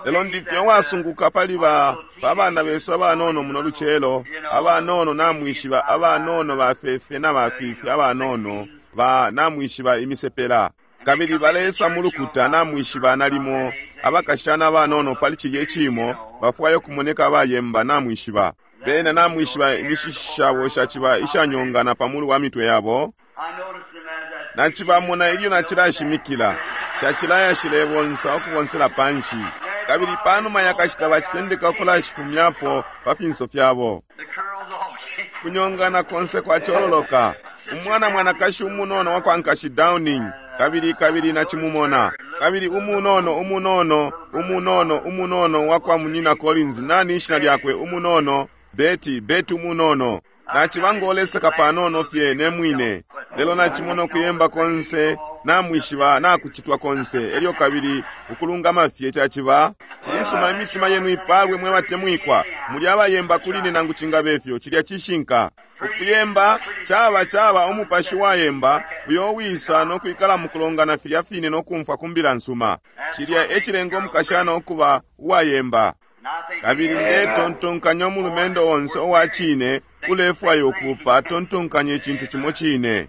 Lelo ndifye uwasunguka pali ba pa bana besu abanono muno lucelo, abanono namwishiba, abanono bafefe na bafifi abanono ba namwishiba imisepela. Kabili balesa mu lukuta namwishiba nalimo abakashana abanono pali cilye ciimo bafwaya ukumoneka abayemba namwishiba. Bena namwishiba imishishi shabo shaciba ishanyongana pa mulu wa mitwe yabo. Nacibamona ilyo nacilashimikila, shacilaya shilebonsa ukubonsela panshi, kabili panuma yakashita bacitendeka ukulashifumyapo pa finso fyabo. Kunyongana konse kwacololoka. Umwana mwanakashi umunono wakwa Nkashi Downing, kabili, kabili nacimumona. Kabili umunono, umunono, umunono, umunono wakwa Munyina Collins, nani ishina lyakwe, umunono, Betty, Betty umunono. Naciba ngoleseka panono fye ne mwine, lelo nacimona ukuyemba konse, namwishiba, nakucitwa konse, elyo kabili ukulungama fye caciba. Cisuma, imitima yenu ipalwe, mwe batemwikwa. Muli abayemba kuli ine nangu cingabe fyo. Cilya cishinka. Ukuyemba caba, caba umupashi wayemba uyo uwisa no kwikala mukulongana filya fine no kumfwa ku Mbila nsuma. Cilya e cilenga umukashana ukuba uwayemba. Kabili ndetontonkanya umulumendo onse uwa cine ulefwaya ukuupa atontonkanya icintu cimo cine.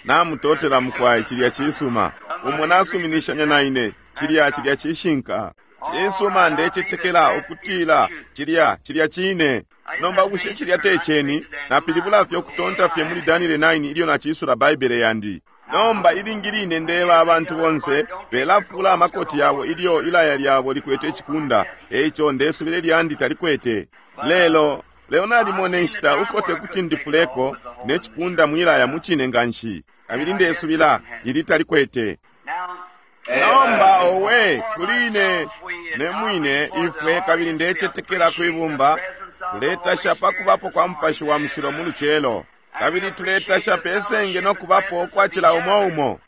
Namutotela, mukwai, cilya cisuma. Umo nasuminishanya na ine, cilya, cilya cishinka. Cisuma, ndecetekela ukutila cilya, cilya cine. Nomba bushe cilya te ceni? Napilibula fye ukutonta fye muli Daniele 9 ilyo nacisula Baibele yandi. Nomba ilingi line ndeba abantu bonse belafula amakoti yabo ilyo ilaya lyabo likwete icipunda, eico ndesubila ilyandi talikwete. Lelo, lelo nalimona inshita uko tekuti ndifuleko ne cipunda mwilaya mucine nganshi, kabili ndesubila ili talikwete. Nomba, owe, kuli ine ne mwine, ifwe, kabili ndecetekela kwi bumba, tuletasha pa kubapo kwa Mupashi wa Mushilo mu lucelo. Kabili tuletasha pe senge no kubapo kwa cila umo umo.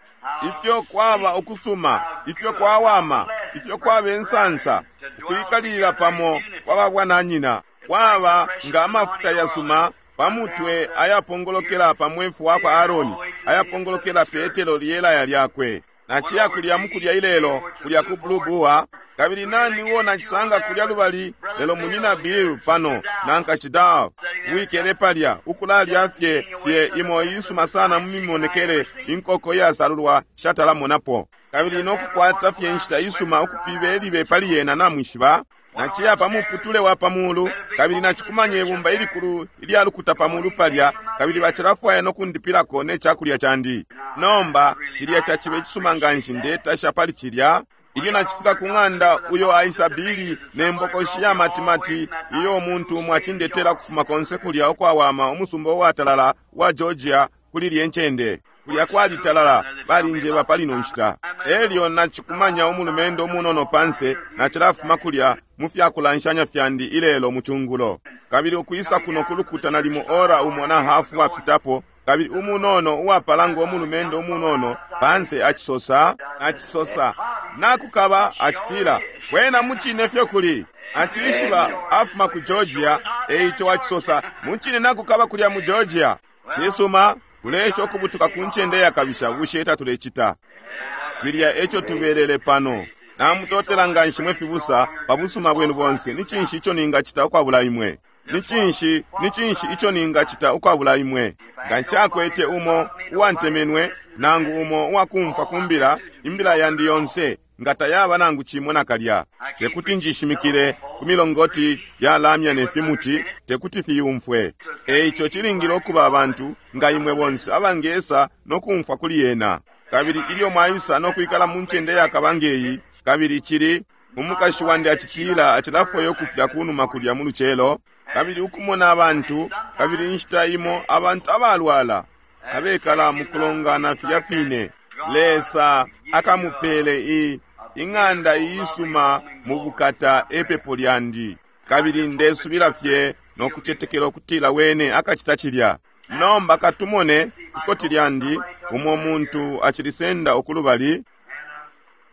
Ifyo kwaba ukusuma, ifyo kwawama, ifyo kwaba insansa, ukwikalilila pamo kwa babwananyina, kwaba nga amafuta yasuma pa mutwe ayapongolokela pa mwefu wakwa Aaroni, ayapongolokela petelo lyelaya lyakwe. Naciya kulya mukulya ilelo, kulya ku Blue Boar, kabili nani uo nacisanga kulya lubali lelo Munyina Bill pano na Nkashi Dal, uwikele palya, ukulalya fye, fye imo iisuma sana mu mimonekele inkoko iyasalulwa shatala monapo, kabili no kukwata fye inshita isuma ukupibe libe pali yena, namwishiba. Naciya pa muputule wa pa mulu, kabili nacikumanya ibumba ilikulu ilya lukuta pa mulu palya, kabili bacilafwaya no kundipilako ne cakulya candi. Nomba, cilya caciba icisuma nganshi, ndetasha pali cilya. Ilyo nacifika ku ng'anda, uyo aisa Billy ne mbokoshi ya matimati iyo umuntu umo acindetela ukufuma konse kulya ukwawama umusumba uwatalala wa Georgia kuli ilye ncende. Kulya kwalitalala, balinjeba pali ino nshita. Elyo nacikumanya umulumendo umunono panse, nacilafuma kulya mu fyakulanshanya fyandi ilelo mu cungulo. Kabili ukwisa kuno ku lukuta nalimo ora umo na hafu wapitapo, kabili umunono uwapala ngo mulumendo umunono panse acisosa, acisosa, nakukaba, acitila, Kwena mucine fyo kuli. Acishiba afuma ku Georgia, eico acisosa, mucine nakukaba kulya mu Georgia. Cisuma, tuleesha ukubutuka ku ncende iyakabisha, bushe tatulecita? Cilya eco tubelele pano. Namutotela nganshi mwe fibusa pa busuma bwenu bonse. Ni cinshi ico ningacita ukwabula imwe? Ni cinshi, ni cinshi ico ningacita ukwabula imwe? Nga nshakwete umo uwantemenwe, nangu umo uwakumfwa ku mbila, imbila yandi yonse nga tayaba nangu cimo nakalya. Tekuti njishimikile ku milongoti ya lamya ne fimuti, tekuti fiyumfwe. Eico cilingile ukuba abantu nga imwe bonse abangesa no kumfwa kuli yena. Kabili ilyo mwaisa no kwikala mu ncende yakaba ngeyi, kabili cili, umukashi wandi acitila acilafwaya ukupya kunuma kulya mu lucelo, kabili ukumona abantu, kabili inshita imo abantu abalwala, abekala mukulongana filya fine, Lesa akamupele i, ing'anda iisuma mu bukata epepo lyandi. Kabili ndesubila fye no kucetekela ukutila Wene akacita cilya. Nomba katumone ikoti lyandi, umo muntu acilisenda ukulubali.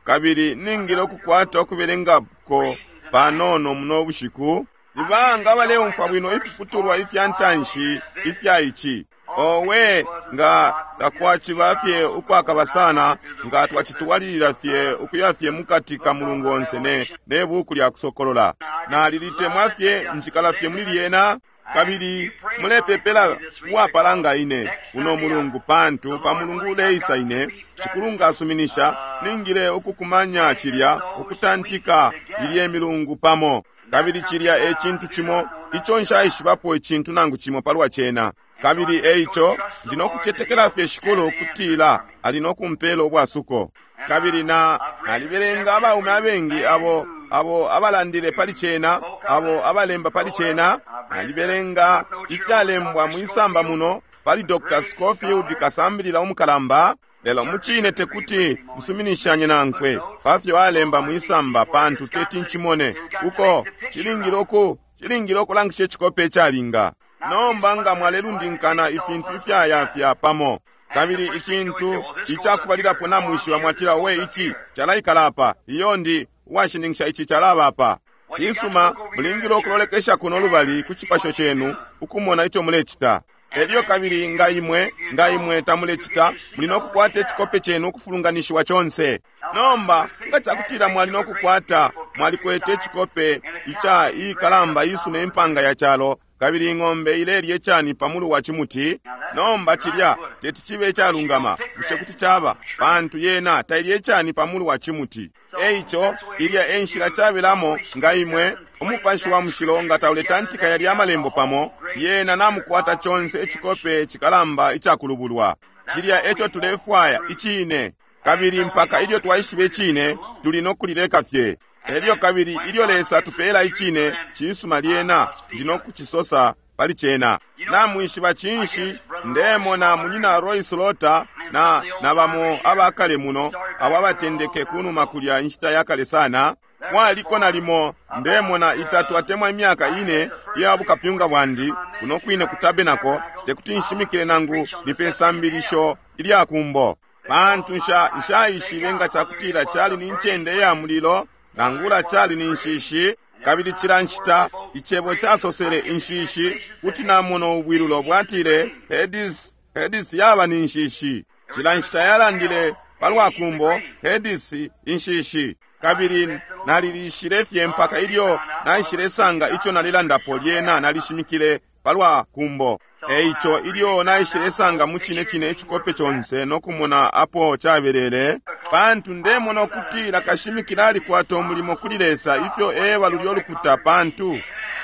Kabili ningile ukukwata ukubelengako panono muno bushiku. Ni banga abaleumfwa bwino ifiputulwa ifya ntanshi ifya ici? Owe, nga takwaciba fye ukwakaba sana, nga twacitwalilila fye ukuya fye mukati ka mulungu onse ne, ne buku lya Kusokolola. Nalilitemwa fye, njikala fye muli lyena. Kabili mulepepela uwapala nga ine uno mulungu, pantu pa mulungu uleisa ine, Shikulu nga asuminisha, ningile ukukumanya cilya, ukutantika ilye milungu pamo. Kabili cilya e cintu cimo ico nshaishibapo icintu nangu cimo palwa cena. Kabili e ico ndi no kucetekela fye Shikulu ukutila ali no kumpela ubwasuko. Kabili na nalibelenga abaume abengi abo abo abalandile pali cena, abo abalemba pali cena. Nalibelenga ifyalembwa mwisamba muno pali Dr. Scofield, kasambilila umukalamba, lelo mucine tekuti nsuminishanye nankwe pafyo alemba mwisamba, pantu teti ncimone uko cilingile uku cilingile ukulangisha icikope icalinga. Nomba nga mwalelundinkana ifintu ifyayafya pamo, kabili icintu icakubalilapo namwishiba mwatila, we ici calaikala apa, iyo ndi uwashininkisha ici calaba apa. Cisuma, mulingile ukulolekesha kuno lubali ku cipasho cenu ukumona ico mulecita. Elyo kabili nga imwe, nga imwe tamulecita, muli no kukwata icikope cenu ukufulunganishiwa conse. Nomba nga cakutila mwali no kukwata, mwalikwete icikope ica ikalamba isuna impanga ya calo, kabili ing'ombe ilelya icani pa mulu wa cimuti. Nomba cilya teti cibe icalungama, bushe kuti caba? Pantu yena tailya icani pa mulu wa cimuti. Eico ilya e nshila cabelamo nga imwe, Umupashi wa Mushilo nga tauletantika yalya amalembo pamo, yena namukwata conse icikope cikalamba icakulubulwa. Cilya eco tulefwaya, icine. Kabili mpaka ilyo twaishiba icine, tuli no kulileka fye. Elyo kabili ilyo Lesa atupela icine, cisuma lyena ndi no kucisosa pali cena. Namwishiba cinshi, ndemona Munyina Roy Slaughter na, na bamo abakale muno, abo abatendeke kunuma kulya inshita yakale sana. Kwaliko nalimo, ndemona, itatu atemwa imyaka ine iya bukapyunga bwandi, kuno kwine ku tabernacle, tekuti nshimikile nangu ni pe sambilisho ilya kumbo. Pantu nsha, nshaishibe nga cakutila cali ni ncende ya mulilo, nangula cali ni nshishi. Kabili cila nshita icebo casosele inshishi, kuti namona ubwilulo bwatile Hades, Hades yaba ni nshishi. Cila nshita yalandile palwa kumbo, Hades, inshishi. Kabili nalilishile fye mpaka ilyo naishilesanga ico nalilandapo, lyena nalishimikile palwa kumbo. Eico ilyo naishilesanga mucine cine icikope conse no kumona apo cabelele, pantu ndemona ukutila kashimikila alikwata umulimo kuli Lesa ifyo eba lulyo lukuta, pantu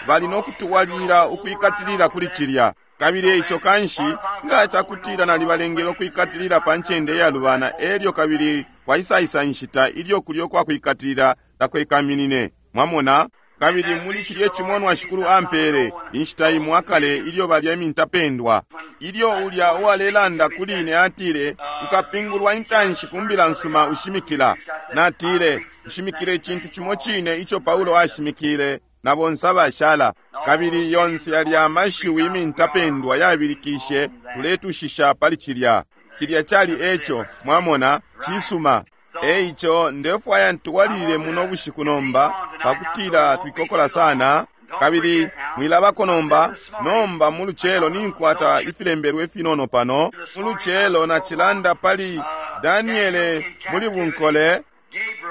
bali no kutuwalila ukwikatilila kuli cilya. Kabili eico kanshi nga cakutila nalibalengele ukwikatilila pa ncende iyalubana, elyo kabili kwaisaisa inshita ilyo kulyo kwa kwikatilila takwekaminine. Mwamona? Kabili muli cilye cimonwa Shikulu ampele, inshita imo akale ilyo balya imintapendwa, ilyo ulya uwalelanda kuli ine atile, Ukapingulwa intanshi ku mbila nsuma ushimikila. Natile, Nshimikile icintu cimo cine ico Paulo ashimikile na bonse abashala. Kabili yonse yalya amashiwi imintapendwa yabilikishe, tuletushisha pali cilya. Cilya cali eco, mwamona. Cisuma. Eico ndefwaya ntwalilile muno bushiku nomba, pakutila twikokola sana. Kabili mwilabako nomba, nomba mu lucelo ninkwata ifilembelwe ifinono pano. Mu lucelo nacilanda pali Daniele muli bunkole,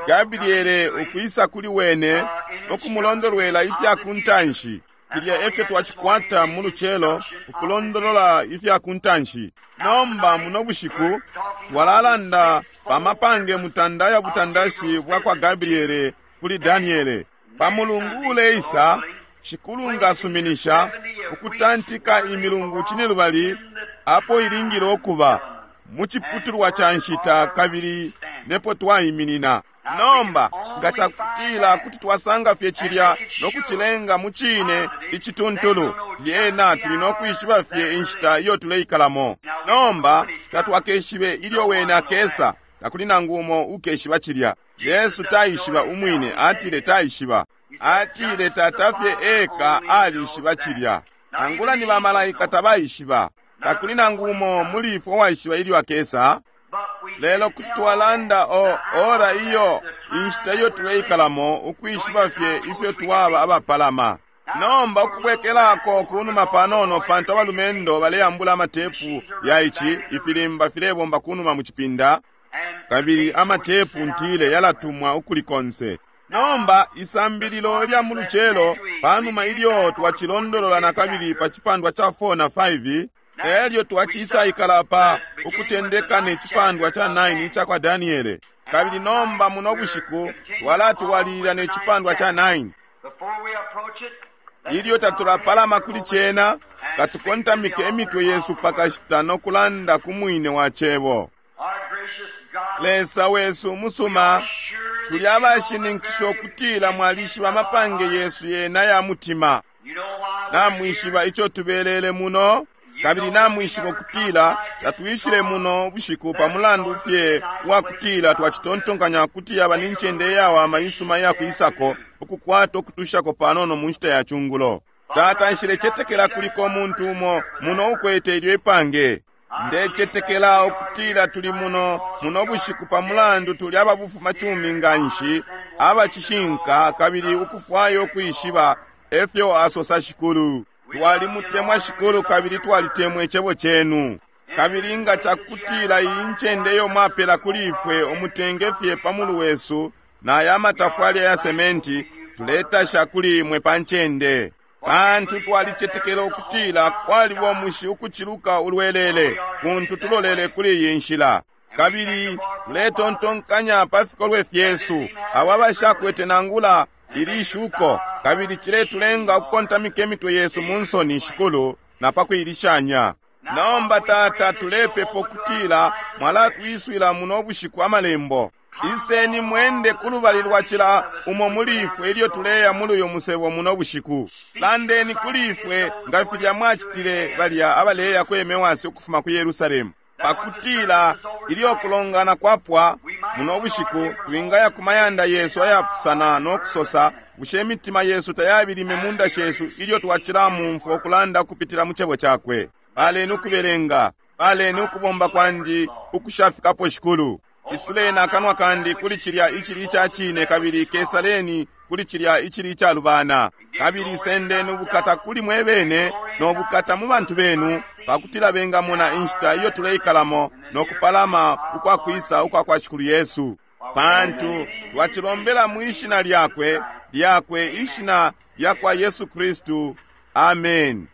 Gabriele ukwisa kuli wene no kumulondolwela ifya ku ntanshi. Filya efyo twacikwata mu lucelo, ukulondolola ifya ku ntanshi. Nomba muno bushiku twalalanda pa mapange mutanda ya butandashi bwa kwa Gabriele kuli Daniele. Pa mulungu uleisa, Shikulu nga asuminisha, ukutantika imilungu cinelubali apo ilingile ukuba mu ciputulwa ca nshita kabili nepo twaiminina. Nomba, nga cakutila kuti twasanga fye cilya no kucilenga mu cine icituntulu, lyena tuli no kwishiba fye inshita iyo tuleikalamo. Nomba, tatwakeshibe ilyo Wene akesa, takuli nangu umo ukeshiba cilya. Yesu taishiba umwine, atile taishiba. Atile Tata fye eka alishiba cilya. Nangula ni bamalaika tabaishiba. Takuli nangu umo muli ifwe uwaishiba ilyo akesa. Lelo kuti twalanda o ora iyo, inshita iyo tuleikalamo, ukwishiba fye ifyo twaba abapalama. Nomba ukubwekelako kunuma panono, pantu abalumendo baleambula amatepu ya ici, ifilimba filebomba kunuma mu cipinda, kabili amatepu ntile yalatumwa ukuli konse. Nomba isambililo lya mu lucelo, panuma ilyo twacilondolola nakabili pa cipandwa ca 4 na 5, elyo twacisaikala pa ukutendeka ne cipandwa ca 9 ica kwa Daniele. Kabili nomba muno bushiku twalatwalilila ne cipandwa ca 9. Ilyo tatulapalama kuli cena, katukontamike imitwe yesu pakashita no kulanda ku mwine wa cebo. Lesa wesu umusuma, tuli abashininkisha ukutila mwalishiba amapange yesu yena ya mutima. Namwishiba ico tubelele muno, kabili namwishiba ukutila tatwishile muno bushiku pa mulandu fye wa kutila twacitontonkanya kuti yaba ni ncende iyawama isuma iyakwisako ukukwata ukutushako panono mu nshita ya cungulo. Tata, nshilecetekela kuliko umuntu umo muno ukwete ilyo ipange. Ndecetekela ukutila tuli muno muno bushiku pa mulandu tuli ababufuma cumi nganshi, abacishinka, kabili ukufwaya ukwishiba efyo asosa Shikulu. Twalimutemwa Shikulu kabili twalitemwa icebo cenu. Kabili nga cakutila iyi ncende iyo mwapela kuli ifwe umutenge fye pa mulu wesu na aya matafwali ya sementi, tuletasha kuli imwe pa ncende. Pantu twalicetekela ukutila kwaliba umushi ukuciluka ulwelele kuntu tulolele kuli iyi nshila. Kabili tuletontonkanya pa fikolwe fyesu abo abashakwete nangula ili shuko, kabili ciletulenga ukukontamika imitwe yesu mu nsoni, Shikulu, na pa kuilishanya. Nomba Tata, tulepepa ukutila mwalatwiswila muno bushiku amalembo. Iseni mwende kulubali lwa cila umo muli ifwe ilyo tuleya muli uyu musebo muno bushiku. Landeni kuli ifwe nga filya mwacitile balya abaleya ku Emewasi ukufuma ku Yerusalemu, pakutila ilyo kulongana kwapwa muno bushiku twingaya ku mayanda yesu ayapusana no kusosa, bushe imitima yesu tayabilime mu nda shesu ilyo twacila mumfwa ukulanda kupitila mu cebo cakwe. Baleni ukubelenga, baleni ukubomba kwandi ukushafikapo, Shikulu. Isuleni akanwa kandi kuli cilya icili ica cine, kabili kesaleni kuli cilya icili icalubana. Kabili sendeni ubukata kuli mwe bene no bukata mu bantu benu, pakutila bengamona inshita iyo tuleikalamo no kupalama ukwa kwisa ukwa kwa Shikulu Yesu. Pantu twacilombela mwi shina lyakwe, lyakwe ishina lya kwa Yesu Kristu. Amen.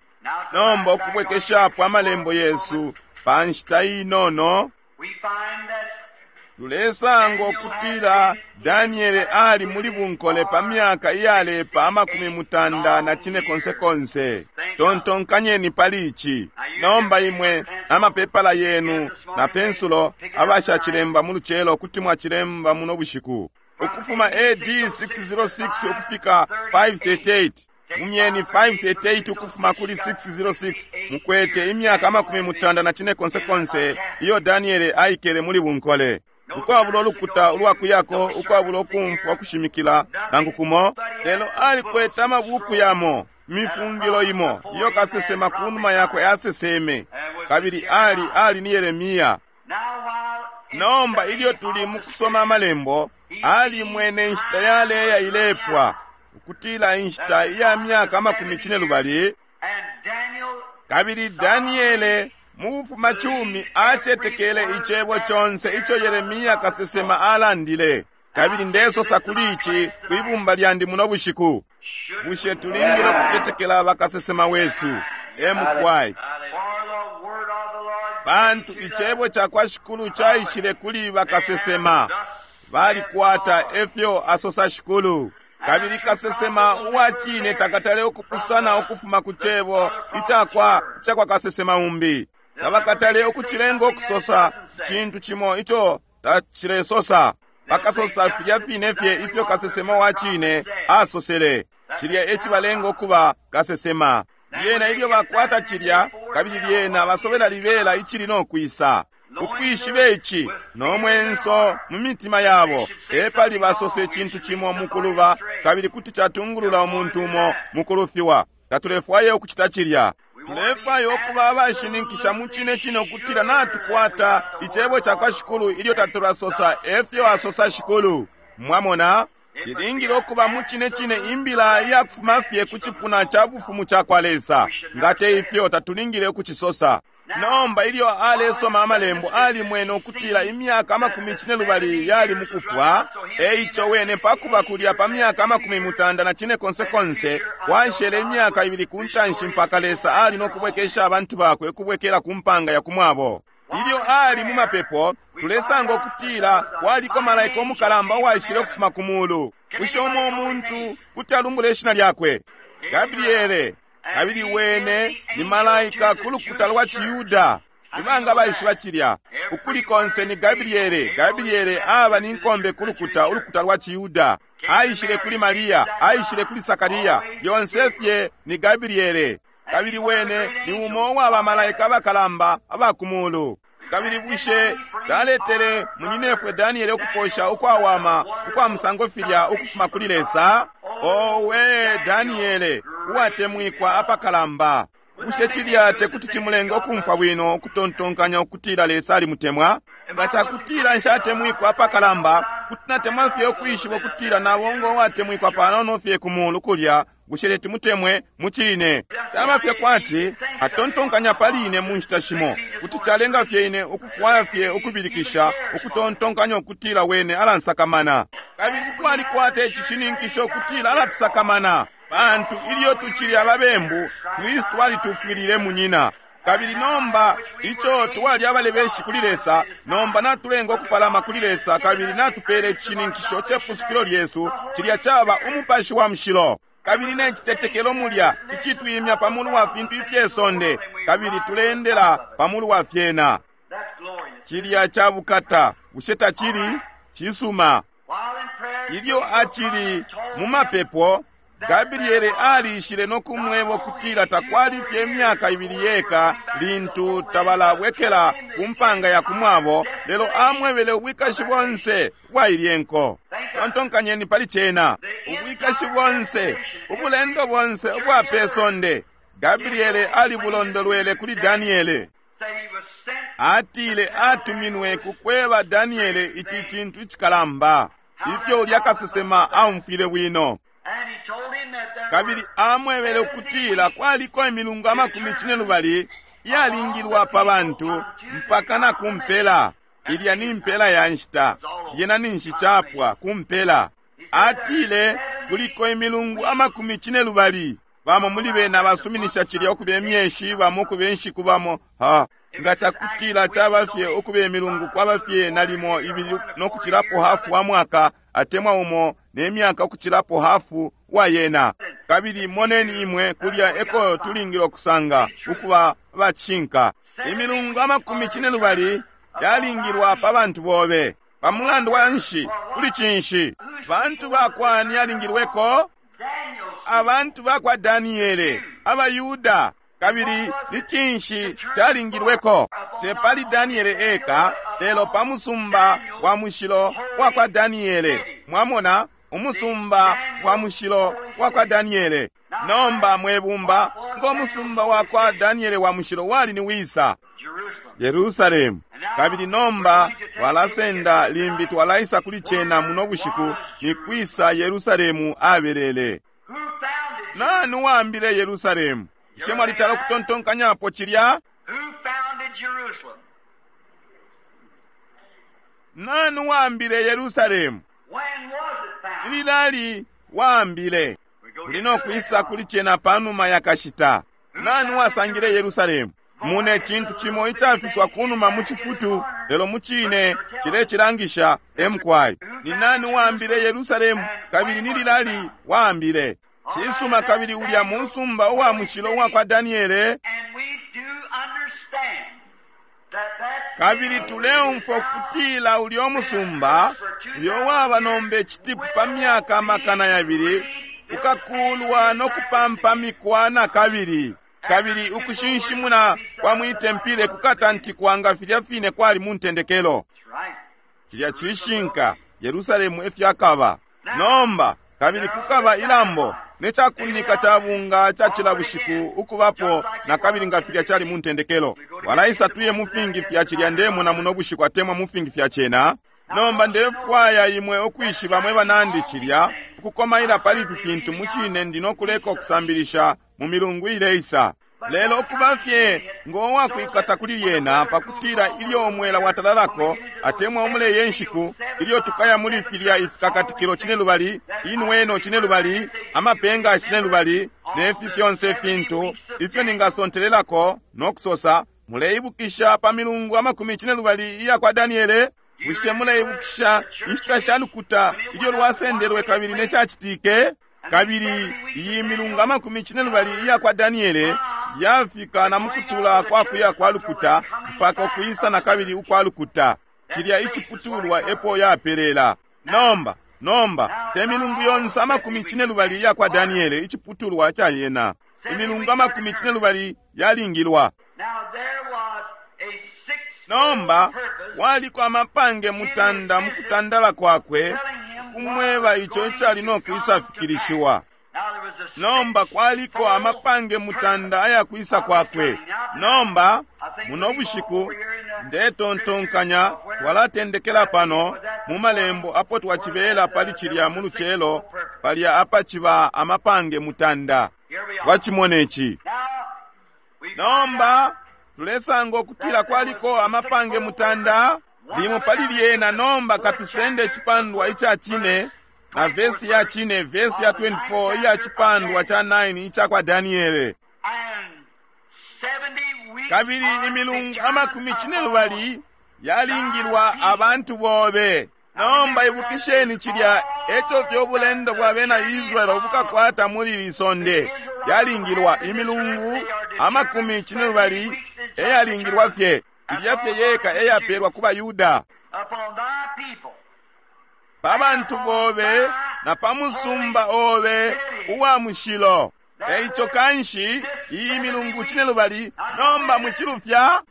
Nomba ukubwekeshapo amalembo yesu pa nshita inono, tulesanga ukutila Daniele ali muli bunkole pa myaka iyalepa 84 konse konse. Tontonkanyeni pali ici. Nomba imwe amapepala yenu na pensulo abashacilemba mu lucelo kuti mwacilemba muno bushiku. Ukufuma AD 606 ukufika 538, mumyeni 538 ukufuma kuli 606, mukwete imyaka 84 konse konse iyo Daniele aikele muli bunkole, ukwabula ulukuta ulwakuyako, ukwabula ukumfwa kushimikila nangu kumo. Lelo alikwete amabuku yamo, mifungilo imo iyo kasesema kunuma yakwe aseseme, kabili ali ni Yeremia. Nomba ilyo tuli mukusoma amalembo, ali mwene inshita yaleya ilepwa, ukutila inshita iya myaka 42. Kabili Daniele mu bufumacumi acetekele icebo conse ico Yeremia kasesema alandile. Kabili ndesosa kuli ici kwibumba lyandi muno bushiku, bushe tulingile ukucetekela bakasesema wesu? Emukwai, pantu icebo ca kwa Shikulu caishile kuli bakasesema, balikwata efyo asosa Shikulu. Kabili kasesema uwa cine takatale ukupusana ukufuma ku cebo icakwa kasesema umbi. Tabakatale ukucilenga ukusosa icintu cimo ico tacilesosa. Bakasosa filya fine fye ifyo kasesema wa cine asosele. Cilya e cibalenga ukuba kasesema. Lyena ilyo bakwata cilya, kabili lyena basobela libela icili no kwisa. Ukwishiba ici no mwenso mu mitima yabo, epali basose icintu cimo mukuluba, kabili kuti catungulula umuntu umo mukulufiwa. Tatulefwaya ukucita cilya. Tulefwaya ukuba abashininkisha mu cine cine ukutila natukwata icebo ca kwa Shikulu ilyo tatulasosa efyo asosa Shikulu. Mwamona? Cilingile ukuba mucine cine imbila iyakufuma fye ku cipuna ca bufumu cakwa Lesa. Nga te ifyo tatulingile ukucisosa. Nomba ilyo alesoma amalembo alimwene ukutila imyaka 40 yali mukupwa. Eico wene pakuba kulya pa myaka 95 konse kwashele imyaka 2 kuntanshi mpaka Lesa ali nokubwekesha abantu bakwe ukubwekela ku mpanga ya kumwabo. Ilyo ali mu mapepo, tulesanga ukutila kwaliko malaika umukalamba uwaishile ukufuma ku mulu. Bushe umo umuntu kuti alumbula ishina lyakwe? Gabriele. Kabili wene ni malaika ku lukuta lwa ciYuda. Ibanga baishiba cilya. Ukuli konse ni Gabriele. Gabriele aba ni nkombe ku lukuta, ulukuta lwa ciYuda. Aishile kuli Maria, aishile kuli Sakaria. Yonse fye ni Gabriele. Kabili wene ni umo uwa bamalaika abakalamba aba ku mulu. Kabili bushe taletele munyinefwe Daniele ukuposha ukwawama ukwa musango filya ukufuma kuli Lesa? Owe, Daniele, uwatemwikwa apakalamba. Bushe cilya tekuti cimulenga ukumfwa bwino ukutontonkanya ukutila Lesa alimutemwa? Nga cakutila nshatemwikwa apakalamba, kuti natemwa fye ukwishiba ukutila nabongo uwatemwikwa panono fye ku mulu kulya. Bushe teti mutemwe mucine? Caba fye kwati atontonkanya pali ine mu nshita shimo. Kuti calenga fye ine ukufwaya fye ukubilikisha ukutontonkanya ukutila wene alansakamana. Kabili twalikwata icishininkisho ukutila alatusakamana. Pantu ilyo tucili ababembu, Kristu alitufwilile munyina. Kabili nomba ico twali abalebeshi kuli Lesa, nomba natulenga ukupalama kuli Lesa, kabili natupele icishininkisho cepusukilo lyesu, cilya caba umupashi wa mushilo. Kabili ne citetekelo mulya icitwimya pa mulu wa fintu ifye sonde, kabili tuleendela pa mulu wa fyena. Cilya ca bukata, bushe tacili? Cisuma. Ilyo acili mu mapepo, Gabriele aliishile no kumweba ukutila takwali fye imyaka 2 yeka lintu tabalabwekela ku mpanga ya kumwabo, lelo amwebele ubwikashi bonse bwa ilye nko. Tontonkanyeni pali cena. Ubwikashi bonse, ubulendo bonse ubwa pe sonde, Gabriele alibulondolwele kuli Daniele. Atile atuminwe ku kweba Daniele ici cintu icikalamba, ifyo ulya kasesema aumfwile bwino. Kabili amwebele ukutila kwaliko imilungu 40 iyalingilwa pa bantu mpaka na kumpela. Ilya ni mpela ya nshita, lyena ninshi capwa kumpela. Atile kuliko imilungu 40. Bamo muli bena basuminisha cilya ukuba imyeshi, bamo ukuba inshiku, bamo ha. Nga cakutila caba fye ukuba imilungu kwaba fye nalimo 2 no kucilapo hafu wa mwaka, atemwa umo ne myaka ukucilapo hafu wa yena. Kabili moneni imwe kulya eko tulingile ukusanga ukuba abacishinka. Imilungu 40 yalingilwa pa bantu bobe. Pa mulandu wa nshi? Kuli cinshi? Bantu bakwani yalingilweko? Abantu bakwa Daniele, abaYuda. Kabili ni cinshi calingilweko? Te pali Daniele eka, lelo pa musumba wa mushilo wa kwa Daniele. Mwamona, umusumba wa mushilo wa kwa Daniele. Nomba mwebumba, ngo musumba wa kwa Daniele wa mushilo wali ni wisa? Yerusalemu. Kabili nomba twalasenda limbi twalaisa kuli cena muno bushiku, ni kwisa Yerusalemu abelele. Nani waambile Yerusalemu? Bushe mwalitala ukutontonkanyapo cilya? Nani waambile Yerusalemu? Lilali waambile. Tuli no kwisa kuli cena panuma ya kashita. Nani wasangile Yerusalemu? Mune cintu cimo icafiswa kunuma mu cifutu, lelo mucine cilecilangisha emkwai. Ni nani waambile Yerusalemu? Kabili ni lilali waambile. Cisuma, kabili ulya musumba uwa mushilo uwa kwa Daniele. Kabili tuleumfwa ukutila ulya umusumba uyo waba nomba icitipu pa myaka 200 ukakulwa no kupampamikwa na kabili. Kabili ukushinshimuna kwa mwitempile kukatantikwa nga filya fine kwali mu ntendekelo. Cilya cishinka, Yerusalemu efyakaba. Nomba kabili kukaba ilambo ne cakunika ca bunga ca cila bushiku ukubapo na kabili nga filya cali mu ntendekelo. Walaisa tuye mu fingi fya cilya ndemona muno bushiku atemwa mu fingi fya cena. Nomba ndefwaya imwe ukwishiba mwe banandi cilya ukukomaila pali ifi fintu mucine ndi no kuleka ukusambilisha mu milungu ileisa. Lelo ukuba fye ngo wakwikata kuli lyena pakutila ilyo umwela watalalako atemwa umuleye nshiku ilyo tukaya muli filya ifikakatikilo cinelubali, inweno cinelubali, amapenga cinelubali, ne fi fyonse ifintu ifyo ningasontelelako no kusosa, muleibukisha pa milungu amakumi cinelubali iya kwa Daniele? Bushe muleibukisha inshita sha lukuta ilyo lwasendelwe kabili ne cacitike? Kabili iyi milungu amakumi cinelubali iya kwa Daniele yafika na mukutula kwa kuya kwa lukuta mpaka ukwisa na kabili ukwa lukuta. Cilya iciputulwa epo yapelela. Nomba te milungu yonse amakumi cinelubali iya kwa Daniele iciputulwa ca yena. Imilungu amakumi cinelubali yalingilwa. Nomba waliko amapange mutanda mukutandala kwakwe kumweba ico icali no kwisa fikilishiwa. Nomba kwaliko amapange mutanda aya kwisa kwakwe. Nomba muno bushiku ndetontonkanya twalatendekela pano mu malembo apo twacibela pali cilya mu lucelo palya apaciba amapange mutanda. Twacimone ci. Nomba tulesanga ukutila kwaliko amapange mutanda limo pali lyena. Nomba katusende icipandwa ica cine na vesi ya cine, vesi ya 24 iya cipandwa ca 9 ica kwa Daniele. Kabili imilungu amakumi cinelubali yalingilwa abantu bobe. Nomba ibukisheni cilya eco fye ubulendo bwa bena Israele ubukakwata muli li sonde. Yalingilwa imilungu amakumi cinelubali eyalingilwa fye, ilya fye yeka eyapelwa ku baYuda. Pa bantu bobe na pa musumba obe uwa mushilo. Eico kanshi iyi milungu cinelubali nomba mucilufya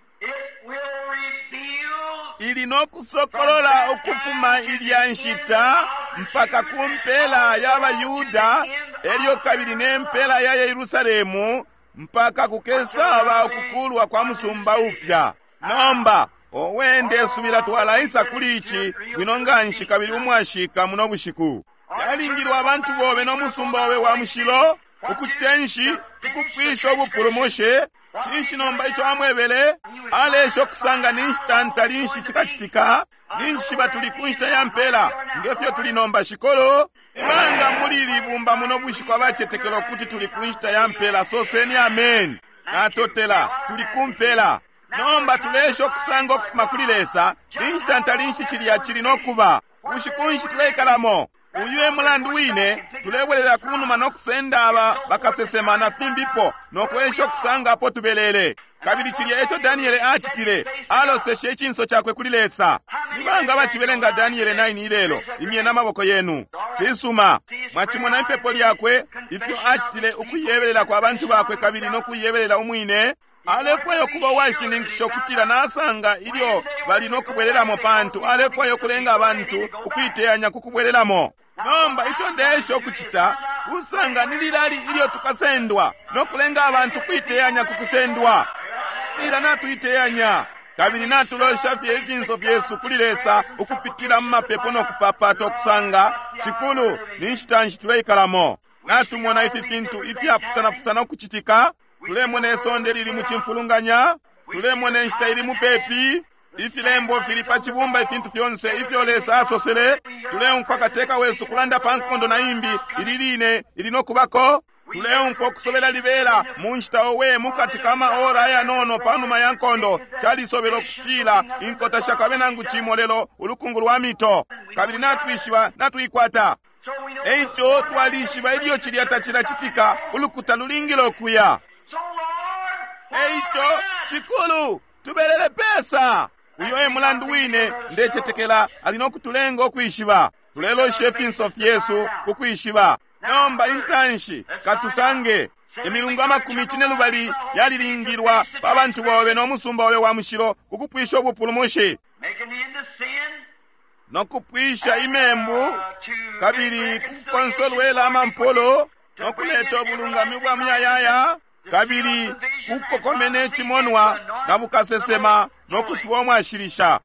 ili no kusokolola ukufuma ilya nshita mpaka ku mpela ya baYuda, elyo kabili ne mpela ya Yerusalemu mpaka kukesaba ukukulwa kwa musumba upya. Nomba owe ndesubila twalaisa kuli ici bwino nganshi kabili umwashika muno bushiku. Yalingilwa abantu bobe no musumba obe wa mushilo ukucite nshi ukupwisha ubupulumushi. Cinshi nomba ico amwebele? Alesha ukusanga ni nshita ntali nshi cikacitika, ni nshiba tuli ku nshita ya mpela ngefyo tuli nomba shikolo. Ibanga muli libumba muno bushiku abacetekela ukuti tuli ku nshita ya mpela, soseni amen. Natotela, tuli ku mpela. Nomba tulesha ukusanga ukufuma kuli Lesa ni nshita ntali nshi cilya cili no kuba. Bushiku nshi tuleikalamo? Uyu e mulandu wine tulebwelela kunuma no kusenda aba bakasesema na fimbipo no kwesha ukusanga apo tubelele. Kabili cilya eco Daniele acitile, aloseshe icinso cakwe kuli Lesa. Ni banga bacibelenga Daniele 9 ilelo? Imye na maboko yenu. Cisuma, mwacimona ipepo lyakwe ifyo acitile ukuyebelela kwa bantu bakwe kabili no kuyebelela umwine. Alefwaya ukuba uwashininkisha ukutila nasanga ilyo bali no kubwelelamo, pantu alefwaya ukulenga abantu ukuiteyanya ku kubwelelamo. Nomba ico ndesha ukucita kusanga ni lilali ilyo tukasendwa no kulenga abantu kuiteyanya ku kusendwa. Ila natuiteyanya kabili natulosha fye ifinso fyesu kuli Lesa ukupitila mu mapepo no kupapata ukusanga Shikulu ni nshita nshi tuleikalamo. Natumona ifi fintu ifyapusanapusana ukucitika. Tulemona isonde lili mu cimfulunganya, tulemona inshita ili mupepi, ifilembo fili pa cibumba, ifintu fyonse ifyo Lesa asosele. Tuleumfwa kateka wesu kulanda pa nkondo na imbi ili line ili no kubako. Tuleumfwa ukusobela libela mu nshita owe mukati ka maora ayanono panuma ya nkondo. Calisobela ukutila inkota shakabe nangu cimo lelo ulukungu lwa mito, kabili natwishiba natuikwata. Eico twalishiba ilyo cilya tacilacitika, ulukuta lulingile ukuya. Eico Shikulu, tubelele pesa. Uyo e mulandu wine ndecetekela ali no kutulenga ukwishiba. Tulelosha ifinso fyesu kukwishiba. Nomba intanshi katusange imilungu amakumi cinelubali yalilingilwa pa bantu bobe no musumba obe wa mushilo kukupwisha ubupulumushi no kupwisha imembu, kabili kukonsolwela amampolo no kuleta ubulungami bwa muyayaya, kabili kukokomene cimonwa na bukasesema no kusuba umwashilisha.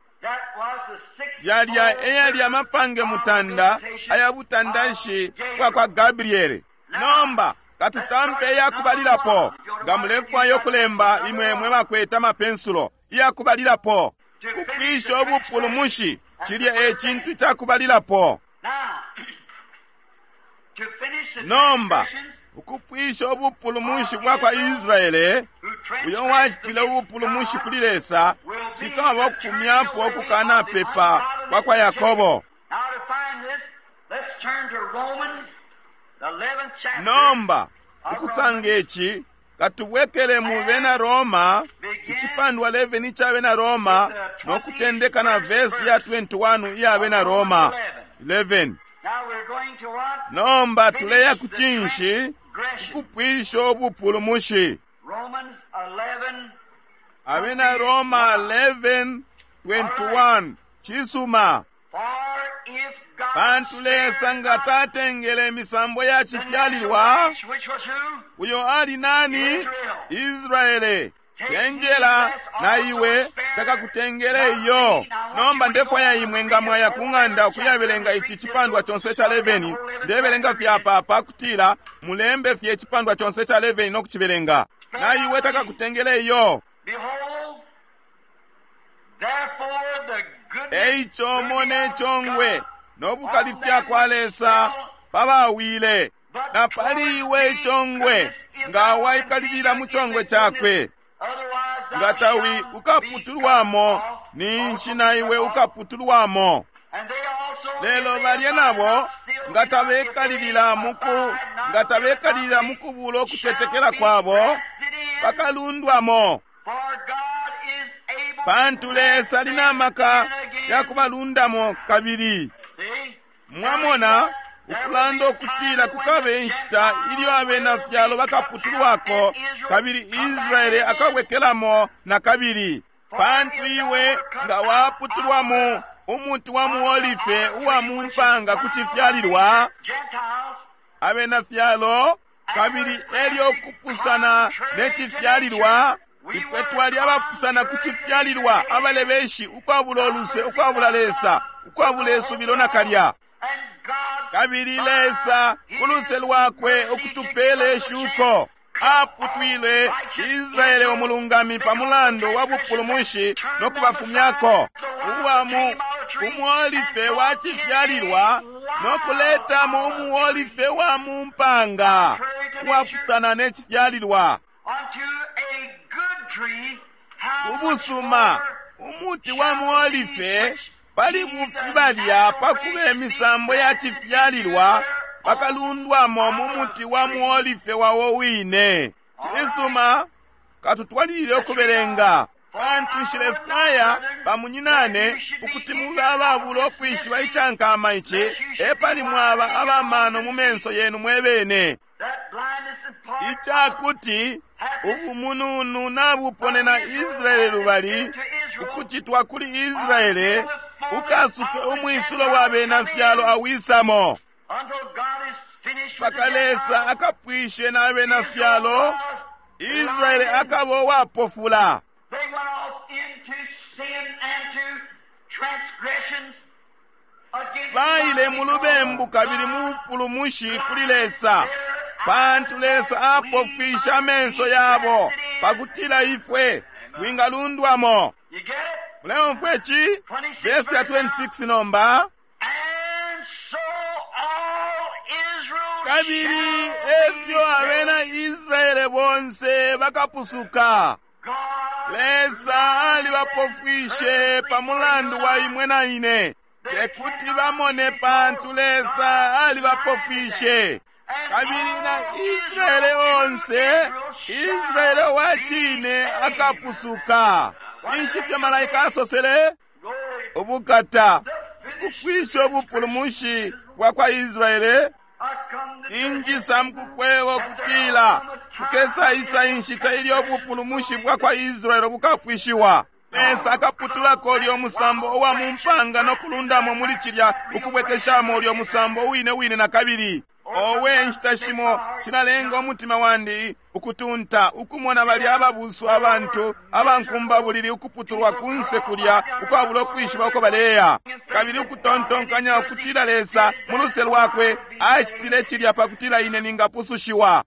Yalya eyali amapange mutanda aya butandashi bwakwa Gabriele. Nomba katutampe iyakubalilapo. Nga mulefwaya ukulemba, imwe mwe bakwete amapensulo, iyakubalilapo kupwisha ubupulumushi, cilya e cintu cakubalilapo. Nomba ukupwisha ubupulumushi bwakwa Israele, uyo wacitile ubupulumushi kuli Lesa, cikaba ukufumyapo ukukanapepa kwakwa Yakobo. Nomba ukusanga ici, katubwekele mu Bena Roma, icipandwa 11 ica Bena Roma, no kutendeka na vesi ya 21 iya Bena Roma 11. Nomba tuleya ku cinshi? Ukupwisha ubupulumushi. Abena Roma 11:21. Cisuma. Pantu Lesa nga tatengele imisambo ya cifyalilwa, uyo ali nani? Israele. Cenjela na iwe takakutengele iyo. Nomba ndefwaya imwe nga mwaya ku ng'anda ukuyabelenga ici cipandwa conse ca 11. Ndebelenga fye apa pakutila mulembe fye icipandwa conse ca 11 no kucibelenga. Na iwe takakutengele iyo. Eico mone icongwe no bukalifya kwa Lesa pabawile, na pali iwe icongwe nga waikalilila mu congwe cakwe. Nga tawi ukaputulwamo, ninshi na iwe ukaputulwamo. Lelo balya nabo nga tabekalilila muku nga tabekalilila mukubula ukutetekela kwabo, bakalundwamo. Pantu Lesa ali na maka ya kubalundamo kabili. Mwamona, ukulanda ukutila kukabe inshita ilyo abena fyalo bakaputulwako kabili Israele akabwekelamo na kabili. Pantu iwe nga waputulwamo umuti wa muolife uwa mu mpanga ku cifyalilwa, abena fyalo, kabili elyo kupusana ne cifyalilwa, ifwe twali abapusana ku cifyalilwa, abalebeshi, ukwabula uluse, ukwabula Lesa, ukwabula isubilo nakalya. Kabili Lesa ku luse lwakwe ukutupela ishuko, aputwile Israele umulungami pa mulandu wa bupulumushi no kubafumyako uwa mu umuolife wa cifyalilwa no kuletamo umuolife wa mu mpanga uwapusana ne cifyalilwa. Ubusuma umuti wa muolife pali bufi balya pakuba imisambo ya cifyalilwa bakalundwamo mu muti wa muolife wawo wine. Cisuma, katutwalilile ukubelenga. Pantu nshilefwaya bamunyinane ukuti mube ababula ukwishiba icankama ici, epali mwaba abamano mu menso yenu mwebene, icakuti ubumununu nabuponena Israele lubali, ukucitwa kuli Israele ukasuke umwisulo wa bena fyalo awisamo, mpaka Lesa akapwishe na bena fyalo, Israele akaba uwapofula. Baile mu lubembu kabili mu bupulumushi kuli Lesa, pantu Lesa apofwisha amenso yabo pakutila ifwe twingalundwamo. Muleumfwa ici? Verse ya 26 nomba. Kabili efyo abena Israele bonse bakapusuka. Lesa alibapofwishe pa mulandu wa imwe na ine. Tekuti bamone pantu Lesa alibapofwishe. Kabili na Israele onse, Israele wa cine akapusuka. Finshi fyo malaika asosele? Ubukata, ukupwisha ubupulumushi bwa kwa Israele. Injisa mukukweba ukutila kukesaisa inshita ilyo ubupulumushi bwa kwa Israele bukapwishiwa. Lesa akaputulako ulyo musambo uwa mu mpanga no kulundamo muli cilya ukubwekeshamo ulyo musambo wine wine na kabili. Owe, inshita shimo shilalenga umutima wandi ukutunta ukumona balya ababusu abantu abankumbabulili ukuputulwa kunse kulya ukwabula ukwishiba uko baleya, kabili ukutontonkanya ukutila Lesa mu luse lwakwe acitile cilya pakutila ine ningapusushiwa.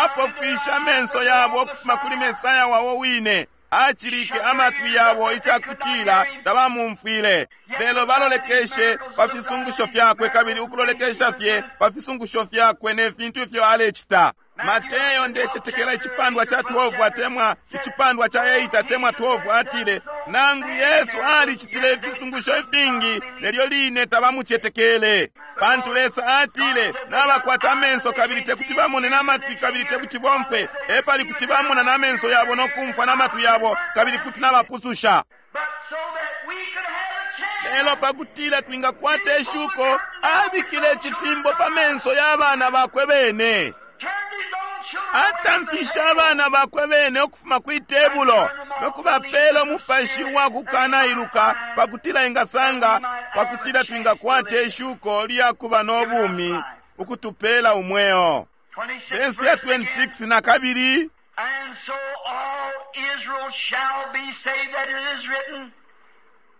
Apofwisha amenso yabo ukufuma kuli Mesaya wabo wine, acilike amatwi yabo icakutila tabamumfwile, lelo balolekeshe pa fisungusho fyakwe kabili ukulolekesha fye pa fisungusho fyakwe ne fintu ifyo alecita. Mateyo, ndecetekela icipandwa ca 12 atemwa icipandwa ca 8 atemwa 12, atile nangu Yesu alicitile ifisungusho ifingi, nelyo line tabamucetekele, pantu Lesa atile nabakwata amenso kabili tekuti bamone, n'amatwi kabili tekuti bomfwe, epali kuti bamona n'amenso yabo no kumfwa n'amatwi yabo kabili kuti nabapususha. But so that we could have a chance. Lelo pakutila twingakwata ishuko, abikile icifimbo pa menso ya bana bakwe bene, Turned his own children away from the atamfisha table. abana bakwe bene ukufuma kwi tebulo no kubapela umupashi wa kukanailuka pakutila ingasanga, pakutila twingakwata ishuko lya kuba no bumi, ukutupela umweo. 26 Verse ya verse again. 26 na kabili, And so all Israel shall be saved, that it is written,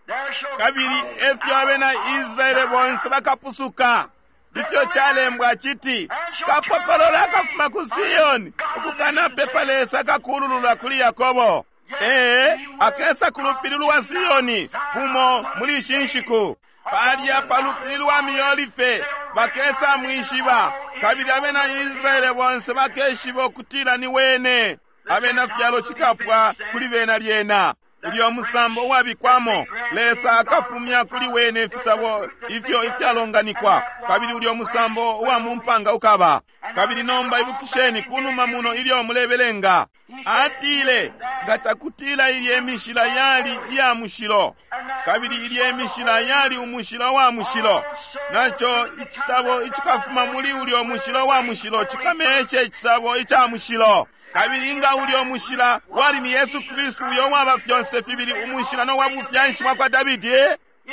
There shall kabili come efyo out abena of Israele Zion bonse bakapusuka. Ifyo calembwa citi, kapokolola akafuma ku Siyoni, ukukanapepa Lesa kakululula kuli Yakobo. Ee, akesa ku lupili lwa Siyoni kumo muli ishi nshiku. Palya pa lupili lwa Miolife bakesa mwishiba, kabili abena Israele bonse bakeshiba ukutila ni wene. Abena fyalo cikapwa kuli bena lyena. Ulyo musambo uwabikwamo, Lesa akafumya kuli wene ifisabo ifyo ifyalonganikwa, kabili ulyo musambo uwa mu mpanga ukaba. Kabili nomba ibukisheni kunuma muno ilyo mulebelenga, atile nga cakutila ilye mishila yali iya mushilo, kabili ilye mishila yali umushila wa mushilo, naco icisabo icikafuma muli ulyo mushilo wa mushilo cikameshe icisabo ica mushilo. Kabili nga ulyo mushila wali ni Yesu Kristu, uyo waba fyonse fibili umushila no wa bufyanshi bwa kwa Davidi,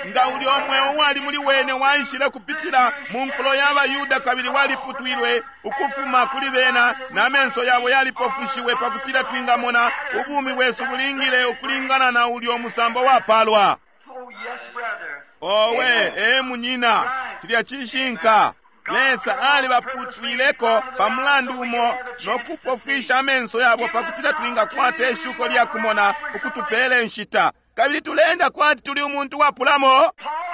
nga ulyo mweo wali muli wene waishile kupitila mu nkulo ya baYuda kabili waliputwilwe ukufuma kuli bena, na menso yabo yalipofushiwe pakutila twingamona ubumi bwesu bulingile ukulingana na ulyo musambo wapalwa. Oh, yes, brother. Owe, ee munyina, cilya cishinka. Lesa alibaputwileko pa mulandu umo no kupofwisha amenso yabo pakutila twingakwata ishuko lya kumona ukutupela inshita, kabili tulenda kwati tuli umuntu wapulamo. Paul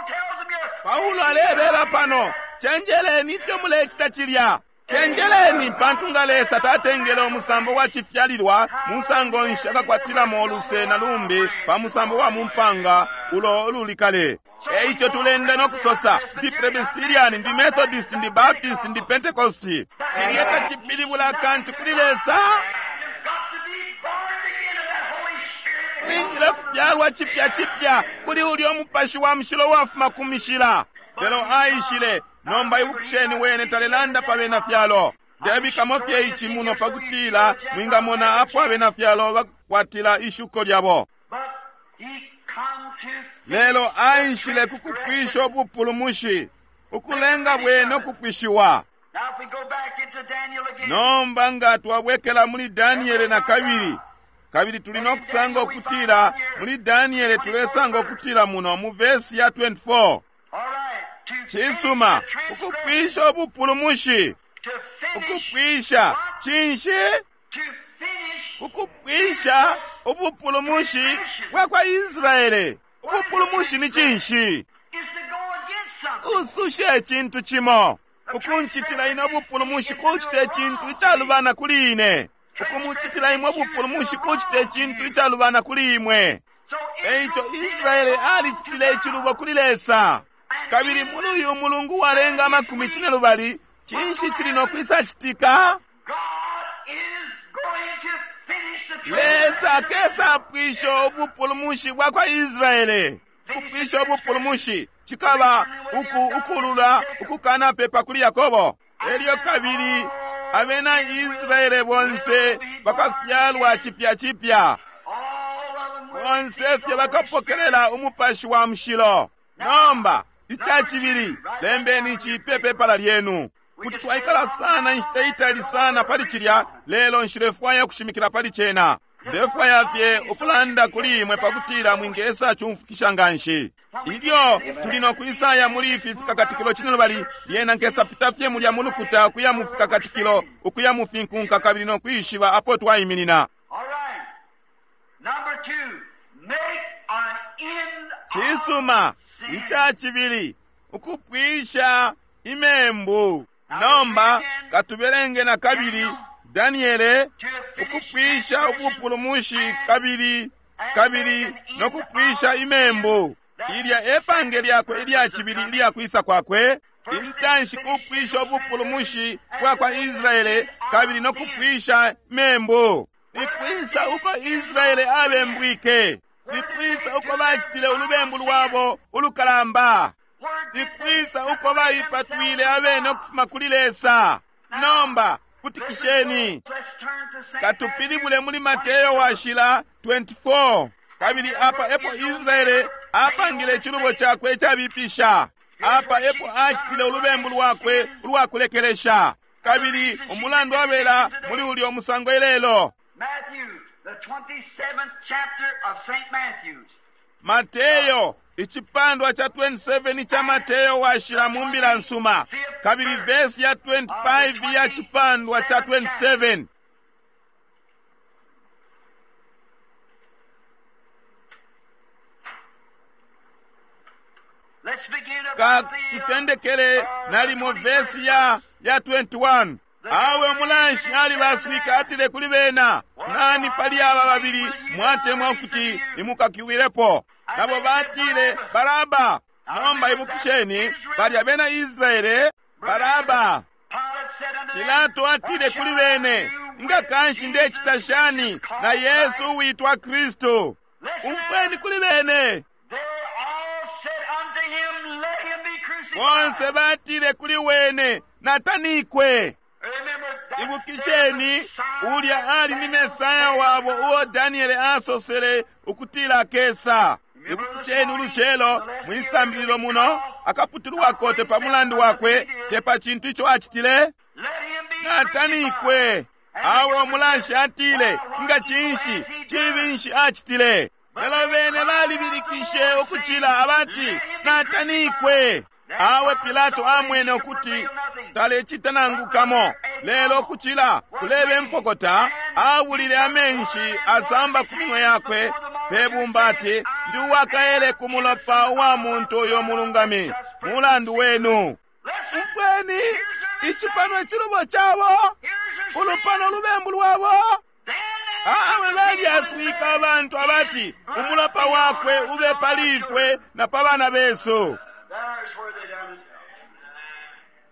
tells them you're Paulo alebeba pano, cenjeleni ifyo mulecita cilya. Cenjeleni, pantu nga Lesa tatengele umusambo wa cifyalilwa musango nshi akakwatilamo uluse na lumbi pa musambo wa mumpanga ulo ululi kale. Eico tulenda no kusosa, ndi Presbyterian, ndi Methodist, ndi Baptist, ndi Pentecost. Cilya tacipilibula kantu kuli Lesa. You've got to be born again of that Holy Spirit. Ulingile kufyalwa cipya cipya kuli ulyo mupashi wa mushilo wafuma ku mishila. Lelo aishile, nomba ibukisheni wene talelanda pa bena fyalo. Ndebikamo fye ici muno pakutila mwingamona apo abena fyalo bakwatila ishuko lyabo. But he come to Lelo aishile ku kupwisha ubupulumushi, ukulenga bwene ukupwishiwa. Now if we go back into Daniel again. Nomba nga twabwekela muli Daniele na kabili, kabili tuli no kusanga ukutila muli Daniele tulesanga ukutila muno mu vesi ya 24. All right. To Cisuma, finish the ukupwisha ubupulumushi, to finish, ukupwisha cinshi? to finish Ukupwisha ubupulumushi bwa kwa Israele. Ubupulumushi ni cinshi? is to go against something. Kususha icintu cimo. Ukuncitila ine ubupulumushi kucita icintu icalubana kuli ine. Ukumucitila imwe ubupulumushi kucita icintu icalubana kuli imwe. So Eico Israele alicitile icilubo kuli Lesa. Kabili muli uyu mulungu walenga 12, cinshi cili no kwisacitika? God is going to finish the Lesa akesa apwisha ubupulumushi bwa kwa Israele. Kupwisha ubupulumushi cikaba uku ukulula ukukanapepa kuli Yakobo. Elyo kabili abena Israele bonse bakafyalwa cipya cipya. All of them will Bonse fye bakapokelela umupashi wa mushilo. Nomba, ica cibili, lembeni ici pe pepala lyenu. Kuti twaikala sana inshita itali sana pali cilya, lelo nshilefwaya kushimikila pali cena. Ndefwaya fye ukulanda kuli imwe pakutila mwingesa chumfukisha nganshi. Ilyo tuli no kwisaya muli ifi fikakatikilo cinelubali, lyena nkesapita fye mulya mulukuta ukuya mu fikakatikilo, ukuya mu finkunka kabili no kwishiba apo twaiminina. All right. Number 2, make an end of Cisuma, ica cibili, ukupwisha imembu. Nomba katubelenge na kabili Daniele, ukupwisha ubupulumushi kabili kabili no kupwisha imembu. Ilya epange lyakwe ilya cibili ilya kwisa kwakwe, intanshi kupwisha ubupulumushi bwa kwa Israele kabili no kupwisha imembu. Nikwisa uko Israele abembwike? Nikwisa uko bacitile ulubembu lwabo ulukalamba? Nikwisa uko baipatwile abene ukufuma kuli Lesa? Nomba kutikisheni. Let's turn to St. Katupilibule muli Mateyo washila 24. Kabili apa epo Israele apangile icilubo cakwe icabipisha. Apa epo acitile ulubembu lwakwe ulwakulekelesha. Kabili umulandu wabela muli ulyo musango ilelo. Matthew, the 27th chapter of St. Matthew's. Mateyo icipandwa cha 27 cha Mateyo washila mu mbila nsuma, kabili vesi ya 25 ya chipandwa cha 27. Let's begin Ka about the, tutendekele nalimo vesi ya 21. Awe umulanshi alibaswika atile kuli bena, nani pali aba babili mwatemwa ukuti imukakiwilepo? Nabo batile Baraba. Nomba ibukisheni, bali abena Israele, Baraba. Pilate said unto them, Pilato atile kuli bene, nga kanshi ndecita shani na Yesu uwitwa Kristu? Umfweni kuli bene. They all said unto him, Let him be crucified. Bonse batile kuli wene, natanikwe. Remember that Ibukisheni, ulya ali ni Mesaya wabo uo Daniele asosele ukutila akesa. Ibukisheni ulucelo mwisambililo muno akaputulwako te pa mulandu wakwe, te pa cintu ico acitile. Let him be Natanikwe. Awe umulanshi atile, nga cinshi cibi nshi acitile? Lelo bene balibilikishe ukucila abati, natanikwe. Awe Pilato amwene ukuti talecita nangu kamo, lelo ukucila kulebe mpokota, abulile amenshi asamba ku minwe yakwe pe bumba ati, ndi uwakaele ku mulopa wa muntu uyo mulungami, mulandu wenu. Umfweni, ici pano icilubo cabo, ulupano lubembu lwabo. Awe balyaswika abantu abati, umulopa wakwe ube pali ifwe na pa bana besu. There's where they done it.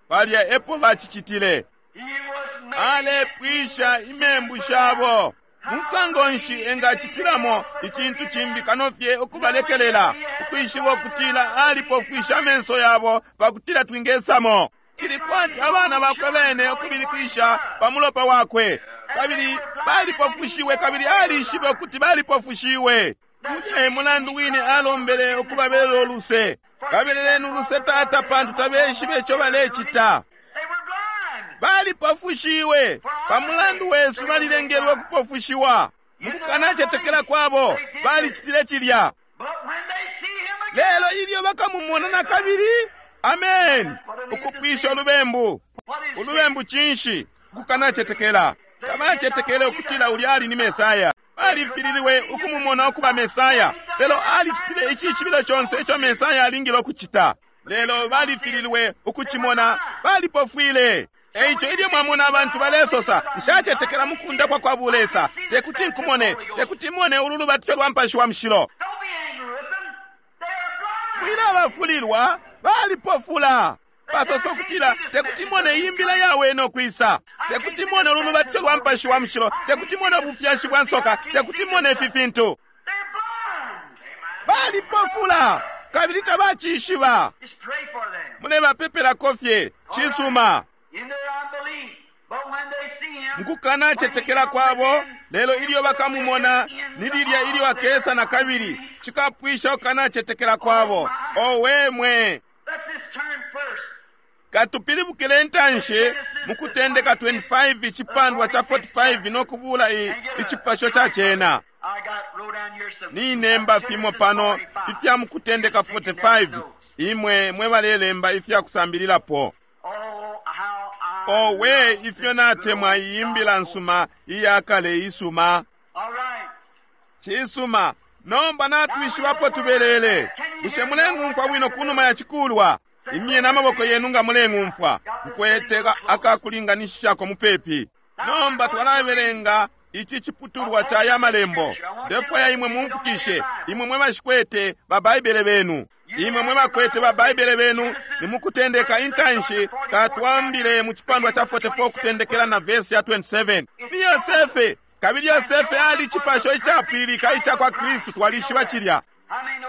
Palya epo bacicitile. He was made Alepwisha imembu shabo. Musango nshi engacitilamo icintu cimbi kano fye ukubalekelela, ukwishiba ukutila alipofwisha amenso yabo pakutila twingesamo. Cili kwati abana bakwe bene ukubilikisha pa mulopa wakwe. Kabili balipofushiwe kabili alishibe ukuti balipofushiwe. Mulya e mulandu wine alombele ukubabelela uluse. Babeleleni uluse tata pantu tabeshibe ico balecita. They were blind. Balipofushiwe pa mulandu wesu balilengelwe ukupofushiwa. Mukukanacetekela kwabo balicitile cilya. But when they see him again, Lelo ilyo bakamumona na kabili, amen, ukupwisha ulubembu. what is Ulubembu cinshi? Ukukanacetekela. Tabacetekele ukutila ulya ali ni Mesaya. Balifililwe ukumumona ukuba Mesaya, lelo alicitile icishibilo conse ico Mesaya alingile ukucita. Lelo balifililwe ukucimona, balipofwile. Eico ilyo mwamona abantu balesosa, nshacetekela mukundapwa kwa bulesa, tekuti nkumone, tekuti mone ulu lubatisho lwa Mupashi wa Mushilo. Don't be angry with them. They are blind. Mwilabafulilwa, balipofula. Basosa ukutila tekuti mone imbila yawe no kwisa, tekuti mone ulu lubatisho lwa Mupashi wa Mushilo, tekuti mone ubufyashi bwa nsoka, tekuti mone ifi fintu. They're blind. Balipofula kabili tabacishiba. Just pray for them. Mulebapepelako fye cisuma. In their unbelief. But when they see him, Mukukanacetekela kwabo, lelo ilyo bakamumona ni lilya ilyo akesa na kabili, cikapwisha ukukanacetekela kwabo. Owe mwe! let's just turn first. Katupilibukile intanshi mu Kutendeka 25 icipandwa ca 45 no kubula icipasho ca cena. Ninemba fimo pano ifya mu Kutendeka 45, imwe mwe balelemba ifya kusambililapo. Owe, ifyo natemwa iyi mbila nsuma iya kale isuma. Cisuma, nomba natwishibapo tubelele. Bushe muleng'umfwa bwino kunuma ya cikulwa? Imyeni amaboko yenu nga muleng'umfwa. Nkwete akakulinganishishako mupepi. Nomba twalabelenga ici ciputulwa ca ya malembo. Ndefwaya imwe mumfukishe, imwe mwe bashikwete ba Baibele benu. Imwe mwe bakwete ba Baibele benu, ni mukutendeka intanshi katwambile mu cipandwa ca 44 kutendekela na verse ya 27. Ni Yosefe, kabili Yosefe ali cipasho icapwililika ica kwa Kristu, twalishiba cilya.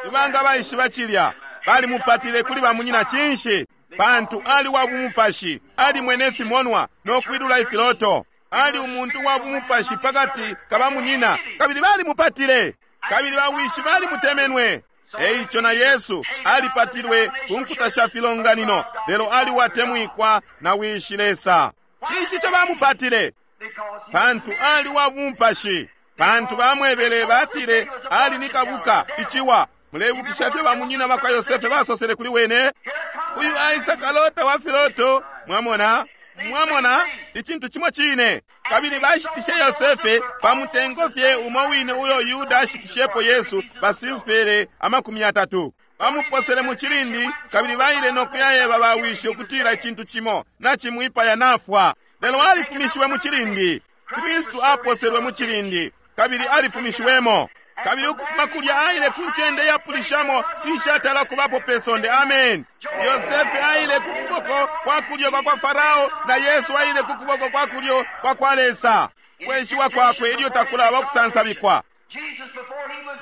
Ibanga baishiba cilya, balimupatile kuli bamunyina cinshi? Pantu ali wa bumupashi, ali mwene fimonwa no kwilula ifiloto. Ali umuntu wa bumupashi pakati ka bamunyina, kabili balimupatile, kabili bawishi balimutemenwe. Eico na Yesu alipatilwe ku nkuta sha filonganino, lelo ali watemwikwa na wishi Lesa. Cinshi ico bamupatile? Pantu ali wa bumupashi. Pantu bamwebele batile ali ni kabuka iciwa. Mulebukisha fye bamunyina bakwa Yosefe basosele kuli wene, uyu aisa kalota wa filoto. Mwamona? Mwamona icintu cimo cine. Kabili bashitishe Yosefe pa mutengo fye umo wine uyo Yuda ashitishepo Yesu basilfere 30. Bamuposele mu cilindi, kabili baile no kuyayeba bawishi ukutila icintu cimo nacimwipaya nafwa. Lelo alifumishiwe mu cilindi. Kristu aposelwe mu cilindi, kabili alifumishiwemo. Kabili ukufuma kulya aile ku ncende yapulishamo ishatala kubapo pe sonde. Amen. Yosefe aile ku kuboko kwa kulyo kwa kwa Farao, na Yesu aile ku kuboko kwa kulyo kwa kwa Lesa. Kweshiwa kwakwe ilyo takulaba kusansabikwa.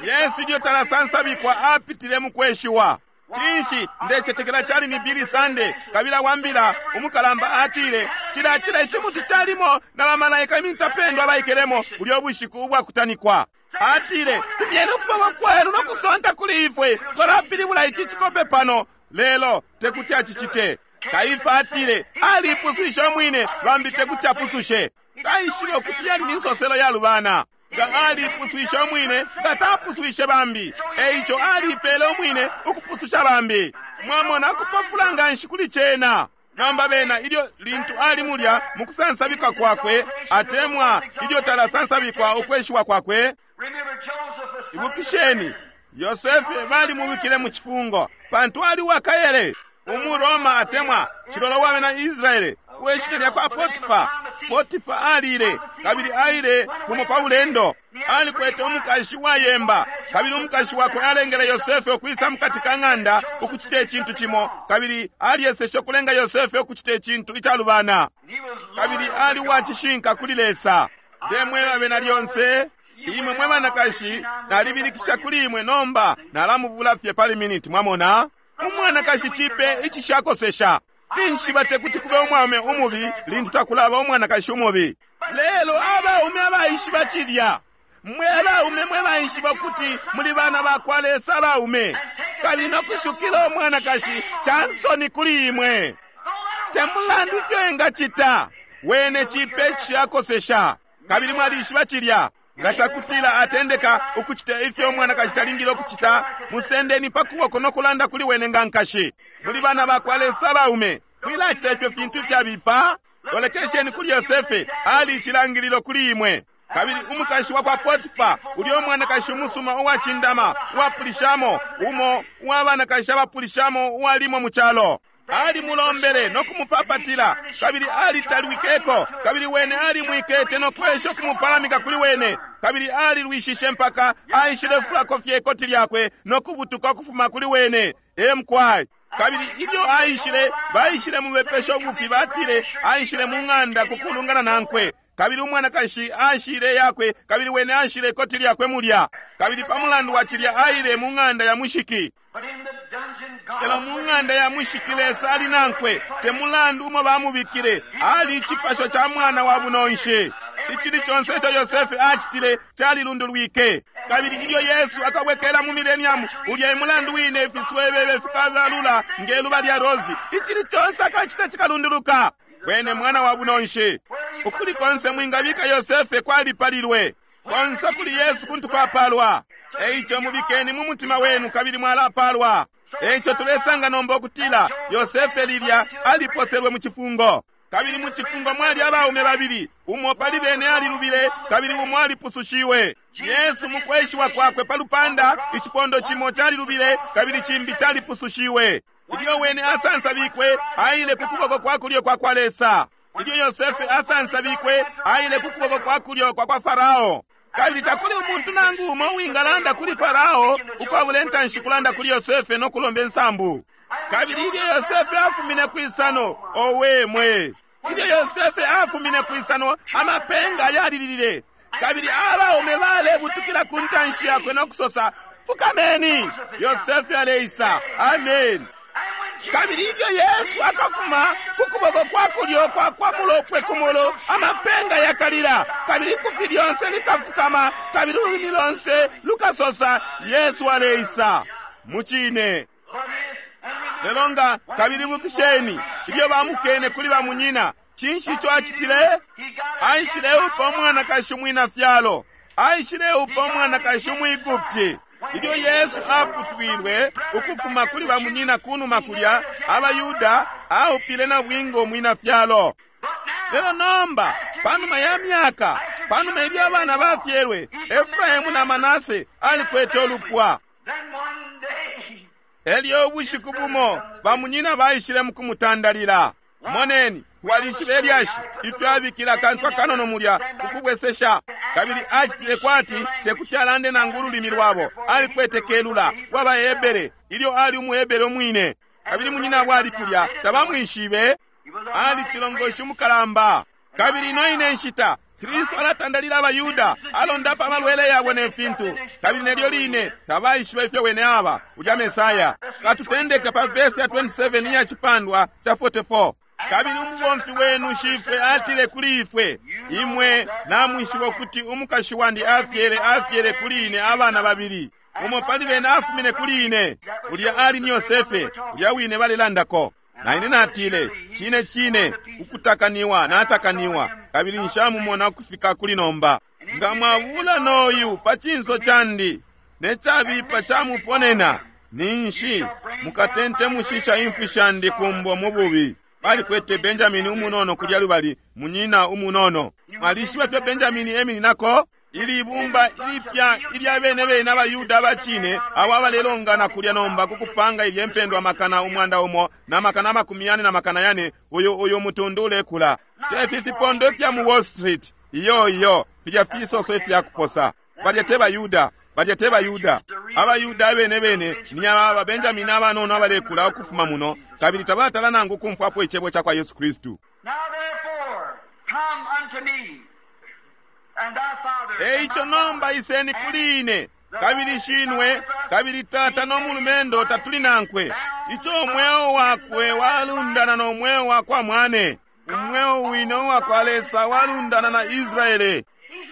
Yesu ilyo talasansabikwa apitile mu kweshiwa. Cinshi ndecetekela cali ni Billy Sunday, kabila wambila umukalamba atile cila cila icimuti calimo na bamalaika imintapendwa abaikelemo ulyo bushiku ubwakutanikwa. Atile, imyeni ukuboko kwenu no kusonta kuli ifwe, twalapilibula ici cikope pano. Lelo tekuti acicite. Kaifa atile alipuswishe umwine, bambi tekuti apusushe. Taishibe ukuti yali ni nsoselo yalubana. Nga alipuswishe umwine, nga tapuswishe bambi. Eico alipele umwine ukupususha bambi. Mwamona kupofula nganshi kuli cena. Nomba bena ilyo lintu ali mulya mukusansabikwa kwakwe, atemwa ilyo talasansabikwa ukweshiwa kwakwe. Ibukisheni, Yosefe balimubikile mu cifungo pantu ali wakayele, umuRoma atemwa cilolo wa bena Israele uweshina lya kwa Potifa. Potifa alile, kabili aile bumo pa bulendo. Alikwete umukashi wayemba, kabili umukashi wakwe alengele Yosefe ukwisa mukati ka ng'anda ukucita icintu cimo, kabili alyeseshe ukulenga Yosefe ukucita icintu icalubana. Kabili ali wacishinka kuli Lesa. Ndemweba bena lyonse, imwe mwe banakashi, nalibilikisha kuli imwe nomba nalamubula fye pali miniti. Mwamona? Umwanakashi cipe icishakosesha. Ninshi tekuti kube umwaume umubi lintu takulaba umwanakashi umubi. Lelo abaume abaishiba cilya, mwe abaume mwe baishiba kuti muli bana ba kwa Lesa abaume, kabili no kushukila umwanakashi cansoni kuli imwe. Te mulandu ifyo engacita, wene cipe icishakosesha. Kabili mwalishiba cilya. Nga cakutila atendeka ukucita ifyo umwanakashi talingile ukucita, musendeni pa kuboko no kulanda kuli wene nga nkashi. Muli bana ba kwa Lesa abaume, mwilacita ifyo fintu ifyabipa. Lolekesheni kuli Yosefe, ali icilangililo kuli imwe. Kabili umukashi wa kwa Potifa, ulyo mwanakashi umusuma uwacindama, uwapulishamo, umo uwa banakashi abapulishamo uwalimo mu calo. Alimulombele no kumupapatila, kabili alitalwikeko, kabili wene alimwikete no kwesha ukumupalamika kuli wene, kabili alilwishishe mpaka aishile fulako fye ikoti lyakwe no kubutuka ukufuma kuli wene. Emkwai. Kabili ilyo aishile, baishile mubepesha ubufi, batile aishile mu ng'anda kukulungana nankwe. Kabili umwanakashi ashile yakwe, kabili wene ashile ikoti lyakwe mulya. Kabili pa mulandu wa cilya aile mu ng'anda ya mushiki. Lelo mu ng'anda ya mushiki Lesa ali nankwe, te mulandu umo bamubikile, ali icipasho ca mwana wa bunonshi. Icili conse ico Yosefe acitile calilundulwike. Kabili ilyo Yesu akabwekela mu millennium, ulya e mulandu wine ifiswebebe fikabalula nge luba lya rosi. Icili conse akacita cikalunduluka. Wene mwana wa bunonshi. Ukuli konse mwingabika Yosefe kwalipalilwe. Konse kuli Yesu kuntu kwapalwa. Eico mubikeni mu mutima wenu kabili mwalapalwa. Eico tulesanga nomba ukutila Yosefe lilya aliposelwe mu cifungo. Kabili mu cifungo mwali abaume babili, umo pali bene alilubile kabili umo alipusushiwe. Yesu mukweshiwa kwakwe pa lupanda, icipondo cimo calilubile kabili cimbi calipusushiwe. Ilyo wene asansabikwe, aile ku kuboko kwa kulyo kwa kwa Lesa. Ilyo Yosefe asansabikwe, aile ku kuboko kwa kulyo kwa kwa Farao. Kabili takuli umuntu nangu umo uwingalanda kuli Farao ukwabula intanshi kulanda kuli Yosefe no kulomba insambu. Kabili ilyo Yosefe afumine kwisano, owe mwe! Ilyo Yosefe afumine kwisano, amapenga yalilile. Kabili abaume balebutukila ku ntanshi yakwe no kusosa, fukameni! Yosefe aleisa. Amen. Kabili ilyo Yesu akafuma ku kuboko kwa kulyo kwa kwa mulopwe kumulu, amapenga yakalila, kabili ikufi lyonse likafukama, kabili ululimi lonse lukasosa, Yesu aleisa. Mucine. Lelo nga kabili bukisheni, ilyo bamukene kuli bamunyina, cinshi ico acitile? Aishileupa umwanakashi umwina fyalo. Aishileupa umwanakashi umwigupti. Ilyo Yesu aputwilwe ukufuma kuli bamunyina kunuma kulya, abayuda, aupile na bwingo umwina fyalo. Lelo nomba, panuma ya myaka, panuma ilyo abana bafyelwe, Efraimu na Manase alikwete ulupwa. Elyo ubushiku bumo, bamunyina baishile mukumutandalila. Moneni, twalishiba ilyashi, ifyo abikile akantu akanono mulya kukubwesesha. Kabili acitile kwati tekuti alande nangu ululimi lwabo. Alikwete kelula waba Hebere, ilyo ali umuHebere umwine. Kabili munyina ali kulya, tabamwishibe. Ali cilongoshi umukalamba. Kabili ino ine nshita, Kristu alatandalila abayuda, alondapa amalwele yabo ne fintu. Kabili nelyo line tabaishiba ifyo wene aba, ulya Mesaya. Katutendeke pa vesi ya 27 iya cipandwa ca 44. Kabili umubomfi wenu shifwe atile kuli ifwe, imwe namwishiba ukuti umukashi wandi afyele afyele kuli ine abana babili. Umo pali bene afumine kuli ine. Ulya ali ni Yosefe, ulya wine balelandako. Na ine natile, cine cine, ukutakaniwa natakaniwa, kabili nshamumona ukufika kuli nomba. Nga mwabula noyu pa cinso candi, ne cabipa camuponena, ninshi mukatentemushisha imfwi shandi kumbo mu bubi. Balikwete Benjamini umunono kulya lubali, munyina umunono. Mwalishiba fyo Benjamini emininako? Ili ibumba ilipya ilya bene bene abayuda abacine, abo abalelongana kulya nomba kukupanga ilye mpendwa makana 100 na makana 40 na makana 4, uyu mutundu ulekula. Tefi fipondo ifya mu Wall Street, iyo iyo, filya fisoso ifya kuposa. Balya te bayuda, balya te bayuda. Abayuda abene bene ni aba Benjamini abanono abalekula ukufuma muno, kabili tabatala nangu kumfwapo icebo ca kwa Yesu Kristu. Eico nomba iseni kuli ine, kabili shinwe, kabili tata no mulumendo tatuli nankwe. Ico umweo wakwe walundana no mweo wa kwa mwane. Umweo wine uwa kwa Lesa walundana na Israele.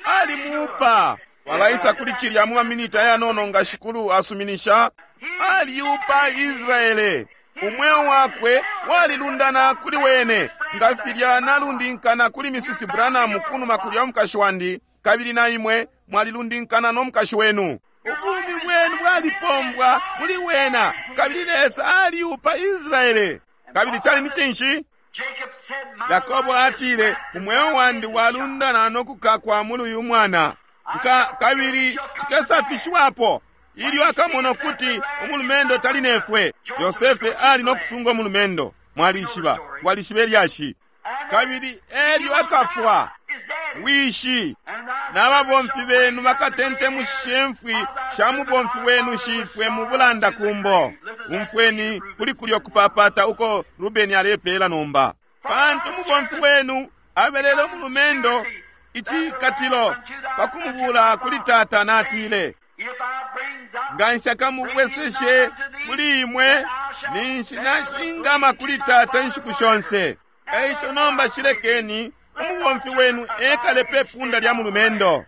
Alimupa. Walaisa kuli cilya mu maminiti ayanono nga shikulu asuminisha. Aliupa Israele. Umweo wakwe walilundana kuli wene, nga filya nalundinkana kuli Mrs. Branham kunuma kulya umukashi wandi, kabili na imwe mwalilundinkana no mukashi wenu. Ubumi bwenu bwalipombwa muli wena, kabili Lesa aliupa Israele. Kabili cali ni cinshi? Yakobo atile, umweo wandi walundana no kukakwa muli uyu mwana. Kabili cikesafishiwapo ilyo akamona ukuti umulumendo tali nefwe. Yosefe ali no kusunga umulumendo. Mwalishiba, mwalishiba ilyashi. Kabili elyo akafwa, wishi n'ababomfi benu bakatentemushe mfwi sha mubomfi wenu shifwe mu bulanda kumbo. Umfweni kuli kulyo kupapata uko Rubeni alepela nomba. Pantu umubomfi wenu abelele umulumendo icikatilo pakumubula kuli tata natile, nga nshakamubweseshe kuli imwe, ninshi nashingama kuli tata inshiku shonse. Eico nomba shilekeni umubomfi wenu ekale pe punda lya mulumendo.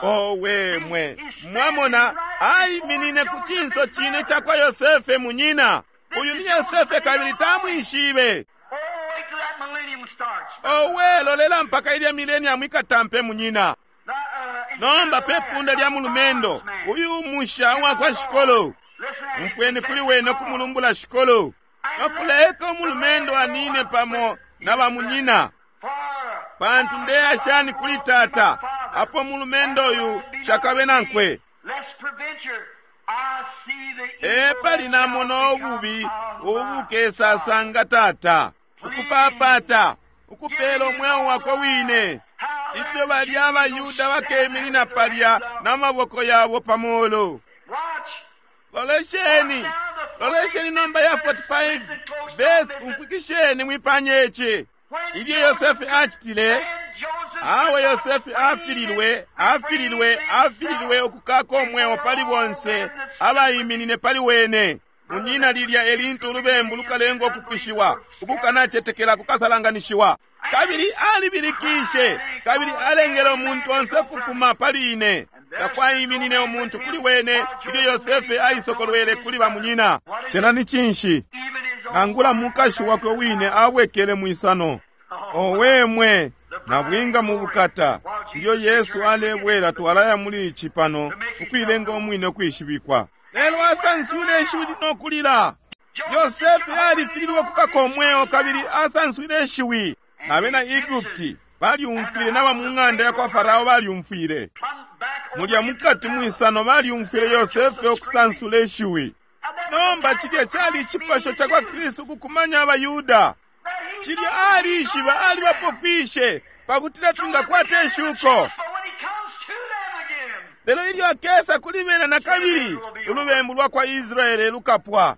Owe mwe! Mwamona, aiminine ku cinso cine cakwa Yosefe munyina. Uyu ni Yosefe kabili tamwishibe. Oh, wait till that millennium starts. Owe, lolela mpaka ilya millennium ikatampe munyina. Nomba pe punda lya mulumendo, uyu musha wakwa shikolo. Umfweni kuli wene ukumulumbula shikolo. Nokuleka umulumendo anine pamo na bamunyina. Pantu ndeya shani kuli tata, apo mulumendo uyu shakabe nankwe. Epali namona ububi ubukesasanga tata, ukupapata, ukupela umweo wakwe wine. Ifyo balya abaYuda bakeminina palya n'amaboko yabo pa mulu. Lolesheni, lolesheni nomba ya 45 verse, umfwikisheni mwipanye ici. Ilyo Yosefe acitile, awe Yosefe afililwe, afililwe, afililwe ukukaka umweo pali bonse abaiminine pali wene. Munyina lilya elintu ulubembu lukalenga ukupwishiwa, ukukanacetekela kukasalanganishiwa. Kabili alibilikishe, kabili alengele umuntu onse kufuma pali ine. Takwaiminine umuntu kuli wene ilyo Yosefe aisokolwele kuli bamunyina. Cena ni cinshi? Nangula mukashi wakwe wine abwekele mwisano. Owe mwe, nabwinga mu bukata. Ilyo Yesu alebwela twalaya muli ici pano, ukuilenga umwine ukwishibikwa. Lelo asanswile ishiwi no kulila. Yosefe alifililwe ukukaka umweo kabili asanswile ishiwi. Nabena Egupti balyumfwile, naba mu ng'anda ya kwa Farao balyumfwile. Mulya mukati mwisano balyumfwile Yosefe ukusansula ishiwi. Nomba cilya cali icipasho ca kwa Kristu ukukumanya abaYuda. Cilya alishiba alibapofwishe pakutila twingakwata ishuko. Lelo ilyo akesa kuli bena na kabili, ulubembu lwa kwa Israele lukapwa.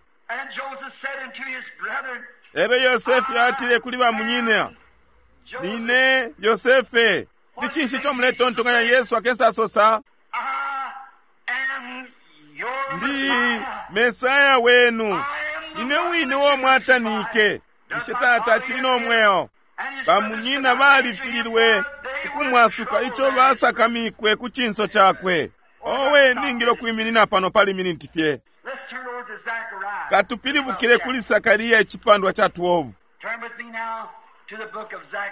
Lelo Yosefe atile kuli bamunyina, nine Yosefe. Ni cinshi ico muletontonkanya Yesu akesa asosa? Ndi Mesaya wenu, nine wine uo mwatanike. Ishe tata acili no mweo. Bamunyina balifililwe ukumwasuka ico basakamikwe ku cinso cakwe. Owe, ningile ukwiminina pano pali miniti fye. Katupilibukile kuli Sakariya icipandwa ca 12.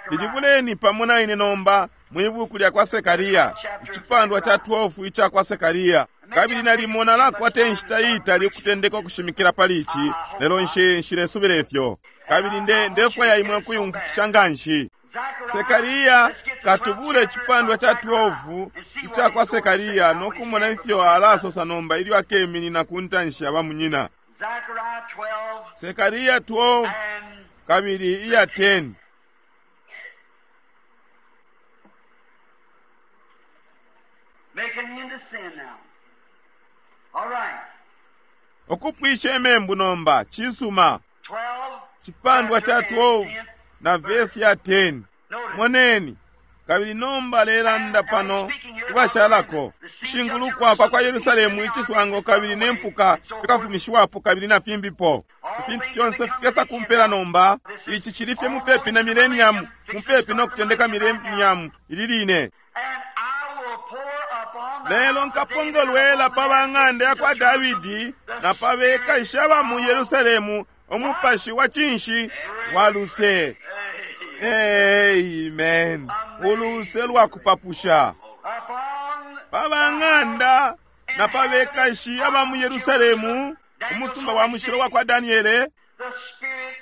Pilibuleni pamo na ine nomba mwi buku lya kwa Sakariya, icipandwa ca 12 ica kwa Sakariya. Kabili nalimo nalakwata inshita iitali ukutendeka ukushimikila pali ici, lelo nshilesubila ifyo. Kabili ndefwaya imwe ukuyumfukisha nganshi. Sekariya katubule icipandwa ca 12 ica kwa Sekariya no kumona ifyo alasosa nomba ilyo akeminina ku ntanshi ya bamunyina. Sekariya 12 kabili iya 10. Make an end to sin now. All right. Ukupwisha imembu nomba cisuma. 12. Cipandwa ca 12 na vesi ya 10. Moneni, kabili nomba lelanda pano kubashalako kushingulukwa kwa kwa Yerusalemu iciswango kabili ne mpuka fikafumishiwapo kabili na fimbipo. Ifintu fyonse fikesa kumpela nomba. Ici cili fye mupepi na millennium, mupepi no kutendeka millennium ili line. And I will pour upon the Lelo house of nkapongolwela pa ba ng'anda ya kwa Davidi na pa bekashi aba mu Yerusalemu umupashi wa cinshi wa luse. Amen. Uluse lwa kupapusha. Upon Pa ba ng'anda na pa bekashi aba mu Yerusalemu, umusumba wa mushilo wa kwa Daniele, the spirit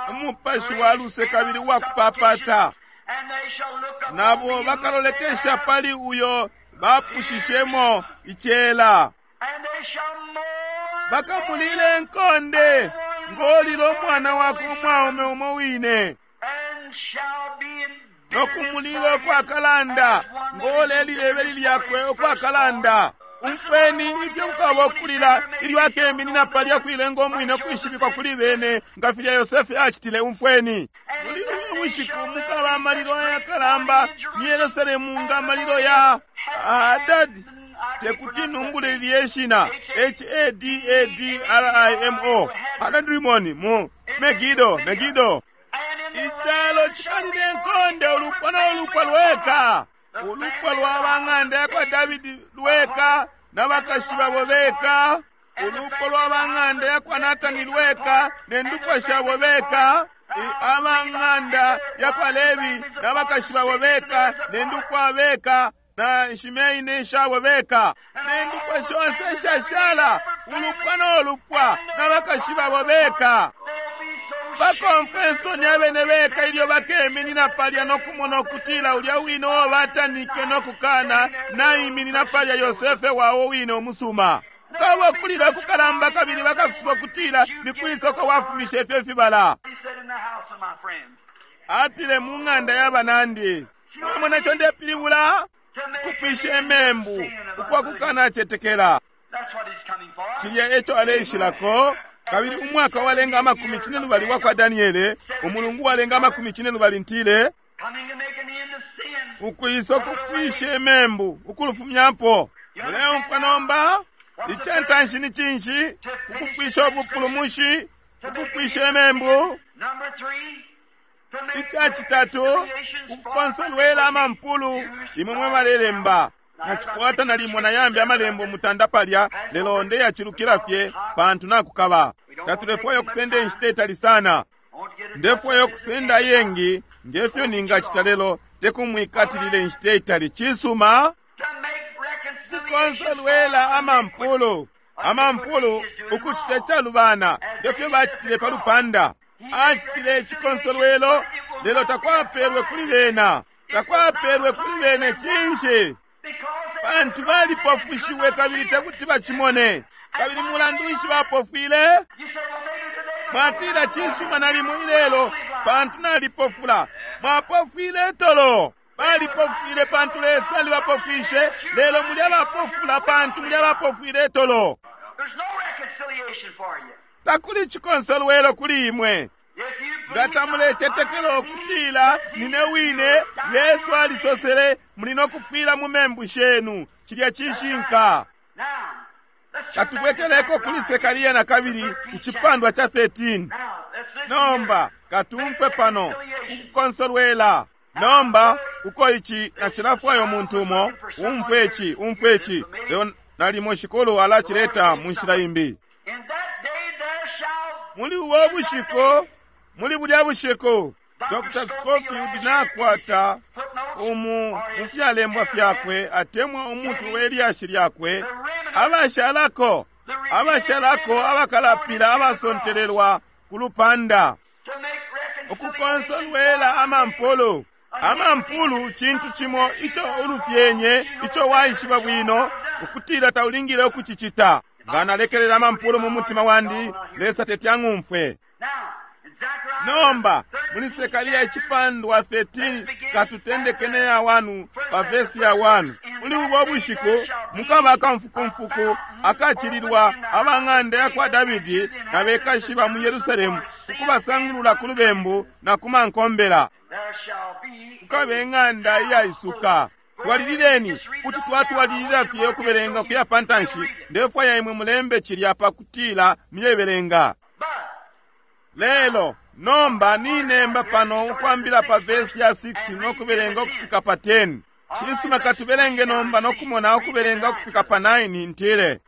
of umupashi wa luse kabili wa kupapata. And they shall look upon Nabo me bakalolekesha pali uyo bapushishemo icela. and they shall mourn Bakamulile nkonde ngolila umwana wakwe umwaume umo wine, and shall be in nokumulila ukwakalanda ngolelile ibeli lyakwe ukwakalanda. Umfweni ifyo kukaba ukulila ilyo akeminina palya kuilenga umwine ukwishibikwa kuli bene nga filya Yosefe acitile. Umfweni muli ubu bushiku mukaba amalilo ayakalamba mu Yerusalemu nga amalilo ya Hadadi. Tekuti numbule lilye shina Hadadrimo Hadadrimoni mu Megido, Megido. And in the Icalo cikalile nkonde ulupwa na ulupwa lweka. Ulupwa lwa bang'anda yakwa Davidi lweka na bakashi babo beka, ulupwa lwa bang'anda yakwa Natani lweka ne ndupwa shabo beka, abang'anda yakwa Levi na bakashi babo beka ne ndupwa beka, na Shimei ne shabo beka, ne ndupwa shonse shashala, ulupwa no lupwa na bakashi babo beka. Bakomfwe nsoni abene beka ilyo bakeminina palya no kumona ukutila ulya wine uo batanike no kukana naiminina palya Yosefe wawo wine umusuma. Kukaba ukulila kukalamba kabili bakasusa ukutila ni kwisoko wafumishe ifyo fibala. Atile mu ng'anda y'abanandi. Mwamona ico ndepilibula? Kupwisha imembu ukwa kukanacetekela. Cilya eco aleishilako. Kabili umwaka walenga amakumi cine lubali wakwa Daniele, umulungu walenga amakumi cine lubali ntile, ukwisa ukupwisha imembu ukulufumyapo. Muleumfwa nomba? Icantanshi ni cinshi? Ukupwisha ubupulumushi, ukupwisha imembu. Icacitatu, ukukonsolwela amampulu, imwe mwe balelemba. Nacikwata nalimo nayambi amalembo mutanda palya, lelo ndeyacilukila fye pantu nakukaba. Tatulefwaya ukusenda inshita itali sana. Ndefwaya ukusenda ayengi ngefyo ningacita lelo tekumwikatilile inshita itali. Cisuma kukonsolwela amampulu. Amampulu ukucita icalubana ngefyo bacitile pa lupanda. Acitile icikonsolwelo lelo takwapelwe kuli bena. Takwapelwe kuli bene cinshi? Pantu balipofushiwe kabili tekuti bacimone. Kabili mulandu nshi bapofwile? Mwatila cisuma nalimo ilelo pantu nalipofula. Mwapofwile tolo. Balipofwile pantu Lesa alibapofwishe, lelo muli abapofula pantu muli abapofwile tolo. Takuli cikonsolwelo kuli imwe. Nga tamulecetekela ukutila nine wine, Yesu alisosele muli no kufwila mu membu shenu. Cilya cishinka. Katubwekeleko kuli Sekaria na kabili icipandwa ca 13. Nomba katumfwe pano ukukonsolwela. Nomba uko ici nacilafwayo muntu umo umfwe ici, umfwe ici. Lelo nalimo Shikulu alacileta mu nshila imbi. Muli ubo bushiku, muli bulya bushiku, Dr. Scofield nakwata umu mufyalembwa fyakwe atemwa umutwe we lyashi lyakwe, abashalako abashalako abakalapila abasontelelwa ku lupanda, ukukonsolwela amampulu. Amampulu cintu cimo ico ulufyenye ico waishiba bwino ukutila taulingile ukucicita. Nga nalekelela amampulu mu mutima wandi, Lesa teti ang'umfwe. Nomba muli Sekaria icipandwa 13 katutendeke ne ya 1 pa vesi ya 1. Muli ubo bushiku mukaba akamfukumfuku akacililwa abang'anda yakwa Davidi na bekashi ba mu Yerusalemu ukubasangulula ku lubembu na ku mankombela. Kukaba ing'anda iyaisuka. Twalilileni kuti twatwalilila fye ukubelenga kuya pantanshi. Ndefwaya imwe mulembe cilya pakutila muyebelenga. Lelo nomba ninemba pano ukwambila pa vesi ya 6 no kubelenga ukufika pa 10. Cisuma katubelenge nomba no kumona ukubelenga ukufika pa 9 ntile.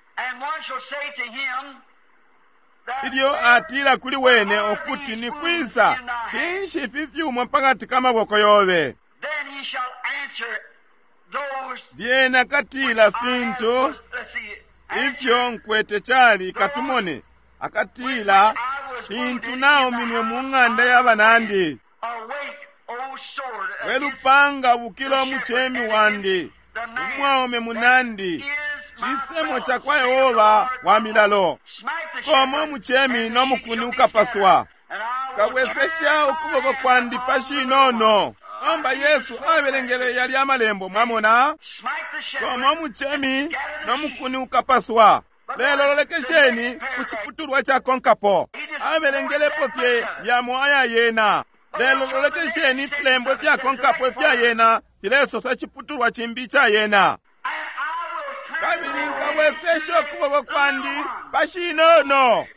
Ilyo atila kuli wene ukuti ni kwisa finshi ifi fyuma pakati ka maboko yobe. Lyena katila fintu ifyo nkwete cali katumone. Akatila fintu nauminwe mu ng'anda y'abanandi. We lupanga bukilo muchemi wandi, umwaume munandi, cisemo cakwa Yehova wa milalo. Komo muchemi no mukuni ukapaswa. Kabwesesha ukuboko kwandi pashinono. Nomba Yesu abelengele yali amalembo mwamona. Komo muchemi no mukuni ukapaswa. Lelo lolekesheni ku ciputulwa cakonkapo. Abelengelepo fye yamo aya yena. Lelo lolekesheni ifilembo ifyakonkapo ifya yena filesosa ciputulwa cimbi ca yena. Kabili nkabwesesha ukuboko kwandi pashinono.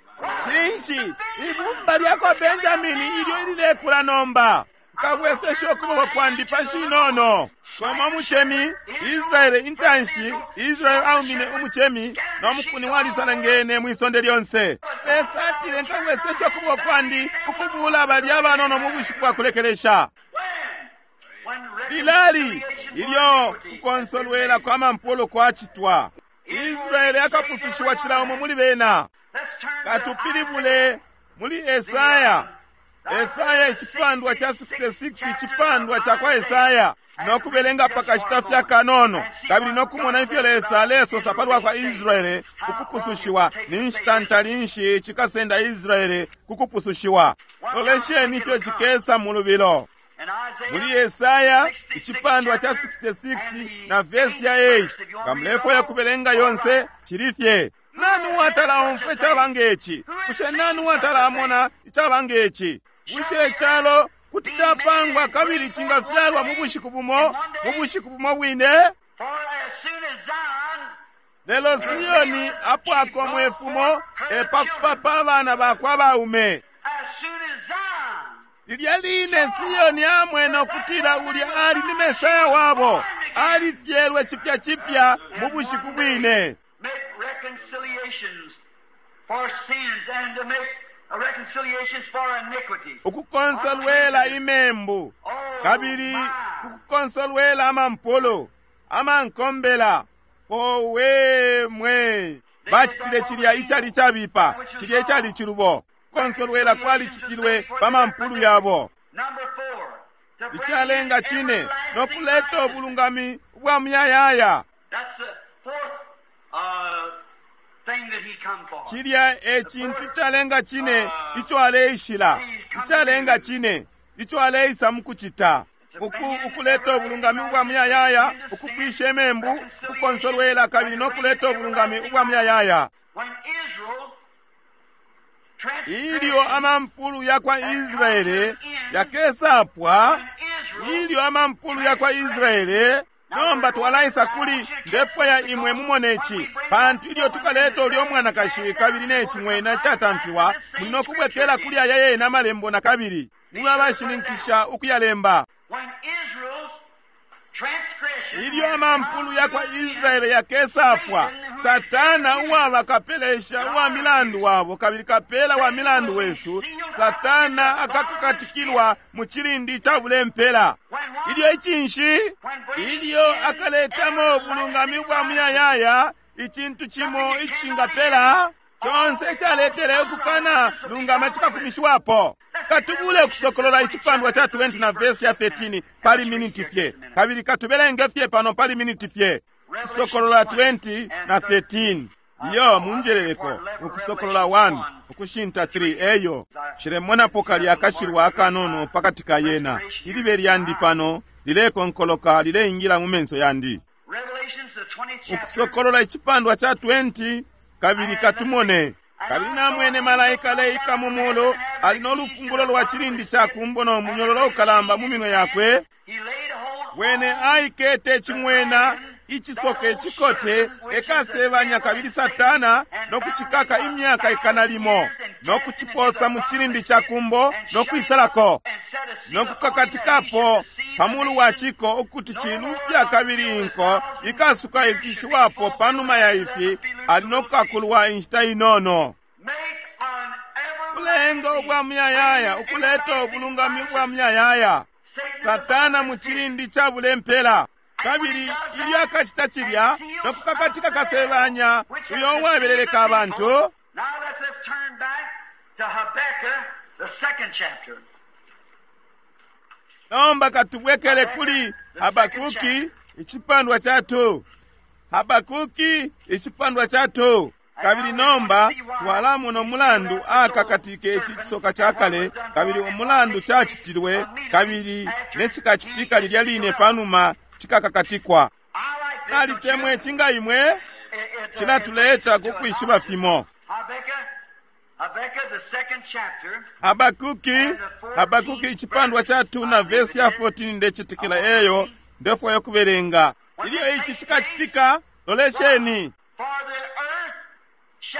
Cinshi? Ibumba lyakwa Benjamini ilyo ililekula nomba. Nkabwesesha ukuboko kwandi pa shinono. Koma umucemi, Israele intanshi, Israele aumine umucemi, no mukuni walisalangene mwi sonde lyonse. Lesa atile, nkabwesesha ukuboko kwandi ukubula balya abanono mu bushiku bwa kulekelesha. Lilali ilyo kukonsolwela kwa mampulu kwacitwa, Israele akapusushiwa cila umo muli bena. Katupilibule muli Esaya, Esaya icipandwa cha 66, icipandwa cha kwa Esaya, no kubelenga pakashita fya kanono, kabili no kumona ifyo Lesa alesosa palwa kwa Israele ukupusushiwa. Ni nshita ntali nshi cikasenda Israele kukupusushiwa? Lolesheni ifyo cikesa mu lubilo. Muli Yesaya icipandwa cha 66 na vesi ya 8, nga mulefwaya kubelenga yonse, cili fye. Nani uwatala omfwa icaba ngeci? Bushe nani uwatala amona icaba ngeci? Bushe icalo kuti capangwa kabili cingafyalwa mu bushiku bumo, mu bushiku bumo bwine? Lelo Sioni apwako mwefumo, epakupapa abana bakwe abaume. Lilya line Sioni amwene ukutila ulya ali ni Mesaya wabo, alifyelwe cipya cipya mu bushiku bwine. Ukukonsolwela imembu, kabili ukukonsolwela amampulu, amankombela. Owe mwe! Bacitile cilya icali cabipa, cilya icali cilubo. Kukonsolwela kwalicitilwe pa mampulu yabo. Icalenga cine, no kuleta ubulungami ubwa muyayaya. Cilya e cintu icalenga cine ico aleishila, icalenga cine ico aleisa mukucita, ukuleta ubulungami ubwa muyayaya, ukupwisha imembu, ukukonsolwela kabili no kuleta ubulungami ubwa muyayaya. Ilyo amampulu ya kwa Israele yakesapwa, ilyo amampulu ya kwa Israele. Nomba twalaisa kuli ndefwaya imwe mumone ici, pantu ilyo tukaleta ulyo mwanakashi kabili ne cing'wena catamfiwa, muli no kubwekela kuli aya yena amalembo na kabili, mube abashininkisha ukuyalemba. Ilyo amampulu ya kwa Israele yakesapwa, Satana uwaba kapelesha uwa milandu wabo kabili kapela wa milandu wesu, Satana akakakatikilwa mu cilindi ca bulempela. Ilyo icinshi, ilyo akaletamo ubulungami ubwa muyayaya, icintu cimo icishingapela, conse icaletele ukukana lungama cikafumishiwapo. Katubule ukusokolola icipandwa ca 20 na vesi ya 13 pali miniti fye, kabili katubelenge fye pano pali miniti fye. Ukusokolola 20 na 13. Iyo munjeleleko, ukusokolola 1 ukushinta 3 eyo. Nshilemonapo kalya akashilwa akanono pakati ka yena. Ilibe lyandi pano lilekonkoloka lileingila mu menso yandi. Ukusokolola icipandwa ca 20, kabili katumone. Kabili namwene malaika aleika mu mulu, ali no lufungulo lwa cilindi ca kumbo no munyololo ukalamba mu minwe yakwe. Wene aikete cing'wena icisoka icikote, ekasebanya kabili Satana, no kucikaka imyaka ikana limo, no kuciposa mu cilindi ca kumbo no kwisalako, no kukakatikapo pa mulu wa ciko ukuti cilufya kabili inko ikasuka ifishiwapo panuma ya ifi, ali no kukakulwa inshita inono. Kulenga ubwa muyayaya, ukuleta ubulungami ubwa muyayaya. Satana mu cilindi ca bulempela. Kabili ilyo akacita cilya, no kukakatika kasebanya uyo uwabeleleka abantu. Nomba katubwekele kuli Habakuki icipandwa ca 2. Habakuki icipandwa ca 2. Kabili nomba twalamona umulandu akakatike ici cisoka ca kale, kabili umulandu cacitilwe, kabili ne cikacitika lilya line panuma cikakakatikwa. Nalitemwe ici nga imwe, cilatuleta ku kwishiba fimo. Habakuki, Habakuki icipandwa ca 2 na vesi ya 14 ndecitikila eyo ndefwaya kubelenga. Ilyo ici cikacitika, lolesheni.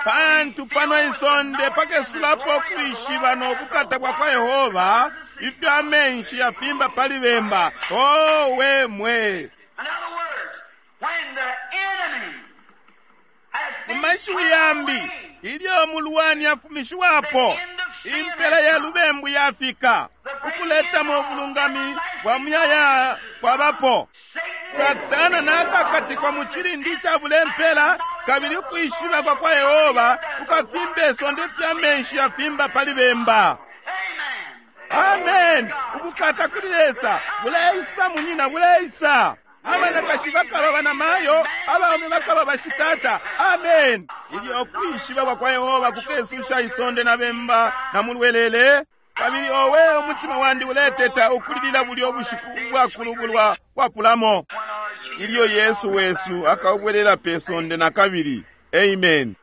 Pantu pano isonde pakesulapo kwishiba no bukata bwa kwa Yehova, Ifyo amenshi yafimba pali bemba. Oh, we mwe. In other words, when the enemy has Mu been mashiwi turned yambi, away, ilyo mulwani afumishiwapo, impela ya lubembu yafika, ukuletamo ubulungami bwa muyaya kwabapo. Satan Satana nakakatikwa mu cilindi cabula impela, kabili ukwishiba kwa kwa Yehova kukafimba isonde ifyo amenshi yafimba pali bemba. Amen. Amen. Ubukata kuli Lesa buleisa, munyina, buleisa. Abanakashi bakaba banamayo, abaume bakaba bashitata. Amen. Ilyo ukwishiba kwa kwa Yehova kukesusha isonde na bemba na mulwelele, kabili owe umutima wandi uleteta ukulilila bulyo bushiku ubwakulubulwa kwapulamo, When our Jesus ilyo Yesu wesu akabwelela pe sonde na kabili. Amen.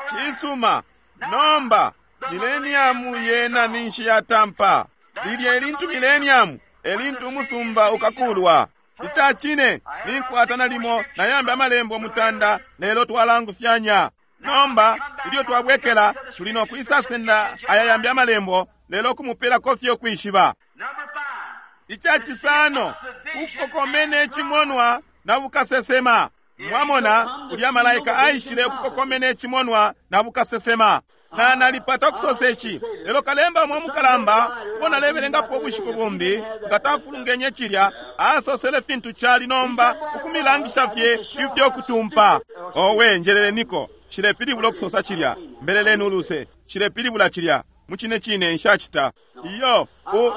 Cisuma. Nomba mileniamu yena ninshi yatampa. Lilya elintu mileniamu elintu umusumba ukakulwa. Ica cine ninkwata nalimo nayambi amalembo mutanda, lelo twalangufyanya. Nomba ilyo twabwekela tuli no kwisasenda aya yambi amalembo, lelo kumupelako fye ukwishiba. Number 5. Ica cisano, ukukokomene icimonwa na bukasesema. Mwamona ulya malaika aishile ukukokomene icimonwa na bukasesema. Na nalipata ukusosa ici, lelo kalemba mwe mukalamba uo nalebelengapo ubushiku bumbi nga tafulungenye cilya, asosele fintu cali nomba ukumilangisha fye ifyo kutumpa. Owe, njeleleniko, nshilepilibula ukusosa cilya, mbeleleni uluse, nshilepilibula cilya. Mucine cine nshacita iyo.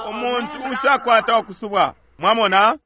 Umuntu ushakwata ukusubwa. Mwamona,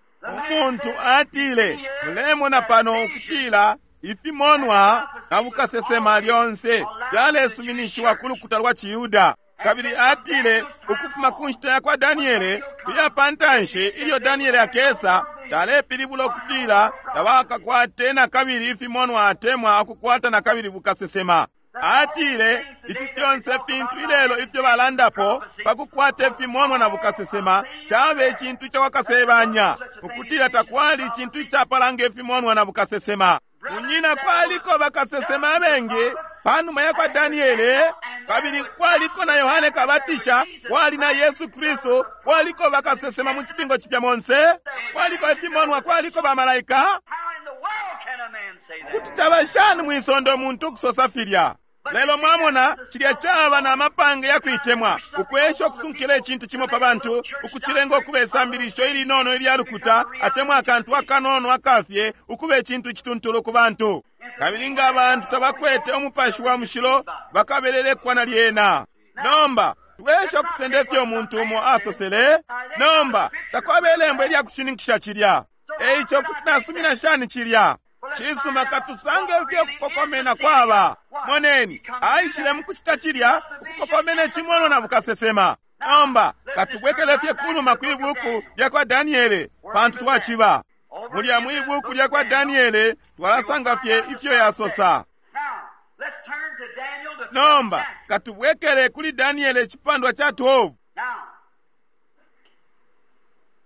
umuntu atile, mulemona pano ukutila ifimonwa na bukasesema lyonse fyalesuminishiwa ku lukuta lwa Ciyuda. Kabili atile ukufuma ku nshita ya kwa Daniele kuya pa ntanshi, ilyo Daniele akesa, calepilibula ukutila tabakakwate na kabili ifimonwa atemwa akukwata na kabili bukasesema. Atile ifi fyonse fintu ilelo ifyo balandapo pakukwata ifimonwa na bukasesema cabe icintu ca wakasebanya, ukutila takwali icintu icapalanga ifimonwa na bukasesema. Munyina, kwaliko bakasesema abengi panuma ya kwa Daniele, kabili kwaliko na Yohane Kabatisha, kwali na Yesu Kristu, kwaliko bakasesema mu cipingo cipya monse, kwaliko ifimonwa, kwaliko bamalaika. How in the world can a man say that? Kuti caba shani mwisonde umuntu ukusosa filya? Lelo mwamona cilya caba na mapange ya kuitemwa, ukwesha ukusunkila icintu cimo pa bantu, ukucilenga ukuba isambilisho ilinono ilya lukuta atemwa akantu akanono akafye, ukuba icintu icituntulu ku bantu. Kabili nga abantu tabakwete umupashi wa mushilo, bakabelelekwa na lyena. Nomba twesha ukusenda ifyo umuntu umo asosele. Nomba takwaba ilembo ilya kushininkisha cilya. Eico kuti nasumina shani cilya? Cisuma, katusange ifyo kukokomena kwaba. Moneni, aishile mukucita cilya, ukukokomena icimonwa na bukasesema. Nomba katubwekele fye kunuma kwi buku lya kwa Daniele, pantu twaciba mulya mwi buku lya kwa Daniele twalasanga fye ifyo yasosa. Now, let's turn to Daniel the Nomba twelfth chapter. katubwekele kuli Daniele icipandwa ca 12. Now,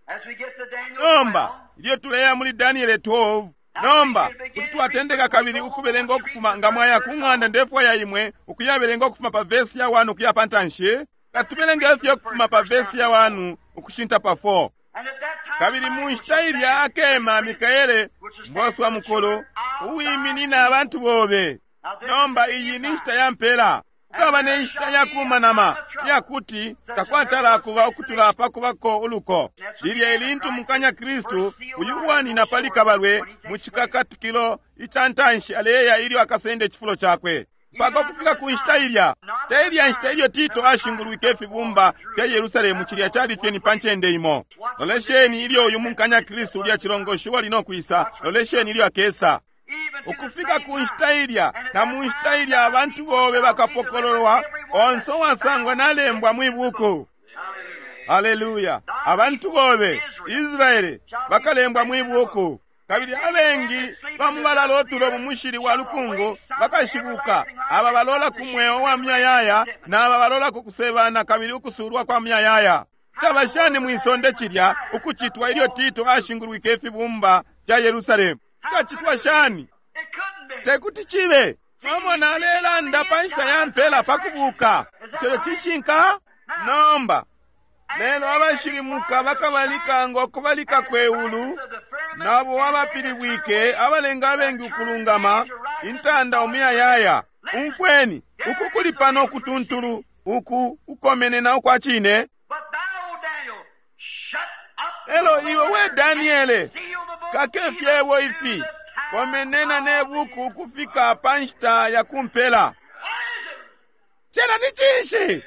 as we get to Daniel Nomba 12, ilyo tuleya muli Daniele 12, nomba kuti twatendeka kabili ukubelenga ukufuma nga mwaya ku ng'anda ndefwaya imwe ukuyabelenga ukufuma pa vesi ya 1 ukuya pa ntanshi. Katubelenge ifyo ukufuma pa vesi ya 1 ukushinta pa 4. and at that time, Kabili mu nshita ilya akema Mikaele mboswa mukulu uwiminina abantu bobe. Nomba iyi ni nshita ya mpela. Kukaba ne nshita ya kumanama iyakuti takwatala kuba ukutula pakubako uluko. Lilya ilintu mukanya Kristu uyu uwanina pali kabalwe mu cikakatikilo ica ntanshi aleya ilyo akasenda icifulo cakwe. Mpaka ukufika ku nshita ilya, te ilya nshita ilyo Tito ashingulwike ifibumba fya Yerusalemu, cilya cali fye ni pa ncende imo. Lolesheni ilyo uyu munkanya Kristu ulya cilongoshi wali no kwisa, lolesheni ilyo akesa. even to the Ukufika same ku nshita time, ilya, and at na that mu nshita time, ilya abantu bobe bakapokololwa, onse uwasangwa nalembwa mwi buku. Haleluya! Abantu bobe Israele bakalembwa mwi buku. Kabili abengi bamubalala otulo mu mushili wa lukungu bakashibuka, aba balola ku mweo wa myayaya na aba balola ku kusebana kabili ukusulwa kwa myayaya. Caba shani mwisonde cilya ukucitwa ilyo Tito ashingulwike ifibumba fya Yerusalemu? Cacitwa shani? It couldn't be. Tekuti cibe. Mwamona alelanda pa nshita ya mpela pa kubuka. Ico cishinka? Nomba. Lelo abashilimuka bakabalika ngo kubalika kweulu, nabo abapilibwike abalenga abengi ukulungama, intanda umuyayaya. Umfweni, uku kuli pano kutuntulu, uku ukomenena ukwa cine. But thou, Daniel, shut up Elo the iwe we word Daniele, and seal the book kake even fyebo to ifi, the time komenena of ne the buku end. ukufika pa nshita ya kumpela. What is it? Cena ni cinshi?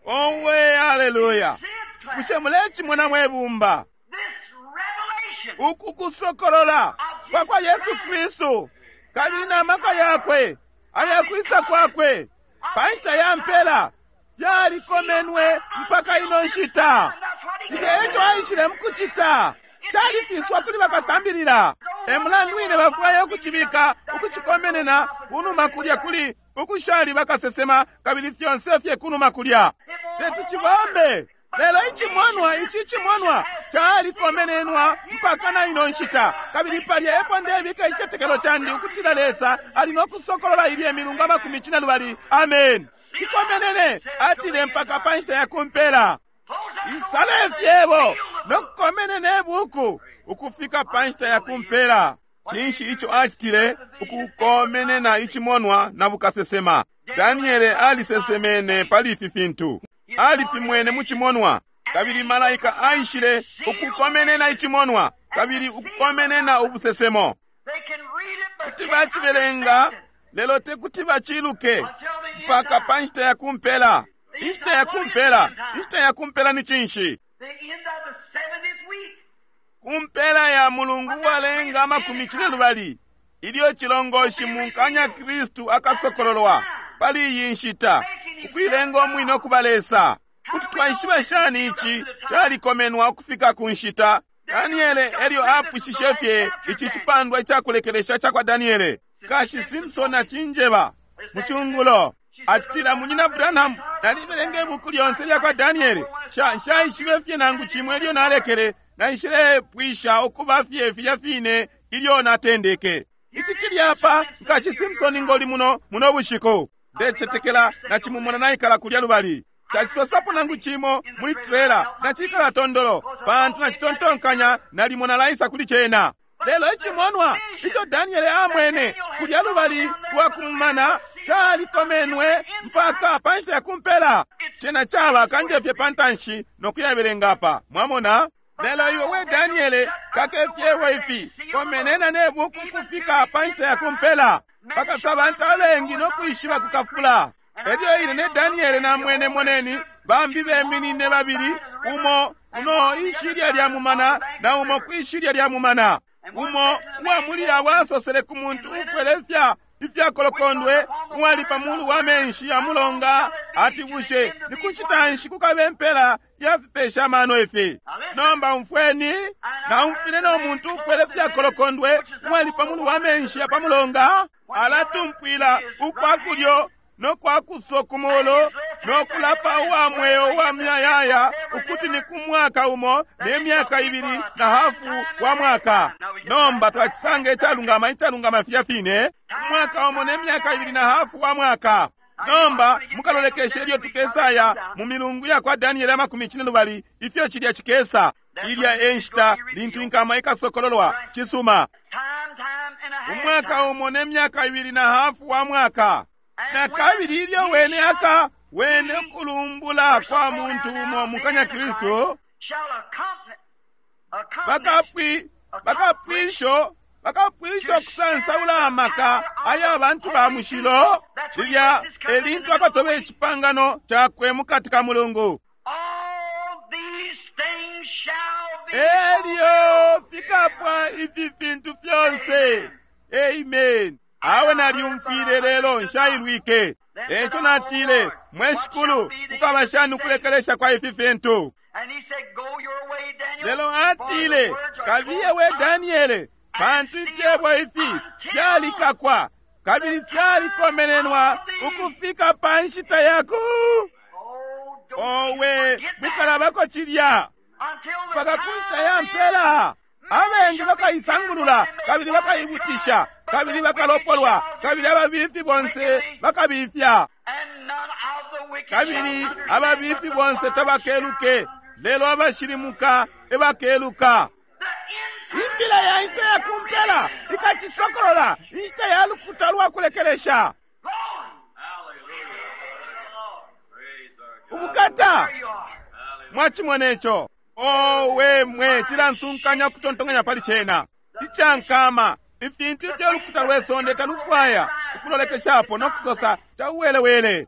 Oh, hallelujah. Owe, haleluya! See it, class. Bushe mulecimona mwe bumba? This revelation Uku kusokolola kwa kwa Yesu Kristu kabili na maka yakwe ayakwisa kwakwe pa nshita ya mpela fyalikomenwe mpaka ino nshita. Cilya eco aishile mukucita califiswa kuli bakasambilila. E mulandu wine bafwaya ukucibika ukucikomenena kunuma kulya kuli ukushali bakasesema kabili fyonse fye kunuma kulya teti cibombe. Lelo icimonwa ici cimonwa calikomenenwa mpaka na ino nshita, kabili palya epo ndebika icitetekelo candi ukutila Lesa ali no kusokolola ilye milungu 40. Amen. Cikomenene atile mpaka pa nshita ya kumpela. close up the Isale word and fyebo seal the no book. kukomenena ibuku ukufika pa nshita ya kumpela. Cinshi ico acitile ukukomenena icimonwa na bukasesema? Daniele alisesemene pali ifi fintu, alifimwene mu cimonwa, kabili malaika aishile ukukomenena icimonwa kabili ukukomenena ubusesemo. They can read it, but Kuti can't bacibelenga understand it lelo te kuti baciluke until the end mpaka time. pa nshita ya kumpela. Inshita ya kumpela, inshita ya kumpela ni cinshi? The end of the 70th week. Kumpela ya mulungu uwalenga 12 ilyo chilongoshi munkanya Kristu akasokololwa pali iyi nshita ukuilenga umwine ukuba Lesa. Kuti twaishiba shani ici calikomenwa ukufika ku nshita? Daniele elyo apwishishe fye ici cipandwa icakulekelesha ca kwa Daniele. Kashi Simpson acinjeba mu cungulo acitila, Munyina Branham, nalibelenga ibuku lyonse lya kwa Daniele, nshaishibe fye nangu cimwe ilyo nalekele, naishilepwisha ukuba fye filya fine ilyo natendeke. Ici cili apa, Nkashi Simpson ngoli muno muno bushiku. Ndecetekela nacimumona naikala kulya lubali. Tacisosapo nangu cimo muli trela, nacikala tondolo, pantu nacitontonkanya nalimo nalaisa kuli cena. Lelo icimonwa ico Daniele amwene kulya lubali lwa kumumana calikomenwe mpaka pa nshita ya kumpela. Cena caba kanje fye pa ntanshi no kuyabelenga apa. Mwamona? Lelo iwe we Daniele kake fyewo ifi komenena ne buku kufika pa nshita ya kumpela pakasa bantu abengi no kwishiba kukafula. Elyo ine ne Daniele namwene moneni bambi beminine babili, umo kuno ishilya lya mumana na umo kwishilya lya mumana. Umo uwa muli abo asosele ku muntu ufwele ifyakolokondwe uwali pa mulu wa menshi ya mulonga ati, bushe ni kunshita nshi kukabe mpela ya fipesha amano ifi? Nomba umfweni, naumfwile no muntu ufwele fyakolokondwe uwali pa mulu wa menshi ya pa mulonga alatumpwila ukwa kulyo no kwa kuso kumolo no kulapa uwa mweo uwa muyayaya ukuti ni ku mwaka umo ne myaka ibili na hafu wa mwaka. Nomba twacisanga icalungama icalungama filya fine, umwaka umo ne myaka ibili na hafu wa mwaka. Nomba mukalolekeshe ilyo tukesaya mu milungu ya kwa Daniele 12 ifyo cilya cikesa. Ilya e nshita lintu inkama ikasokololwa. Cisuma, Time, time, and a half. umwaka umo ne myaka ibili na hafu wa mwaka. Na kabili ilyo wene aka wene kulumbula kwa muntu umo mukanya Kristu Shall accompany, bakapwisho bakapwisha ukusansaula amaka aya bantu ba mushilo. Lilya elintu akatoba icipangano cakwe mukati ka mulungu. All these things shall be Elyo fikapwa ifi fintu fyonse. Amen. Awe nalyumfwile lelo nshailwike. Eco natile, mwe Shikulu, kukaba shani ukulekelesha kwa ifi fintu? And he said, Go your way, Daniel. Lelo for the atile, words are kabiye we closed up Daniele, pantu ifyebo ifi fyalikakwa kabili fyalikomenenwa ukufika pa nshita yaku. Oh, don't you Owe, forget that. mwikalabako cilya Until the mpaka ku time nshita ya of the end. mpela. Abengi bakaisangulula kabili bakaibutisha kabili bakalopolwa kabili ababifi bonse bakabifya. And none of the Kabili ababifi bonse tabakeluke, lelo abashilimuka ebakeluka. Imbila ya nshita ya kumpela ikacisokolola, inshita ya lukuta lwa kulekelesha. Ubukata! Mwachimona ico? Owe mwe, cilansunkanya ukutontonkanya pali cena. Icankama, ifintu ifyo lukuta lwe sonde talufwaya ukulolekeshapo no kusosa cauwelewele.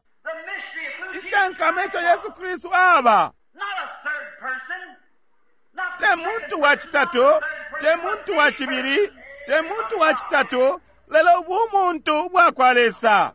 Icankama ico Yesu Kristu aba. Te muntu wa citatu, te muntu wa cibili, te muntu wa citatu, lelo bumuntu bwa kwa Lesa.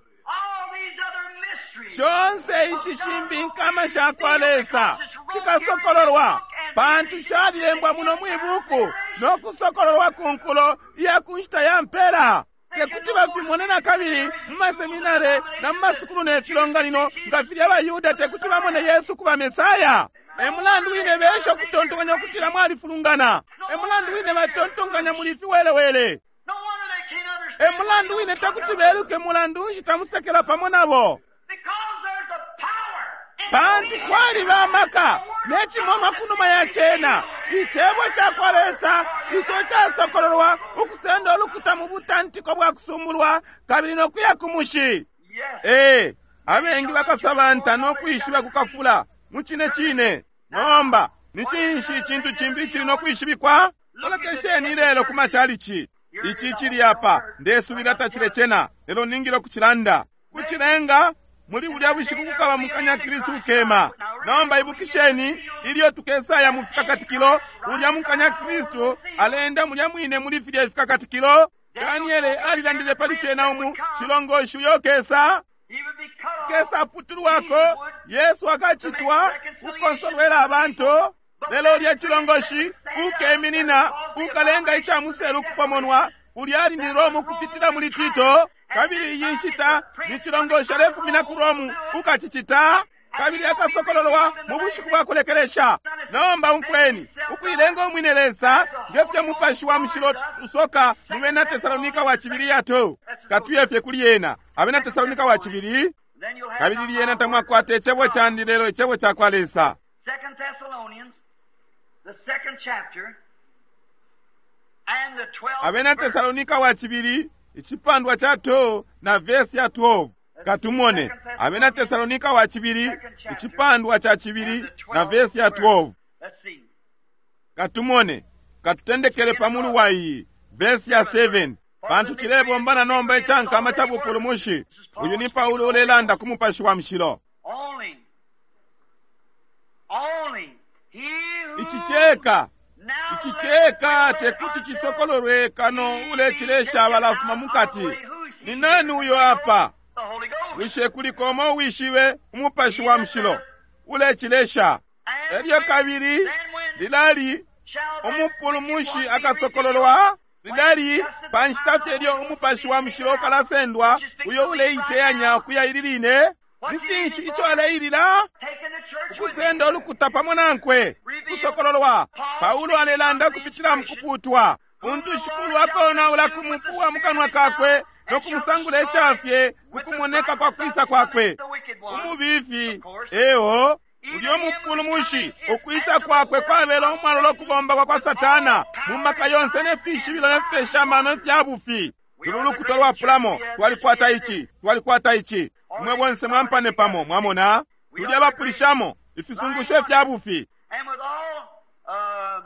Shonse ishi shimbi inkama sha kwa Lesa shikasokololwa, pantu shalilembwa muno mwibuku no kusokololwa ku nkulo iya ku nshita ya mpela. Tekuti bafimone na kabili mu maseminare na mu masukulu ne filonganino nga filya abaYuda tekuti bamone Yesu kuba Mesaya. E mulandu wine besha ukutontonkanya ukutila mwalifulungana. E mulandu wine batontonkanya muli fiwelewele. E mulandu wine tekuti beluke mulandu nshi tamusekela pamo nabo. Pantu kwaliba amaka ne cimonwa kunuma ya cena, icebo ca kwa Lesa ico casokololwa ukusenda ulukuta mu butantiko bwa kusumbulwa kabili no kuya ku mushi. Ee, abengi bakasabanta no kwishiba kukafula mu cine cine. Nomba ni cinshi icintu cimbi icili no kwishibikwa? Lolekesheni ilelo ku macalici. Ici cili apa, ndesubila tacilecena, lelo ningile ukucilanda. Kucilenga muli bulya bushiku kukaba mukanya Kristu ukema. Nomba ibukisheni, ilyo tukesaya mu fikakatikilo, ulya mukanya Kristu alenda mulya mwine muli filya ifikakatikilo. Daniele alilandile pali cena umu cilongoshi uyo kesa kesa putulwako, Yesu akacitwa kukonsolwela abantu. Lelo ulya cilongoshi ukeminina ukalenga ica muselu kupomonwa, ulya ali ni Romu kupitila muli Tito. Kabili iyi nshita ni cilongoshi alefumina ku Romu ukacicita, kabili akasokololwa mu bushiku bwa kulekelesha. Nomba umfweni, ukuilenga umwine Lesa nge fyo Mupashi wa Mushilo usoka mu Bena Tesalonika wa cibili yato. Katuye fye kuli yena, Abena Tesalonika wa cibili, kabili lyena tamwakwata icebo candi lelo icebo ca kwa Lesa. 2 Thessalonians, the second chapter, and the 12th Abena verse. Tesalonika wa cibili, icipandwa ca 2 na verse ya 12. Katumone, Abena Tesalonika wa cibili, icipandwa ca cibili na verse ya 12. Let's see. Katumone, katutendekele pamulu wa iyi verse ya 7. Pantu cilebombana nomba icankama ca bupulumushi. Uyu ni Paulo ulelanda ku Mupashi wa Mushilo. Only, only he who Ici ceka, now ici ceka tekuti cisokololwe kano ulecilesha abalafuma mukati. Ni nani uyo apa? the Holy Ghost. Bushe kuliko umo uwishibe Umupashi wa Mushilo ulecilesha? Elyo kabili lilali umupulumushi akasokololwa, lilali pa nshita fye ilyo Umupashi wa Mushilo ukalasendwa, uyo uleiteyanya ukuya ili line. Ni cinshi ico aleilila? Taking the church with Ukusenda ulukuta pamo nankwe, kusokololwa. Paulo alelanda kupitila mu kuputwa. Untu shikulu akonaula ku mupu wa mukanwa kakwe no kumusangula icafye ku kumoneka kwa kwisa kwakwe. the wicked one. Umubifi eo ulyo mupulumushi ukwisa kwakwe kwabela umwalola ukubomba kwa kwa Satana mu maka yonse ne fishibilo ne fipesha amano ifya bufi. Tuli ulukuta lwapulamo, twalikwata ici, twalikwata ici. Mwe bonse mwampane pamo, mwamona? Tuli abapulishamo ifisungusho ifya bufi. And with all,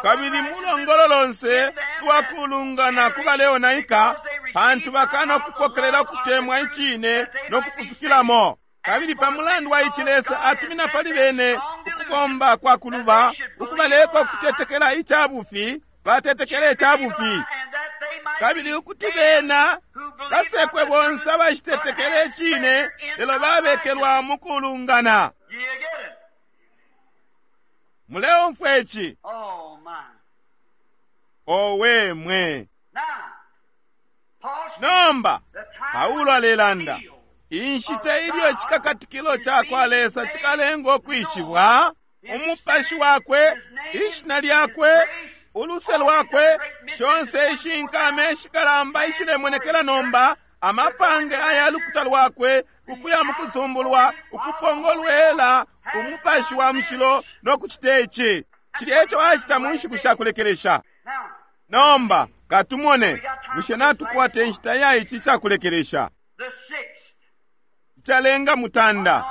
Kabili mulongolo lonse lwakulungana ku baleonaika, pantu bakana ukupokelela ukutemwa icine no kupusukilamo. Kabili pa mulandu wa ici Lesa atumina pali bene ukubomba kwa kuluba, ukubaleka ukutetekela ica bufi, batetekele ica bufi. and that they might Kabili ukuti bena basekwe bonse abashitetekele icine, lelo babekelwa mu kulungana. You get it? Muleumfwa ici, Oh my. owe mwe. Now, Paul speaks Nomba the time Paulo alelanda inshita ilyo icikakatikilo ca kwa Lesa cikalenga ukwishibwa, umupashi wakwe, ishina lyakwe, uluse lwakwe, shonse ishinkama ishikalamba ishilemonekela nomba. Amapange aya lukuta lwakwe ukuya mukusumbulwa, ukupongolwela Umupashi wa Mushilo no kucita ici. Cilya eco acita mu nshiku sha kulekelesha. Nomba katumone, bushe natukwata inshita ya ici cakulekelesha? Icalenga mutanda,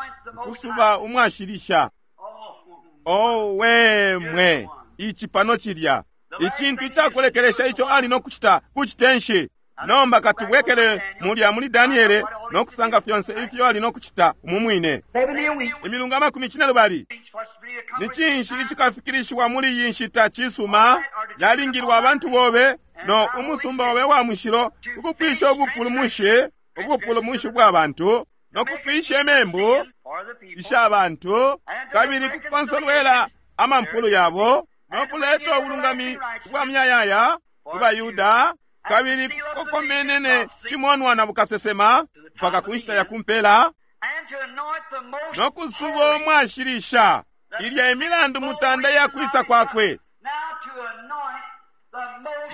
ukusuba umwashilisha. Owe mwe, ici pano cilya. Icintu icakulekelesha ico ali no kucita, kucite nshi? Nomba katubwekele mulya muli Daniele no kusanga fyonse ifyo ali no kucita umu mwine. Imilungu 20. Ni cinshi icikafikilishiwa muli iyi nshita? Cisuma, yalingilwa abantu bobe no umusumba obe wa mushilo ukupwisha ubupulumushi, ubupulumushi bwa bantu, no kupwisha imembu isha bantu, kabili kukonsolwela amampulu yabo, no kuleta ubulungami bwa muyayaya ku baYuda, kabili kukokomenene cimonwa na bukasesema mpaka ku nshita ya kumpela, no kusuba umwashilisha ilya imilandu mutanda ya kwisa kwakwe.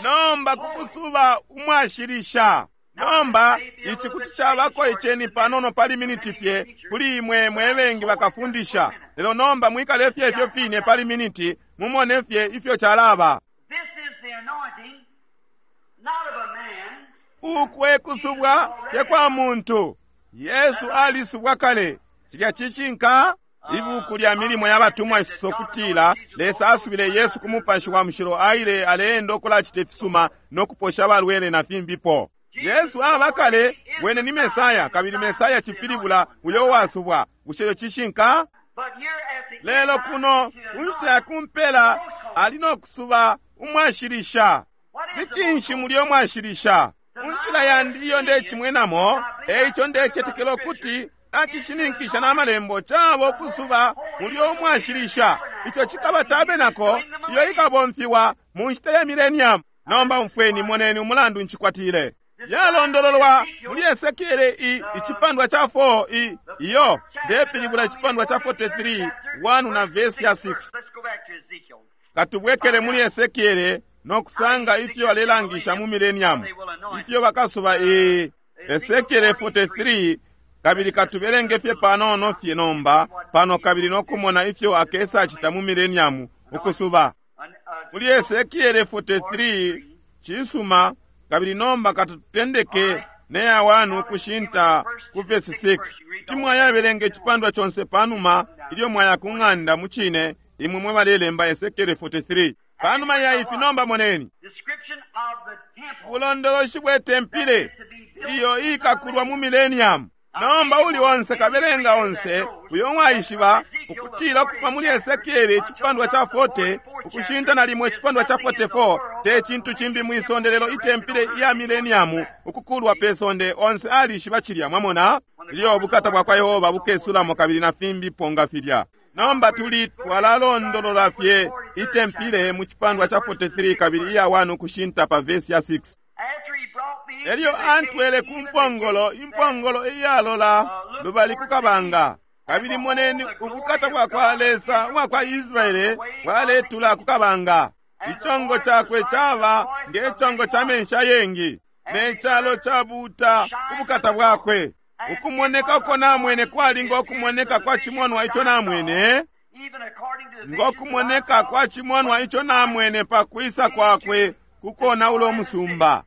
Nomba kukusuba umwashilisha. Nomba ici kuti cabako iceni panono pali miniti fye kuli imwe mwe bengi bakafundisha, lelo nomba mwikale fye ifyo fine pali miniti, mumone fye ifyo calaba. Uku e kusubwa te kwa muntu. Yesu alisubwa kale. Cilya cishinka. Ibuku lya Milimo ya Batumwa isoso kutila Lesa asubile Yesu ku Mupashi wa Mushilo, aile aleenda ukulacita ifisuma no kuposha abalwele na fimbipo. Yesu aba kale, wene ni Mesaya, kabili Mesaya cipilibula uyo uwasubwa. Bushe ico cishinka? Lelo kuno ku nshita ya kumpela ali no kusuba umwashilisha. Ni cinshi mulyo mwashilisha? Mu nshila yandi iyo ndecimwenamo, eico ndecetekela ukuti nacishininkisha na malembo, caba ukusuba mulyo umwashilisha. Ico cikaba tabenako iyo ikabomfiwa mu nshita ya millennium. Nomba umfweni, moneni umulandu ncikwatile. Yalondololwa muli Esekiele i icipandwa ca 4 i iyo ndepilibula icipandwa ca 43 1 na verse ya 6. Katubwekele muli Esekiele no kusanga ifyo alelangisha mu millennium, ifyo bakasuba i Esekiele 43, kabili katubelenge fye panono fye nomba pano, kabili no kumona ifyo akesa cita mu millennium ukusuba. Muli Esekiele 43, cisuma, kabili nomba katutendeke ne ya 1 ukushinta ku verse 6. Kuti mwayabelenga icipandwa conse panuma ilyo mwaya ku ng'anda. Mu cine, imwe mwe balelemba Esekiele 43. Panuma ya ifi nomba moneni ubulondoloshi bwe tempile iyo ikakulwa mu millennium. Nomba uli onse kabelenga onse uyo mwaishiba ukutila ukufuma muli Esekiele icipandwa ca 40 ukushinta na limo icipandwa ca 44 te cintu cimbi mwi sonde lelo itempile iya millennium ukukulwa pe sonde. Onse alishiba cilya, mwamona, ilyo ubukata bwa kwa Yehova bukesulamo kabili na fimbi ponga filya. Nomba tuli twalalondolola fye itempile mu cipandwa ca 43 kabili iya 1 ukushinta pa verse ya 6. Elyo antwele ku mpongolo, impongolo iyalola lubali ku kabanga, kabili moneni ubukata bwa kwa Lesa ubwa kwa Israele bwaletula ku kabanga. Icongo cakwe caba nge congo ca menshi ayengi, ne calo cabuuta ku bukata bwakwe. Ukumoneka uko namwene kwali ngo kumoneka kwa cimonwa ico namwene, ngo kumoneka kwa cimonwa ico namwene pa kwisa kwakwe kukonaula umusumba.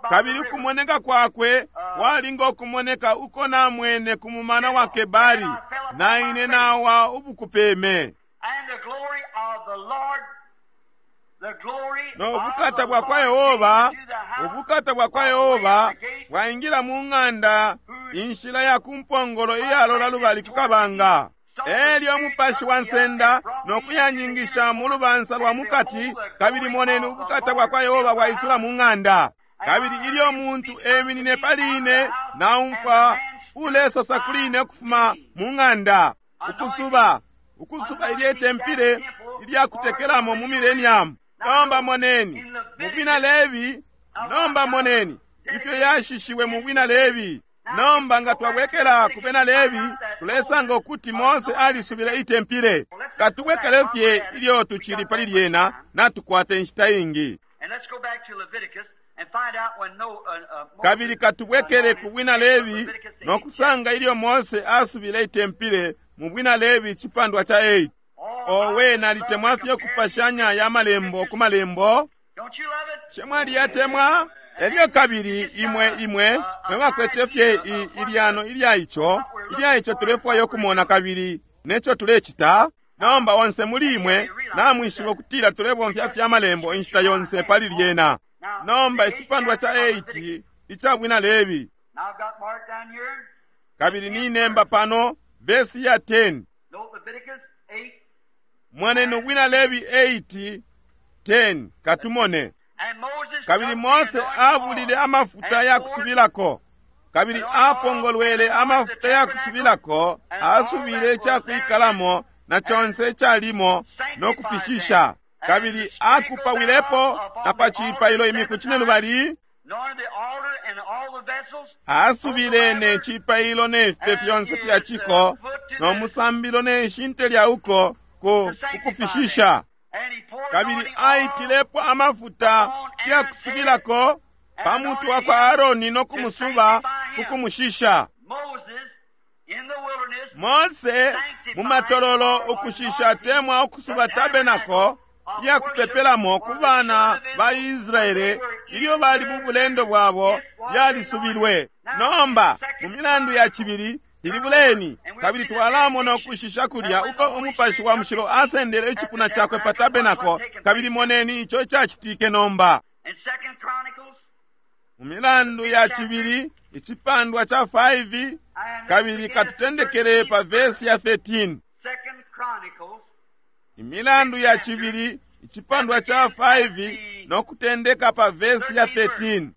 Kabili ukumoneka kwakwe kwali ngo kumoneka uko namwene ku mumana wa Kebari, na ine nawa ubukupeme. No bukata bwa kwa Yehova, ubukata bwa kwa Yehova bwaingila mu ng'anda inshila ya ku mpongolo iyalola lubali ku kabanga. Elyo umupashi wa nsenda no kuyanyingisha mu lubansa lwa mukati, kabili moneni ubukata bwa kwa Yehova bwaisula mu ng'anda. Kabili ilyo muntu eminine pali ine, naumfwa ulesosa kuli ine ukufuma mu ng'anda, ukusuba, ukusuba ilye tempile ilya kutekelamo mu millennium. Nomba moneni mu bwina Lebi, nomba moneni ifyo yashishiwe mu bwina Lebi. Nomba nga twabwekela ku bena Lebi, tulesanga ukuti Mose alisubile itempile. Katubwekele fye ilyo tucili pali lyena, natukwata inshita ingi. Let's go back to Leviticus and find out when no, Moses Kabili katubwekele ku bwina Lebi Leviticus the no eighth kusanga ilyo Mose asubile itempile mu bwina Lebi icipandwa ca 8. chapter. Owe, nalitemwa fye kupashanya ya malembo ku malembo. Don't you love it? Shemwali yatemwa elyo kabili imwe imwe mwe bakwete fye ilyano ilya ico ilya ico tulefwaya ukumona kabili neco tulecita. Nomba onse muli imwe namwishiba ukutila tulebomfya fye amalembo inshita yonse pali lyena. Nomba icipandwa ca 8 ica bwina Lebi, Now I've got marked down here. kabili ninemba pano vesi ya 10. Note Leviticus 8. Mwaneni ubwina Lebi 8 10 katumone. And Moses Kabili took the Mose anointing abulile oil amafuta and ya poured kusubilako, kabili apongolwele amafuta ya kusubilako, asubile icakwikalamo na conse icalimo no kufishisha, kabili akupawilepo na pa cipailo imiku cinelubali. anointed the altar and all the vessels, Asubile ne cipailo ne fipe fyonse fya ciko no musambilo ne shinte lya uko ku kufishisha. and he poured Kabili anointing oil aitilepo amafuta ya kusubilako pa mutwe wa kwa Aaroni no kumusuba kukumushisha. Moses in the wilderness Mose mu matololo ukushisha temwa ukusuba tabenako ya kupepelamo ku bana ba Israele ilyo bali mu bulendo bwabo yalisubilwe. Nomba mu milandu ya cibili ilibuleni kabili twalamona ukushisha kulya uko umupashi wa mushilo asendele icipuna cakwe pa tabenako, kabili moneni ico icacitike nomba. in Second Chronicles Mu milandu ya cibili icipandwa ca 5 and kabili katutendekele pa vesi ya 13. Second Chronicles Imilandu ya cibili icipandwa ca 5 no kutendeka pa vesi ya 13.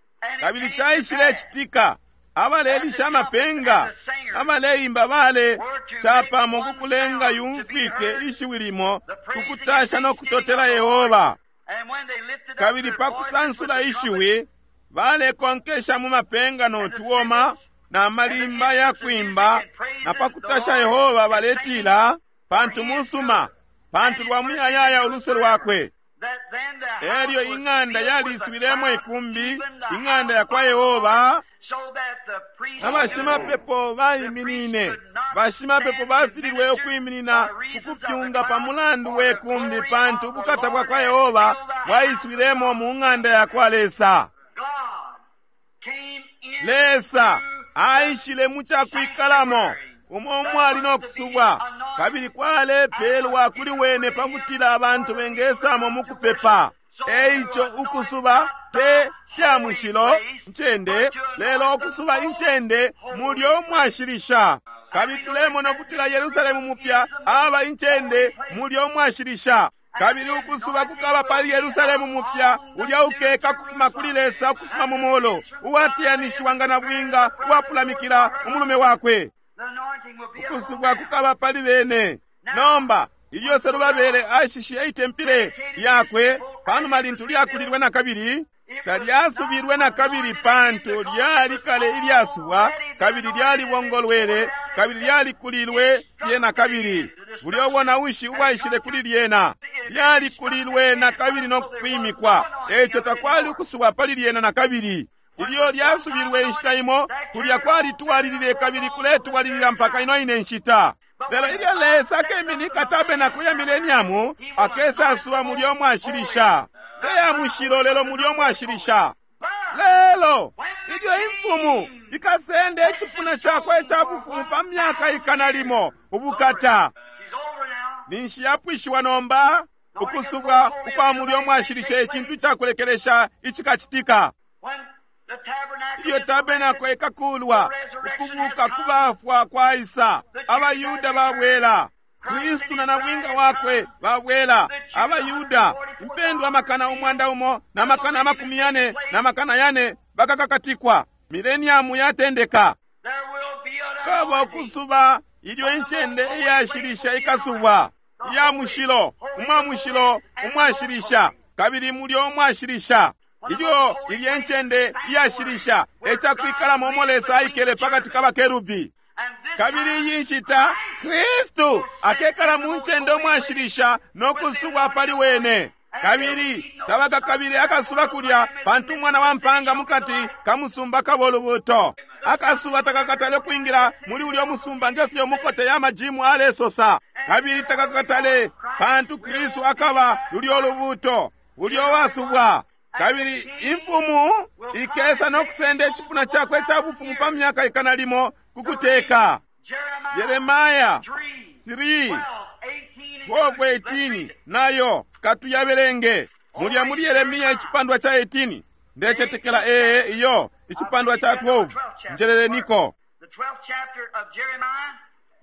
Kabili caishile citika abalelisha amapenga abaleimba bale capamo kukulenga yumfwike ishiwi limo kukutasha no kutotela Yehova. and when they lifted up Kabili their pa voices with kusansula the trumpet, ishiwi balekonkesha mu mapenga no tuoma na malimba ya kwimba, na pa kutasha Yehova baletila, pantu musuma, pantu lwa muyayaya uluse lwakwe. that then the house Elyo was ing'anda filled with a yaliswilemo cloud, ikumbi, even the ing'anda house ya kwa of the Yehova. Lord, so that the priests Abashimapepo baiminine, bashimapepo bafililwe ukwiminina kukupyunga pa mulandu we kumbi, pantu ubukata bwa kwa Yehova bwaiswilemo mu ng'anda ya kwa Lesa. God came in Lesa aishile mu cakwikalamo umo umwali no kusubwa, kabili kwalepelwa kuli wene pakutila abantu bengesamo mu kupepa. Eico ukusuba te lya mushilo ncende, lelo ukusuba incende mulyo umwashilisha. Kabili tulemona ukutila Yerusalemu mupya aba incende mulyo umwashilisha. Kabili ukusuba kukaba pali Yerusalemu mupya ulya ukeka kufuma kuli Lesa ukufuma mu molo uwateyanishiwa nga nabwinga uwapulamikila umulume wakwe. The anointing will be Ukusubwa kukaba pali bene. Nomba ilyo Serubabele ashishe itempile yakwe panuma lintu lyakulilwe na kabili, talyasubilwe na kabili pantu lyali kale ilyasubwa, kabili lyalibongolwele, kabili lyalikulilwe fye na kabili. Bulya ubonaushi ubwaishile kuli lyena lyalikulilwe na kabili no kwimikwa, eco takwali ukusubwa pali lyena na kabili. Ilyo lyasubilwe inshita imo, kulya kwalitwalilile kabili kuletwalilila mpaka ino ine nshita. Lelo ilyo Lesa akeminika tabenako ya mileniamu, akesa asuba mulyo mwashilisha. Te ya mushilo, lelo mulyo mwashilisha. Lelo ilyo imfumu ikasenda icipuna cakwe ica bufumu pa myaka ikana limo ubukata, She's over now. ninshi yapwishiwa nomba ukusubwa ukwa mulyo mwashilisha, icintu cakulekelesha icikacitika. When the tabernacle Ilyo is tabenako ikakulwa, ukubuka kubafwa kwaisa, abayuda babwela, Kristu na nabwinga wakwe babwela, abayuda impendwa 144,000 na 400,000 bakakakatikwa. Mileniamu yatendeka. There will be an Kaba anointing. ukusuba ilyo incende iyashilisha ikasubwa, iya mushilo, umwa mushilo, umwashilisha, kabili mulyo umwashilisha. Ilyo ilye ncende iyashilisha ecakwikalamo umo Lesa aikele pakati ka bakerubi. And this Kabili time, iyi nshita Kristu akekala mu ncende umwashilisha no kusubwa pali wene. Kabili tabakakabile akasuba kulya, pantu umwana wa mpanga mukati ka musumba kabo lubuto. Akasuba takakatale kwingila muli ulyo musumba nge fyo mukote ya majimu alesosa. Kabili takakatale, pantu Kristu akaba lulyo lubuto, ulyo wasubwa. Kabili imfumu ikesa no kusenda icipuna cakwe ca bufumu pa myaka ikana limo ku kuteka. Yeremaya 3 12 18 nayo katuyabelenge. Mulya muli Yeremia icipandwa ca 18 ndecetekela ee iyo icipandwa ca 12 njeleleniko.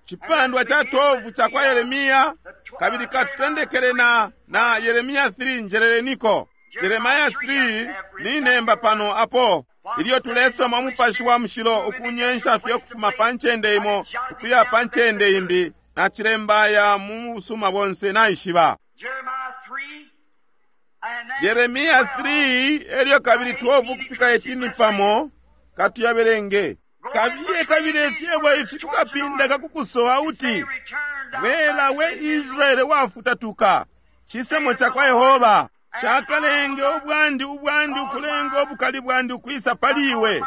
Cipandwa ca 12 ca kwa Yeremia, kabili katutendekele na Yeremia 3 njeleleniko. Yeremia 3 ni nemba pano apo ilyo tulesoma umupashi wa mushilo ukunyensha fye ukufuma pa ncende imo ukuya pa ncende imbi, na cilembaya mu busuma bonse naishiba. Yeremia 3 elyo kabili 12 ukufika 18 pamo katuyabelenge. Kabiye kabili ifyebo ifi kukapinda kakukusowa uti, Bwela we Israele wafutatuka, cisemo ca kwa Yehova cakalenge ubwandi ubwandi ukulenga ubukali bwandi ukwisa pali iwe,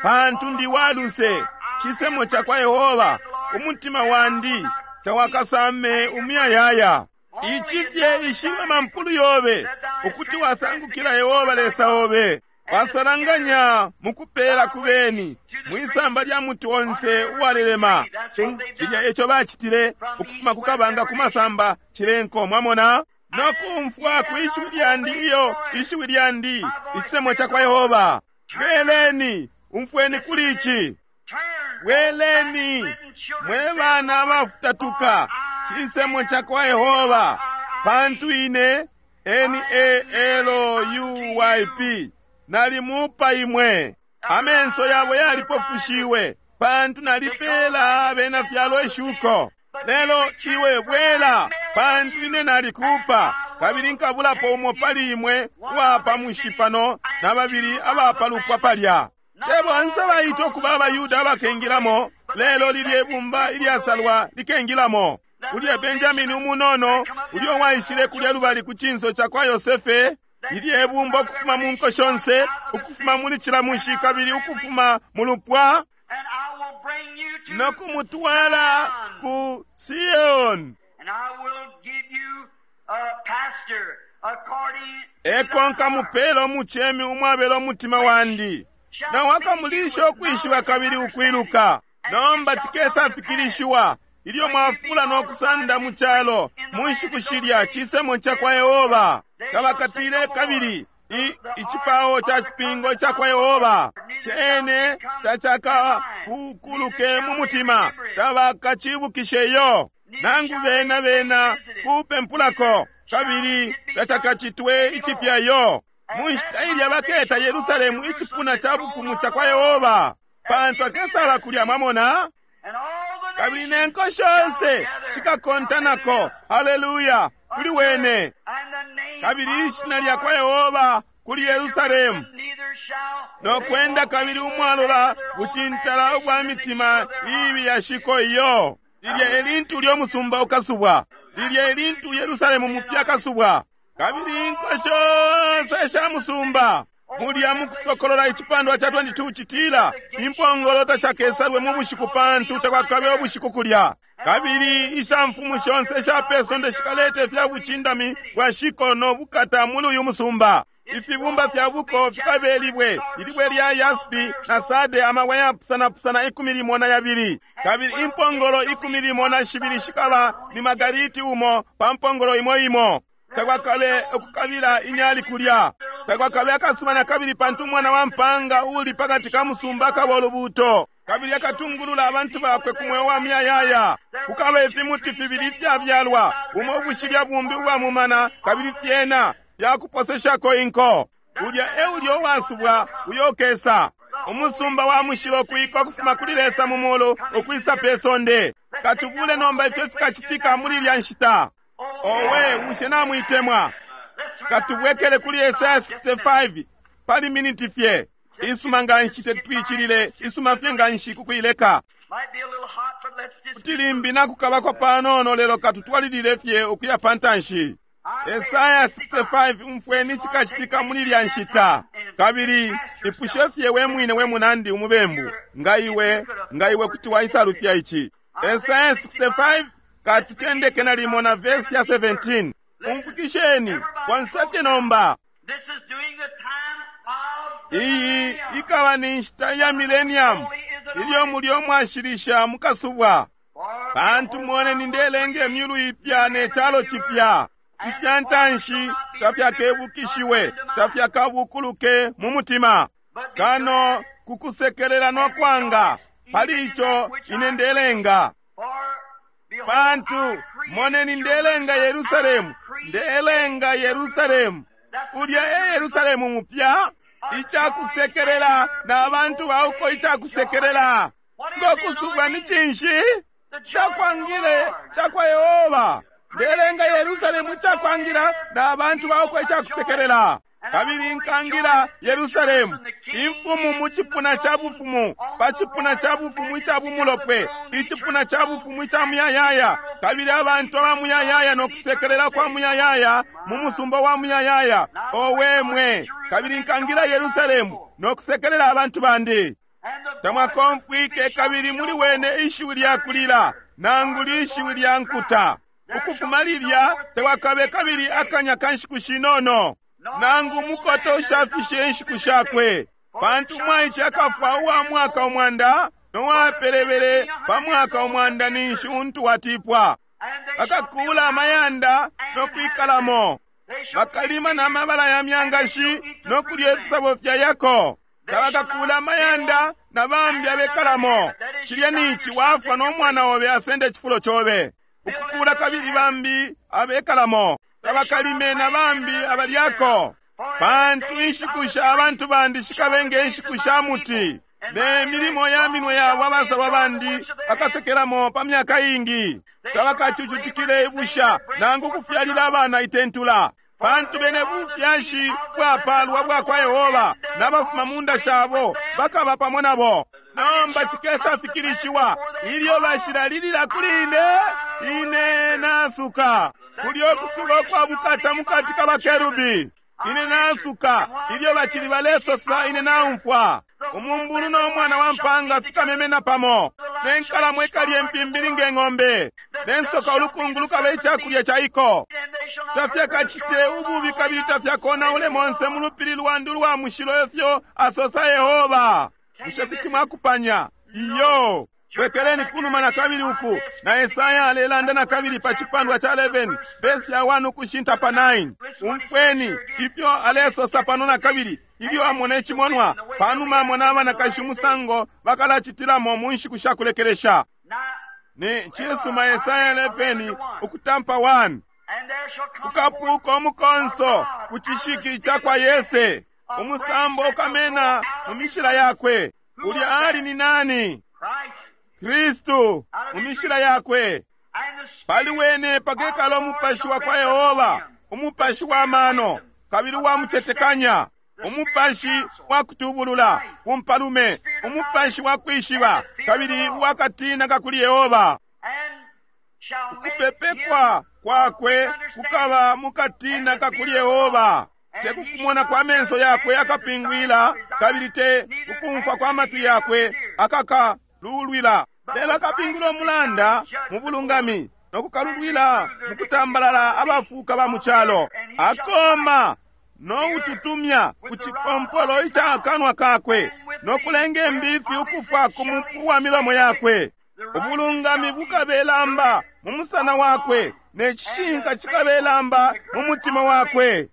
pantu ndi waluse, cisemo ca kwa Yehova, umutima wandi tawakasame umuyayaya. Ici fye ishiwe mampulu yobe, ukuti wasangukila Yehova Lesa obe, wasalanganya mukupela kubeni mwisamba lya muti onse uwalelema. Cilya eco bacitile ukufuma kukabanga kumasamba cilenko, mwamona no kumfwa ku ishiwi lyandi, iyo ishiwi lyandi, icisemo ca kwa Yehova. Bweleni, umfweni kuli ici. Bweleni, mwe bana abafutatuka, cisemo ca kwa Yehova, pantu ine N-A-L-U-Y-P nalimupa imwe. Amenso yabo yalipofushiwe, pantu nalipela abena fyalo ishuko. Lelo iwe bwela, pantu ine nalikupa, kabili nkabulapo umo pali imwe uwapa mushipano na babili abapalupwa palya. Te bonse baitwa ukuba abaYuda abakengilamo, lelo lilye bumba ilyasalwa likengilamo. Ulya Benjamini umunono, ulyo waishile kulya lubali ku cinso ca kwa Yosefe, ilye bumba ukufuma mu nko shonse, ukufuma muli cila mushi kabili ukufuma mu lupwa, no kumutwala ku Sion. Eko nkamupela umucemi umwabela umutima wandi, na wakamulisha ukwishiba kabili ukwiluka. Nomba cikesa fikilishiwa ilyo mwafula no kusanda mu calo mu nshiku shilya, cisemo ca kwa Yehova. Tabakatile kabili icipao ca cipingo ca kwa Yehova cene tacakapukuluke mu mutima, tabakacibukisheyo nangu bena bena kupempulako, kabili tacakacitwe icipyayo. Mu nshita ilya baketa Yerusalemu icipuna ca bufumu ca kwa Yehova, pantu akesala kulya, mwamona. Kabili ne nko shonse shikakontanako, haleluya, kuli wene. Kabili ishina lya kwa Yehova kuli Yerusalemu, no kwenda kabili umwalola bucintala ubwa mitima ibi yashiko iyo. Lilya elintu lyo musumba ukasubwa, lilya elintu Yerusalemu mupya kasubwa. Kabili inko shonse sha musumba mulya mukusokolola icipandwa ca 22 citila, impongolo tashakesalwe mu bushiku, pantu takwakabe ubushiku kulya. Kabili ishamfumu shonse sha pesonde shikaleta ifya bucindami bwa shiko no bukata muli uyu musumba. Ifibumba fya buko fikabe libwe, ilibwe lya yaspi na sade, amabwe yapusanapusana 12. Kabili impongolo 12 shikaba ni magariti umo pa mpongolo imo imo. Takwakabe ukukabila inyali kulya, takwakabe akasuba na kabili, pantu umwana wa mpanga uli pakati ka musumba akaba ulubuto, kabili akatungulula abantu bakwe ku mweo wa miyayaya. Kukaba ifimuti fibili ifyabyalwa, umo ubushilya bumbi ubwa mumana, kabili fyena fyakuposeshako inko. Ulya e ulya uwasubwa uyo ukesa, umusumba wa mushilo kuika ukufuma kuli Lesa mu mulu ukwisa pe sonde. Katubule nomba ifyo fikacitika muli ilya nshita. Owe, bushe namwitemwa? Katubwekele kuli Esaya 65 pali miniti fye. Isuma nga nshi tetwicilile, isuma fye nga nshi kukuileka. Kuti limbi nakukabako panono, lelo katutwalilile fye ukuya pantanshi. Esaya 65, umfweni cikacitika muli lya nshita. Kabili ipushe fye we mwine we munandi umubembu, nga iwe, nga iwe kuti waisalufya ici. Esaya 65, katutendeke nalimo na verse ya 17. Umfukisheni, bonse fye nomba. This is during the time of the Iyi millennium. ikaba ni nshita ya millennium, ilyo mulyo mwashilisha mukasubwa. For Pantu moneni ndelenga imyulu ipya ne calo cipya. Ifya ntanshi tafyakebukishiwe, tafyakabukuluke mu mutima. Kano kukusekelela no kwanga, pali ico ine ndelenga. For behold, Pantu I create moneni ndelenga Yerusalemu, ndelenga Yerusalemu. Ulya e Yerusalemu mupya, icakusekelela na bantu bauko icakusekelela. Ngokusubwa ni cinshi? Cakwangile cakwa Yehova. Ndelenga Yerusalemu icakwangila na bantu bauko icakusekelela. Kabili nkangila Yerusalemu, imfumu mu cipuna ca bufumu, pa cipuna ca bufumu ica bumulopwe, icipuna ca bufumu ica muyayaya, kabili abantu aba muyayaya no kusekelela kwa muyayaya mu musumba wa muyayaya. Owe mwe, kabili nkangila Yerusalemu no kusekelela abantu bandi. And the Tamwakomfwike kabili muli wene ishiwi lya kulila, nangu lishiwi lya nkuta. Ukufuma lilya tewakabe kabili akanya ka nshiku shinono, nangu mukoto ushafishe inshiku shakwe. Pantu umwaice akafwa uwa mwaka umwanda, nowapelebele pa mwaka umwanda ninshi untu watipwa. and they shall Bakakuula amayanda no kwikalamo, they shall bakalima n'amabala ya myangashi no kulya ifisabo fya yako. Tabakakuula amayanda na bambi abekalamo. Cilya nici wafwa no mwana obe asende icifulo cobe. Ukukuula kabili bambi abekalamo. Tabakalime na bambi abalyako. Pantu inshiku sha abantu bandi shikabe nge nshiku sha muti. Ne milimo ya minwe yabo abasalwa bandi bakasekelamo pa myaka ingi. Tabakacucutikile ibusha nangu kufyalila abana itentula. Pantu bene bufyashi bwapalwa bwakwa Yehova n'abafuma mu nda shabo bakaba pamo nabo. Nomba cikesa fikilishiwa ilyo bashilalilila kuli ine, ine nasuka. Kulyo kusuba ukwa bukata mukati ka bakerubi. Ine nasuka ilyo bacili balesosa ine naumfwa. Umumbulu no mwana wa mpanga fikamemena pamo. Ne nkalamo ikalya impimbili nge ng'ombe. Ne nsoka ulukungu lukaba icakulya ca iko. and they shall not Tafyakacite ububi kabili tafyakonaule monse mu lupili lwandi ulwa mushilo efyo asosa Yehova. Bushe kuti mwakupanya? Iyo. Bwekeleni kunuma na kabili uku na Esaya alelanda na kabili pa cipandwa ca 11 verse ya 1 ukushinta pa 9. Umfweni ifyo alesosa pano na kabili ilyo amona icimonwa panuma amona abanakashi umusango bakalacitilamo mu nshiku sha kulekelesha. Now, Ni cisuma Esaya 11 ukutampa 1. and there shall come Ukapuuka umukonso ku cishiki ca kwa Yese, umusambo ukamena mu mishila yakwe. Ulya ali ni nani? Christ Kristu mu mishila yakwe. and the Spirit Pali wene pakekala umupashi wa kwa Yehova, umupashi wa mano, kabili uwa mucetekanya, umupashi wa kutubulula, kumpalume, umupashi wa kwishiba, kabili uwa katina kakuli Yehova. and shall make Kupepekwa him kwakwe kukaba mukatina kakuli Yehova. Te kukumona kwa menso yakwe akapingwila, kabili te kukumfwa kwa matwi yakwe akakalulwila. Lelo akapingwila umulanda mu bulungami no kukalulwila mu kutambalala abafuuka ba mu calo. Akoma no ututumya ku cipompolo ica kanwa kakwe no kulenga imbifi ukufwa ku mupu wa milomo yakwe. Ubulungami bukabelamba mu musana wakwe ne cishinka cikabelamba mu mutima wakwe.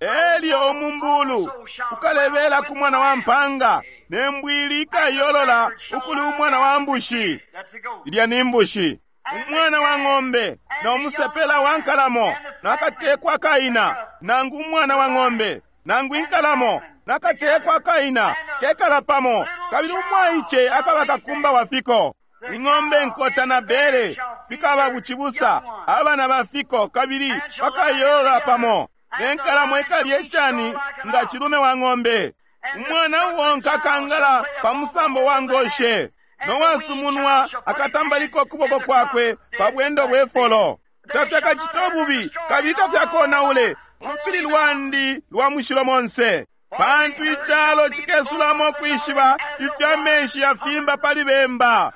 and Elyo umumbulu ukalebela ku mwana wa mpanga ne mbwili ikayolola ukuli umwana wa mbushi. that's the goat. Ilya ni mbushi. Umwana wa ng'ombe na umusepela wa nkalamo nakatekwa kaina nangu umwana wa ng'ombe nangu inkalamo nakatekwa kaina kekala pamo kabili umwaice akaba kakumba wa fiko. Ing'ombe nkota na bere fikaba bucibusa abana ba fiko kabili bakayolola pamo ne nkalamo ikalya icani nga cilume wa ng'ombe. Umwana uwonka akangala pa musambo wa ngoshe nowasumunwa akatambalika ukuboko kwakwe pa bwendo bwe folo. Tafyakacite ububi kabili tafyakonaule ulupili lwandi lwa mushilo monse, pantu icalo cikesulamo kwishiba ifyo amenshi yafimba pali bemba.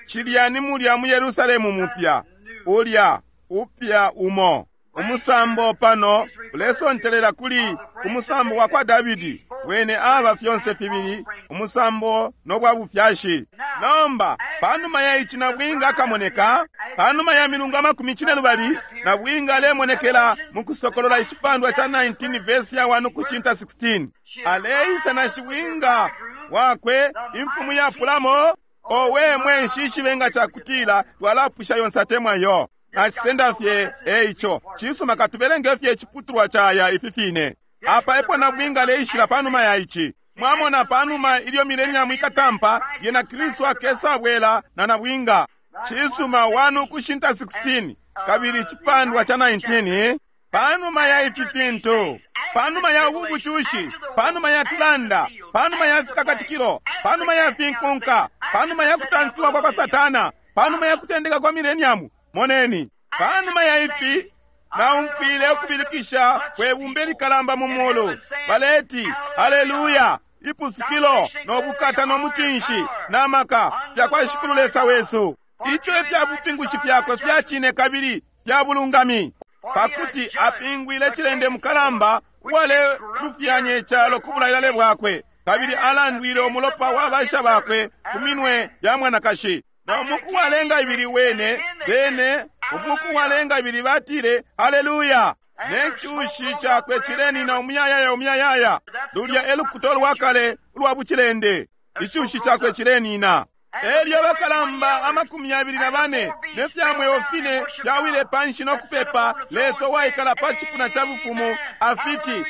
Cilya ni mulya mu Yerusalemu mupya, ulya upya umo. Umusambo pano ulesontelela kuli umusambo wa kwa Davidi. Wene aba fyonse fibili umusambo no bwa bufyashi. Nomba panuma ya ici nabwinga akamoneka, panuma ya milungu 40, nabwinga alemonekela mu Kusokolola icipandwa ca 19 verse ya 1 kushinta 16. Aleisa na shibwinga wakwe, imfumu yapulamo. Owe mwe, nshishibe nga cakutila twalapwisha yonse atemwa yo. Nacisenda fye eico. Cisuma, katubelenge fye iciputulwa caya ifi fine. Apa epo nabwinga aleishila panuma ya ici. Mwamona, panuma ilyo millennium ikatampa, yena Kristu akesabwela na nabwinga. Cisuma, 1 kushinta 16 kabili icipandwa ca 19. Panuma ya ifi fintu, panuma ya ubu bucushi, panuma ya tulanda, panuma ya fikakatikilo, panuma ya finkunka, panuma ya kutamfiwa kwa kwa Satana, panuma ya kutendeka kwa millennium, moneni, panuma ya ifi naumfwile ukubilikisha kwe bumba likalamba mu mulu, baleti, Haleluya! Ipusukilo no bukata no mucinshi na maka fya kwa Shikulu Lesa wesu. Ico ifya bupingushi fyakwe fya cine kabili fya bulungami, pakuti apingwile cilende mukalamba uwalelufyanya icalo ku bulailale bwakwe, kabili alandwile umulopa wa basha bakwe ku minwe ya mwanakashi. Na umuku walenga ibili wene bene umuku walenga ibili batile, Haleluya! Ne cushi cakwe cilenina umuyayaya umuyayaya. Lulya e lukuta lwa kale ulwa bucilende. Icushi cakwe cilenina. Elyo abakalamba 24 ne fya mweo fine fyawile panshi no kupepa Lesa uwaikala pa cipuna ca bufumu, afiti,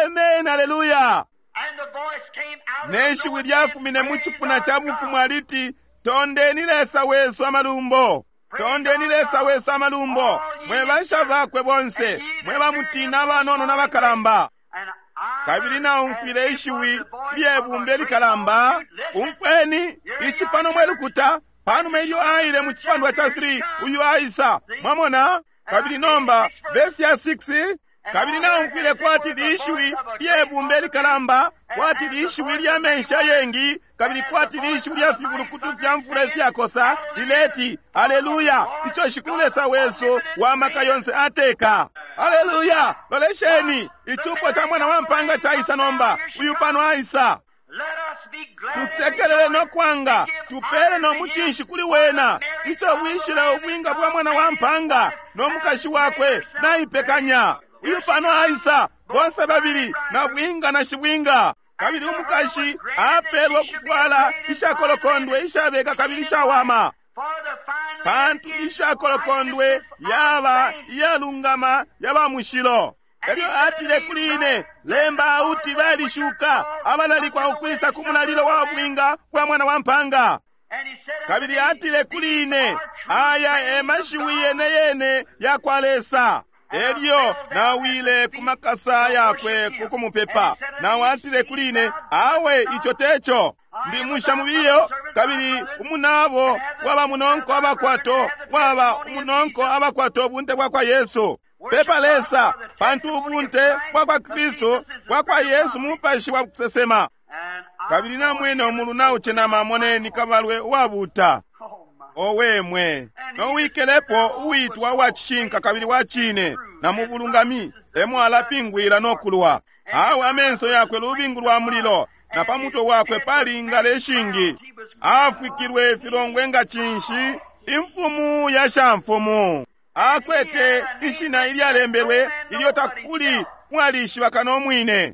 Amen, haleluya! Ne shiwi lyafumine mu cipuna ca bufumu aliti, Tondeni Lesa wesu amalumbo, tondeni Lesa wesu amalumbo, mwe basha bakwe bonse, mwe bamutina abanono n'abakalamba. Kabili naumfwile ishiwi lyebumba likalamba. Umfweni ici pano mwe lukuta. Panuma ilyo aile mu cipandwa ca 3, uyu aisa. Mwamona? Kabili nomba vesi ya 6, kabili naumfwile kwati lishiwi lyebumba likalamba, kwati lishiwi lya menshi ayengi, kabili kwati lishiwi lya fibulukutu fya mfula ifyakosa, lileti, Haleluya! Ico Shikulu Lesa wesu wa maka yonse ateka. Haleluya! Lolesheni, icupo ca mwana wa mpanga caisa nomba. Uyu pano aisa. Tusekelele no kwanga, tupele no mucinshi kuli wena, ico bwishile ubwinga bwa mwana wa mpanga no mukashi wakwe naipekanya. Uyu pano aisa, bonse babili, na bwinga na shibwinga. Kabili umukashi apelwa kufwala ishakolokondwe ishabeka kabili ishawama, pantu ishakolokondwe yaba iyalungama yaba mushilo. Elyo atile kuli ine, lemba auti balishuka abalalikwa ukwisa ku mulalilo wa bwinga bwa mwana wa mpanga. Kabili atile kuli ine, aya e mashiwi yene yene ya kwa Lesa. Elyo nawile ku makasa yakwe ku kumupepa. Nawe atile kuli ine, awe ico teco. Ndi musha mubiyo, kabili umunabo waba munonko abakwato, waba umunonko abakwato ubunte bwa kwa Yesu. Pepa Lesa, pantu ubunte bwa kwa Kristu bwa kwa Yesu mupashi wa kusesema. Kabili namwene umulu naucenama, moneni kabalwe uwabuta. Owe mwe, nowikelepo uwitwa uwa cishinka kabili wa cine, na mu bulungami emo alapingwila no kulwa. Awe amenso yakwe lubingu lwa mulilo, na pa mutwe wakwe pali ingala ishingi. Afwikilwe ifilongwe nga cinshi, imfumu ya shamfumu. Akwete ishina ilyalembelwe ilyo takuli mwalishiba kano mwine.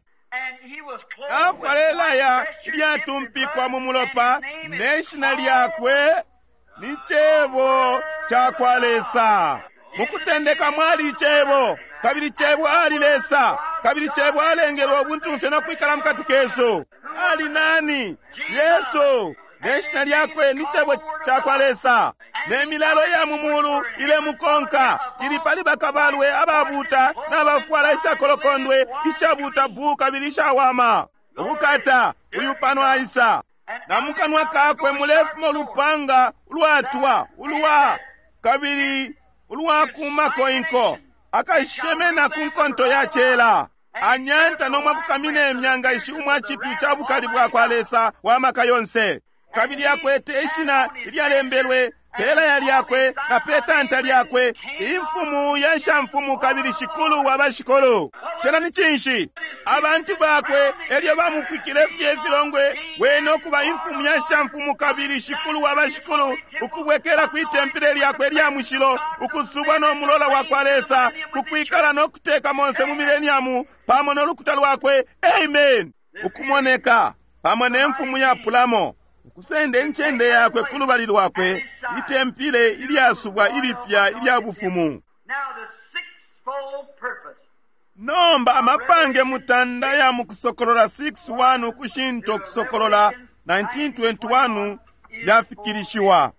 Afwala elaya ilyatumpikwa mu mulopa, ne shina lyakwe ni Cebo ca kwa Lesa. Mukutendeka mwali Cebo, kabili Cebo ali Lesa, kabili Cebo alengelwe ubuntunse no kwikala mukati kesu. Ali nani? Yesu. Ne shina lyakwe ni Cebo ca kwa Lesa. Ne milalo ya mu mulu ilemukonka, ili pali bakabalwe ababuta n'abafwala ishakolokondwe ishabuta bu kabili ishawama. Ubukata, uyu pano aisa. Na mukanwa kakwe mulefuma ulupanga ulwatwa ulwa kabili ulwakumako inko, akashemena ku nkonto ya cela. Anyanta no mwakukamina imyanga ishi umwa cipyu ca bukali bwa kwa Lesa wa maka yonse. Kabili akwete ishina ilyalembelwe pelaya lyakwe na petanta lyakwe, imfumu ya shamfumu kabili shikulu wa bashikulu. Cena ni cinshi? Abantu bakwe elyo bamufwikile fye ifilongwe, wene ukuba imfumu ya shamfumu kabili shikulu wa bashikulu, ukubwekela kwi tempile lyakwe lya mushilo, ukusubwa no mulola wa kwa Lesa, kukwikala no kuteka monse mu mileniamu pamo no lukuta lwakwe. Amen. Ukumoneka pamo ne mfumu yapulamo, ukusenda incende yakwe ku lubali lwakwe, itempile ilyasubwa ilipya ilya bufumu. Now the sixfold purpose. Nomba amapange mutanda ya mukusokolola 6:1 ukushinta ukusokolola 19:21 yafikilishiwa.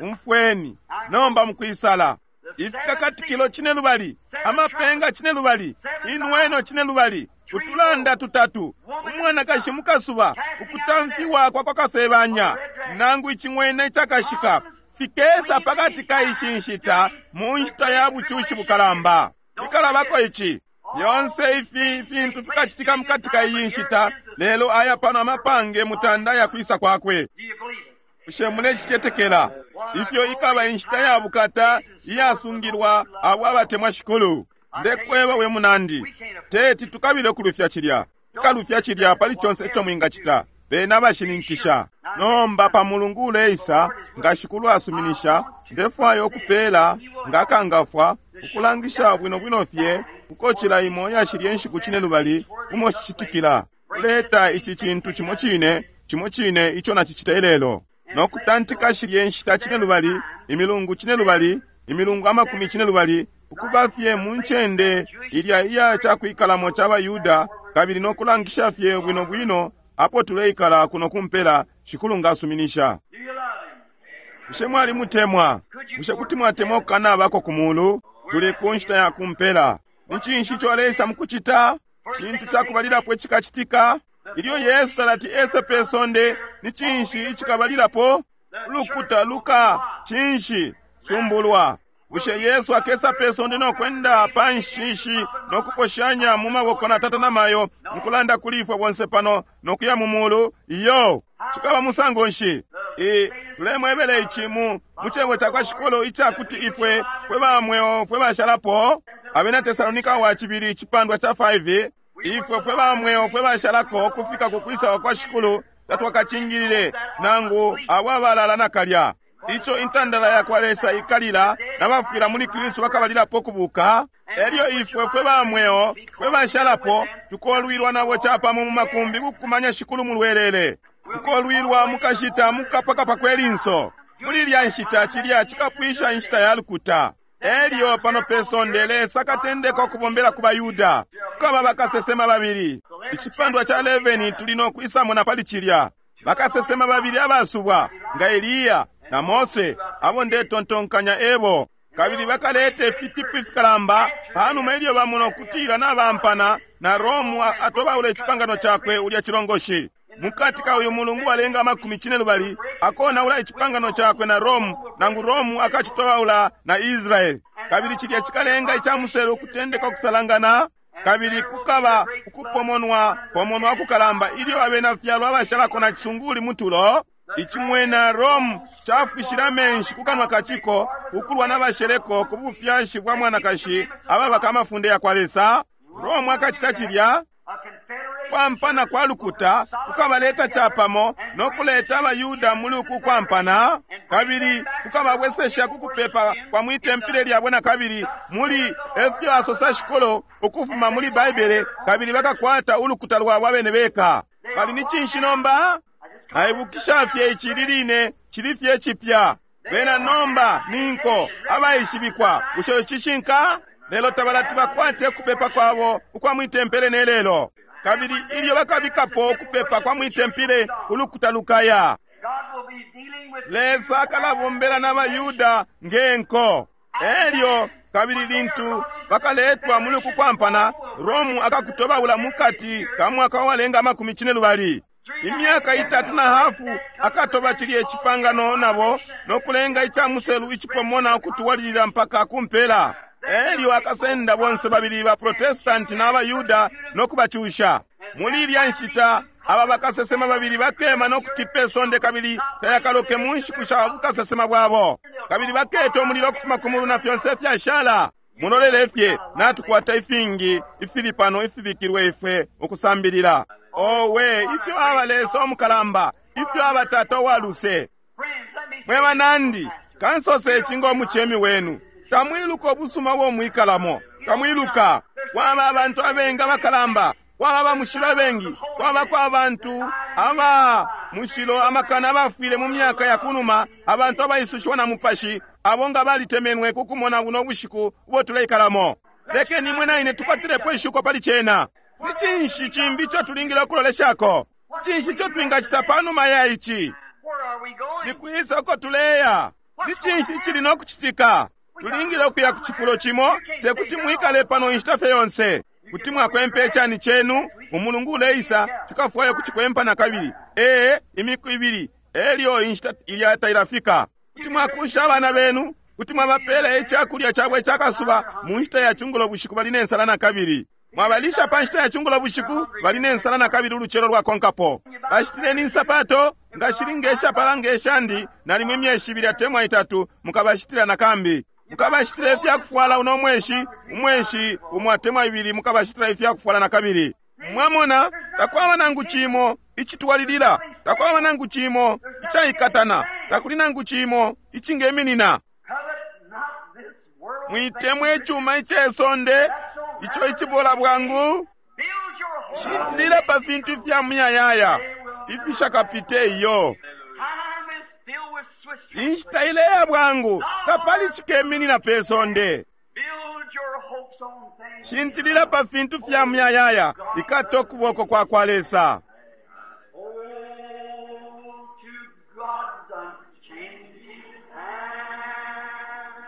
Umfweni nomba mukwisala ifikakatikilo cine lubali, amapenga cine lubali, inweno cine lubali, utulanda tutatu, umwanakashi mukasuba, ukutamfiwa kwa kwa kasebanya nangu icing'wena icakashika, fikesa pakati ka ishi nshita mu nshita ya bucushi bukalamba. Ikalabako ici yonse ifi fintu fikacitika mukati ka iyi nshita, lelo aya pano amapange mutanda ya kwisa kwakwe. Do you believe it? Bushe mulecicetekela ifyo ikaba inshita ya bukata iyasungilwa abo abatemwa Shikulu? Ndekweba we munandi, teti tukabile ukulufya cilya, tukalufya cilya pali conse ico mwingacita. Bena abashininkisha. Nomba pa mulungu uleisa, nga Shikulu asuminisha, ndefwaya ukupela nga akangafwa ukulangisha bwino bwino fye kukocila imo yashilye nshiku cine lubali umo cicitikila. Kuleta ici cintu cimo cine, cimo cine ico nacicita ilelo, no kutantika shilye nshita cine lubali, imilungu cine lubali, imilungu amakumi cine lubali, ukuba fye mu ncende ilya iya cakwikalamo ca baYuda, kabili no kulangisha fye bwino bwino apo tuleikala kuno kumpela, Shikulu ngasuminisha. Do you love him? Bushe mwalimutemwa? Bushe kuti mwatemwa ukukanabako ku mulu? Tuli ku nshita ya kumpela. Ni cinshi ico aleisa mukucita? Cintu cakubalilapo icikacitika ilyo Yesu talati ese pe sonde, ni cinshi icikabalilapo? Ulukuta luka cinshi sumbulwa. Bushe Yesu akesa pe sonde no kwenda pa nshishi no kuposhanya mu maboko na tata na mayo mukulanda kuli ifwe bonse pano no kuya mu mulu? Iyo, cikaba musango nshi? E, tulemwebele ici mu cebo ca kwa Shikulu icakuti ifwe fwe ba mweo fwe bashalapo. Abena Tesalonika wa cibili icipandwa ca 5, ifwe fwe ba mweo fwe bashalako kufika ku kwisa kwa Shikulu tatwakacingilile nangu abo abalala nakalya. Ico intandala ya kwa Lesa ikalila nabafwila muli Kristu bakabalilapo kubuka. Elyo ifwe fwe ba mweo fwe bashalapo tukolwilwa nabo capamo mu makumbi kukumanya Shikulu mu lwelele. Tukolwilwa mukashita mukapakapa kwe linso. Muli ilya nshita cilya cikapwisha inshita ya lukuta. Elyo pano pe sonde Lesa akatendeka ukubombela ku baYuda. Kukaba bakasesema babili. Icipandwa ca 11 tuli no kwisamona pali cilya. Bakasesema babili abasubwa nga Eliya na Mose, abo ndetontonkanya ebo. Kabili bakaleta ifitipu ifikalamba panuma ilyo bamona ukutila nabampana na Romu atobaula icipangano cakwe ulya cilongoshi. Mukati ka uyu mulungu walenga amakumi cine lubali akonaula icipangano cakwe na Romu, nangu Romu akacitobaula na Israeli. Kabili cilya cikalenga icamuselu ukutendeka ukusalangana, kabili kukaba ukupomonwa pomonwa kukalamba ilyo abena fyalo abashalako na cisunguli mutulo. Icimwena Romu cafwishile amenshi ku kanwa kaciko ukulwa n'abasheleko ku bufyashi bwa mwanakashi ababaka amafunde ya kwa Lesa. Romu akacita cilya A confederation kwampana kwa lukuta kukabaleta capamo no kuleta abayuda muli uku kwampana, kabili kukababwesesha ku kupepa kwa mwitempile lyabo na kabili muli efyo asosa Shikulu ukufuma muli Baibele, kabili bakakwata ulukuta lwabo abene beka. Bali ni cinshi nomba? Naibukisha fye ici liline cili fye cipya. Bena nomba ni nko abaishibikwa. Bushe cishinka? Lelo tabalati bakwate kupepa kwabo ukwa mwitempele ne lelo. Kabili ilyo bakabikapo ukupepa kwa mwitempele, ulukuta lukaya. God will be dealing with Lesa akalabombela n'abayuda ngenko. Elyo kabili lintu bakaletwa muli uku kwampana, Romu akakutobaula mukati ka mwaka walenga amakumi cine lubali. Imyaka itatu na hafu akatoba cilye cipangano nabo no kulenga ica muselu icipomona ukutwalilila mpaka kumpela. Elyo akasenda bonse babili ba Protestanti na abaYuda no kubacusha. Muli ilya nshita aba bakasesema babili bakema no kutipa isonde kabili tayakaloke mu nshiku sha bukasesema bwabo. Kabili baketa umulilo ukufuma ku mulu na fyonse ifyashala. Mulolele fye, natukwata ifingi ifili pano ifibikilwe ifwe ukusambilila. Owe, ifyo aba Lesa omukalamba, ifyo aba Tata uwa luse. Friends, let me Mwe banandi, kansose ici ngo mucemi wenu. Tamwiluka ubusuma ubo mwikalamo. Tamwiluka. Kwaba abantu abengi abakalamba, kwaba abamushilo abengi, kwabako abantu aba mushilo amakana abafwile mu myaka ya kunuma, abantu abaisushiwa na mupashi, abo nga balitemenwe ku kumona buno bushiku ubo tuleikalamo. Lekeni imwe na ine tukwatilepo ishuko pali cena. Ni cinshi cimbi ico tulingile ukuloleshako? Cinshi ico twingacita panuma ya ici? Where are we going? Ni kwisa uko tuleya? Ni cinshi icili no kucitika? Tulingile ukuya ku cifulo cimo, tekuti mwikale pano inshita fye yonse. Kuti mwakwempa icani cenu, umulungu uleisa, cikafwaya ukucikwempa na kabili. Ee, imiku ibili, elyo inshita ilya tailafika. Kuti mwakusha abana benu, kuti mwabapela icakulya cabo icakasuba mu nshita ya cungulo bushiku bali ne nsala na kabili. Mwabalisha pa nshita ya cungulo bushiku bali ne nsala na kabili ulucelo lwakonkapo. Bashitileni insapato nga shili ngeshapala ngeshandi nalimo imyeshi ibili atemwa itatu mukabashitila na kambi. Mukabashitila ifyakufwala uno mweshi, umweshi umo atemwa ibili mukabashitila ifyakufwala na kabili. Mwamona, takwaba nangu cimo icitwalilila, takwaba nangu cimo icaikatana, takuli nangu cimo icingeminina. Covet not this world. Mwitemwe icuma icesonde ico icibola bwangu. Build your hope. Shintilila pa fintu ifya muyayaya ifishakapite iyo. Time is filled with swift Inshita ileya bwangu, tapali cikeminina pe sonde. Build your hopes on things. Shintilila pa fintu fya muyayaya, ikata ukuboko kwa kwa Lesa. Hold to God's unchanging hand.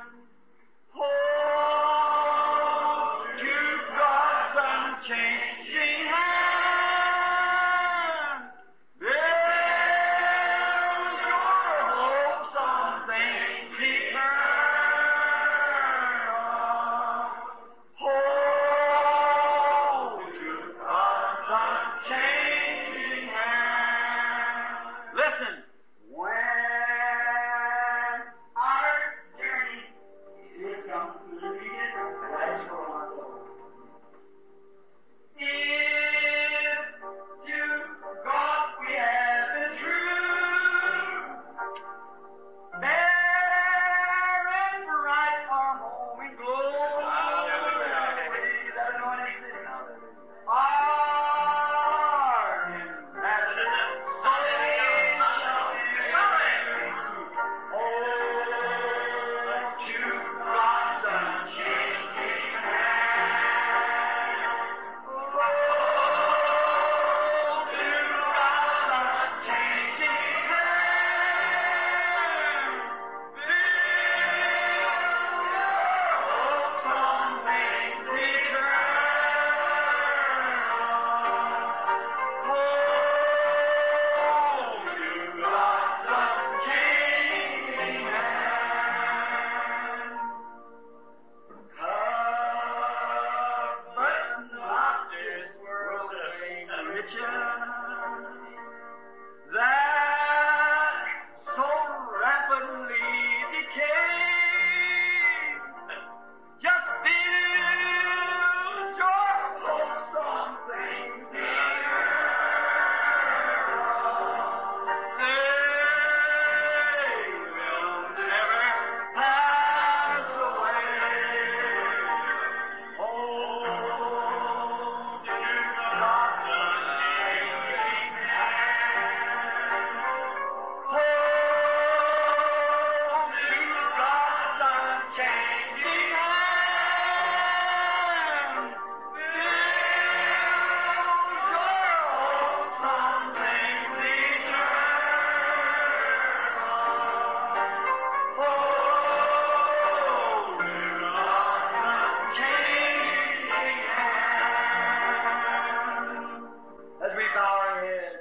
Hold to God's unchanging hand. Build your hopes on things eternal. Hold to God's unchanging.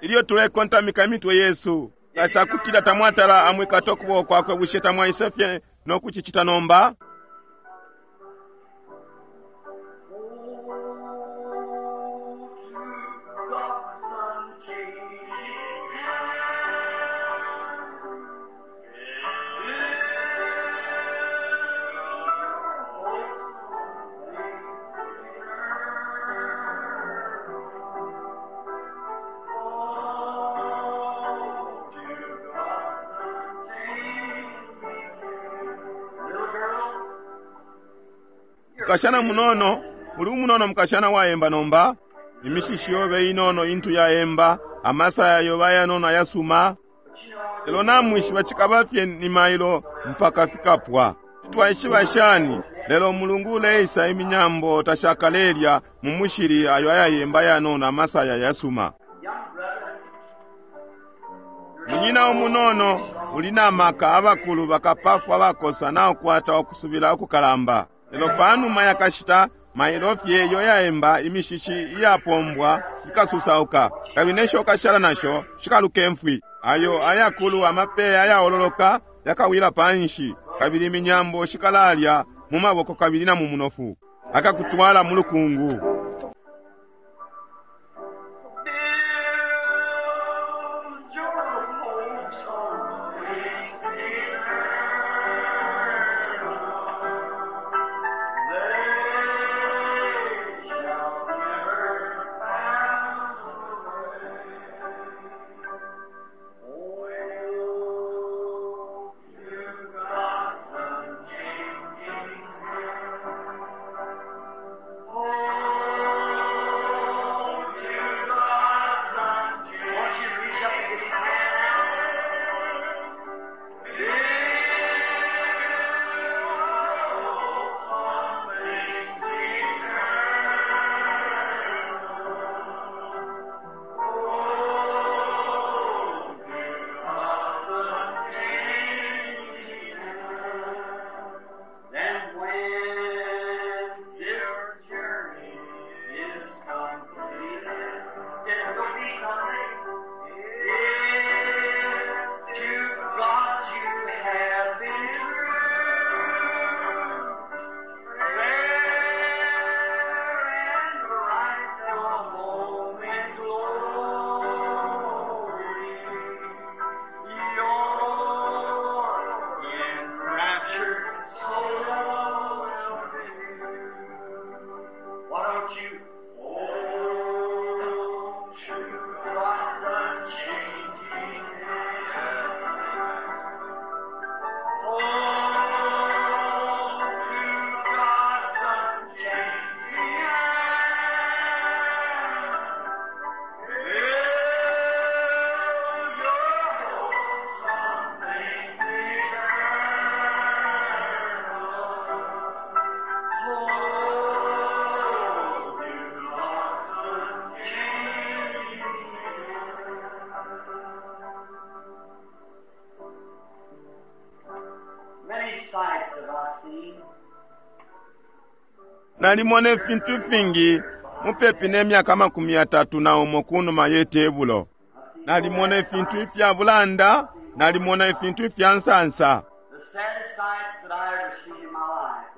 Ilyo tulekontamika imitwe yesu, nga cakutila tamwatala amwikata ukuboko kwakwe, bushe tamwaise fye no kucicita nomba? Mukashana munono, uli umunono mukashana waemba nomba. Imishishi yobe inono intu yaemba, amasaya yobe ayanono ayasuma. Lelo namwishiba cikaba fye ni mailo mpaka fikapwa. Twaishiba shani, lelo mulungu uleisa iminyambo tashakalelya mu mushili ayo ayayemba ayanono amasaya yasuma. Munyina umunono uli na maka, abakulu bakapafwa abakosa naukwata ukusubila ukukalamba. Lelo panuma yakashita mailo fye iyo yaemba imishishi iyapombwa ikasusauka, kabili nesho kashala nasho shikaluka imfwi. Ayo ayakulu amapeya ayaololoka yakawila panshi, kabili iminyambo shikalalya mu maboko kabili na mu munofu, akakutwala mu lukungu. Then when this journey is completed, it will be someday. If to God you have been true, fair and bright the home in glory. Your enraptured soul will be. Why don't you hold to God's unchanging hand? Hold to God's unchanging hand. Build your hopes on things eternal. Hold to God's unchanging hand. Many sights have I seen. Nalimona ifintu ifingi mupepi ne myaka 31 kunuma ye tebulo. Nalimona ifintu ifya bulanda, nalimona ifintu ifya nsansa. The saddest sights that I ever seen in my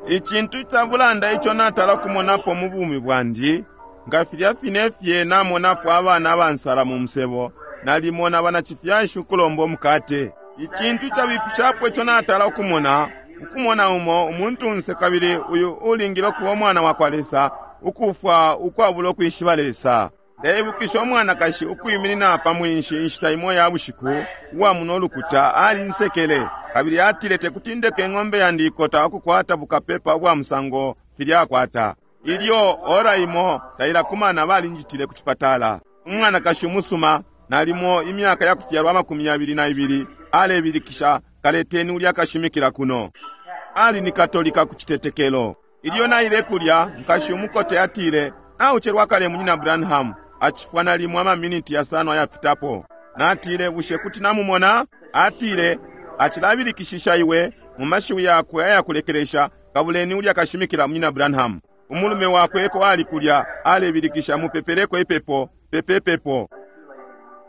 life. Icintu ica bulanda ico natala kumonapo mu bumi bwandi, nga filya fine fye namonapo abana abansala mu musebo, nalimona banacifyashi ukulomba umukate. Icintu icabipishapo ico natala ukumona, ukumona umo umuntunse kabili uyu ulingile ukuba umwana wa kwa Lesa, ukufwa ukwabula ukwishiba Lesa. Ndeibukisha umwanakashi ukwiminina pa mwinshi inshita imo ya bushiku, uwa muno lukuta alinsekele, kabili atile tekuti ndeke ing'ombe yandi ikota ukukwata bukapepa ubwa musango filya akwata. Ilyo ora imo tailakumana balinjitile ku cipatala. Umwanakashi umusuma, nalimo imyaka ya kufyalwa 22, alebilikisha, kaleteni ulya kashimikila kuno. Ali ni katolika ku citetekelo. Ilyo naile kulya, nkashi umukote atile, naucelwa kale munyina Branham, acifwa nalimo amaminiti yasano ayapitapo. Natile, bushe kuti namumona? Atile, acilabilikishisha iwe mu mashiwi yakwe ayakulekelesha, kabuleni ulya kashimikila munyina Branham. Umulume wakwe eko ali kulya, alebilikisha, mupepeleko ipepo, pepepepo.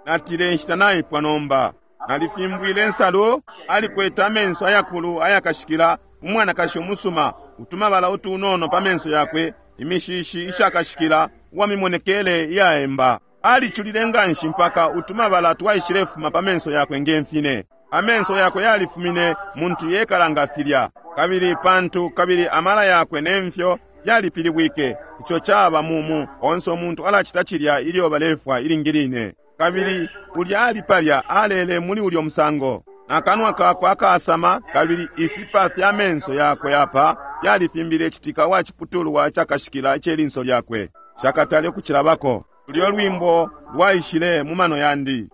Natile inshita naipwa nomba. Nalifimbwile insalu. Alikwete amenso ayakulu ayakashikila, umwanakashi umusuma, utumabala utunono pa menso yakwe, imishishi ishakashikila, uwamimonekele iyaemba. Aliculile nganshi mpaka utumabala twaishilefuma pa menso yakwe nge mfine. Amenso yakwe yalifumine muntu yekala nga filya. Kabili pantu kabili amala yakwe ne mfyo yalipilibwike. Ico caba mumu onse umuntu alacita cilya ilyo balefwa ilingi line. Kabili ulya ali palya alele muli ulyo musango. Akanwa kakwe akasama kabili ifipa fya menso yakwe apa yalifimbile citika wa ciputulwa cakashikila icelinso lyakwe. Shakatale ukucilabako. Ulyo lwimbo lwaishile mu mano yandi.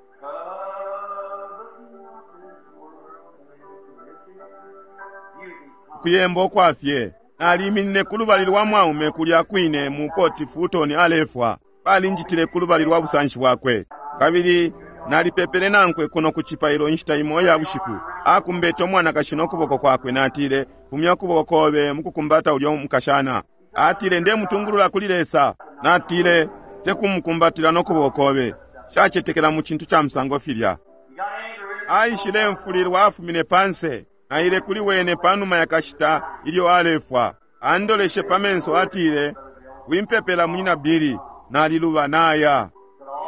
Kuyemba ukwafye. Naliminine ku lubali lwa mwaume kulya kwine mu Port Fulton alefwa. Balinjitile ku lubali lwa busanshi bwakwe. Kabili nalipepele nankwe kuno ku cipailo inshita imo ya bushiku. Akumbete umwanakashi no kuboko kwakwe. Natile, fumya ukuboko kobe mukukumbata ulyo mukashana. Atile, ndemutungulula kuli Lesa. Natile, tekumukumbatila no kuboko kobe. Shacetekela mu cintu ca musango filya. Aishile mfulilwa afumine panse. Naile kuli wene panuma yakashita ilyo alefwa. Andoleshe pa menso atile, wimpepela munyina Billy, naliluba naya.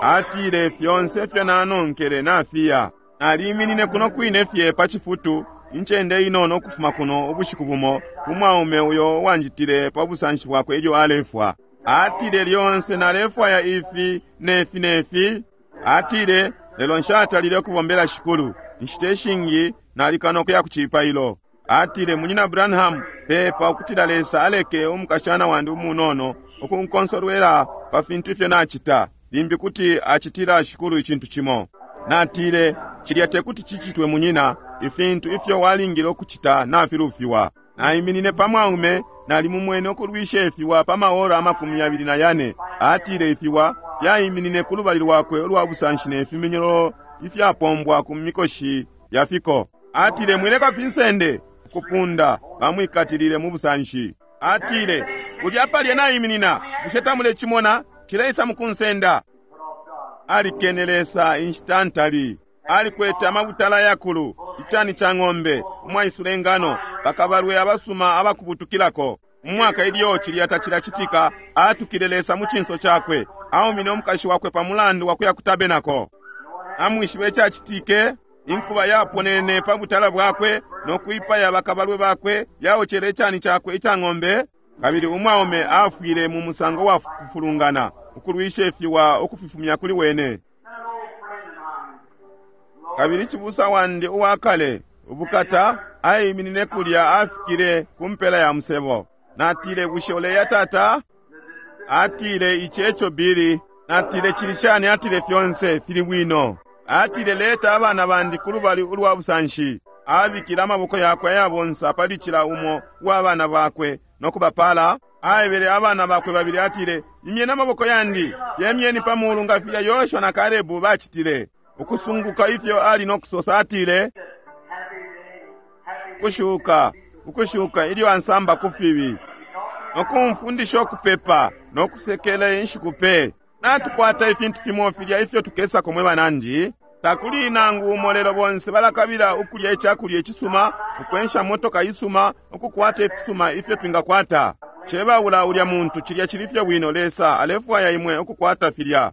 Atile fyonse ifyo nanonkele nafiya. Naliminine kuno kwine fye pa cifutu, incende inono ukufuma kuno ubushiku bumo, umwaume uyo wanjitile pa busanshi bwakwe ilyo alefwa. Atile lyonse nalefwaya ifi nefi nefi. Atile lelo nshatalile ukubombela shikulu. Inshita ishingi nalikana ukuya ku cipailo. Atile, munyina Branham, pepa ukutila Lesa aleke umukashana wandi umunono ukunkonsolwela pa fintu ifyo nacita. Limbi kuti acitila shikulu icintu cimo. Natile, cilya tekuti cicitwe munyina, ifintu ifyo walingile ukucita nafilufiwa. Naiminine pa mwaume, nalimumwene ukulwisha ifiwa pa maora 24. Atile ifiwa fyaiminine ku lubali lwakwe ulwa busanshi ne fiminyolo ifyapombwa ku mikoshi ya fiko. Atile, mwileka finsende ukupunda, bamwikatilile mu busanshi. Atile, ulya palya naiminina, bushe tamulecimona? Cileisa mukunsenda. Alikene Lesa inshita ntali. Alikwete amabutala yakulu, icani ca ng'ombe, umwaisula ingano, bakabalwe abasuma abakubutukilako. Umwaka ilyo cilya tacilacitika, atukile Lesa mu cinso cakwe. Aumine umukashi wakwe pa mulandu wa kuya ku tabenako. Amwishibe icacitike, inkuba yaponene pa butala bwakwe no kwipaya bakabalwe bakwe, yaocele icani cakwe ica ng'ombe. Kabili umwaume afwile mu musango wa kufulungana, ukulwisha ifiwa ukufifumya kuli wene. Kabili cibusa wandi uwa kale, ubukata, aiminine kulya afikile ku mpela ya musebo. Natile, bushe uleya tata? Atile, ici eco Billy. Natile, cili shani? Atile, fyonse fili bwino. Atile, leta abana bandi ku lubali ulwa busanshi. Abikile amaboko yakwe ayabonsa pali cila umo uwa bana bakwe no kubapala. Aebele abana bakwe babili atile, imyeni amaboko yandi, yemyeni pa mulu nga filya Yoshua na Kalebu bacitile. Ukusunguka ifyo ali no kusosa, atile, ukushuka, ukushuka ilyo ansamba ku fibi, no kumfundisha ukupepa no kusekela inshiku pe. Natukwata ifintu fimo filya ifyo tukesako mwe banandi. Takuli nangu umo lelo bonse balakabila ukulya icakulya icisuma, ukwensha motoka isuma, ukukwata ifisuma ifyo twingakwata. Cebaula ulya muntu, cilya cili fye bwino. Lesa alefwaya imwe ukukwata filya.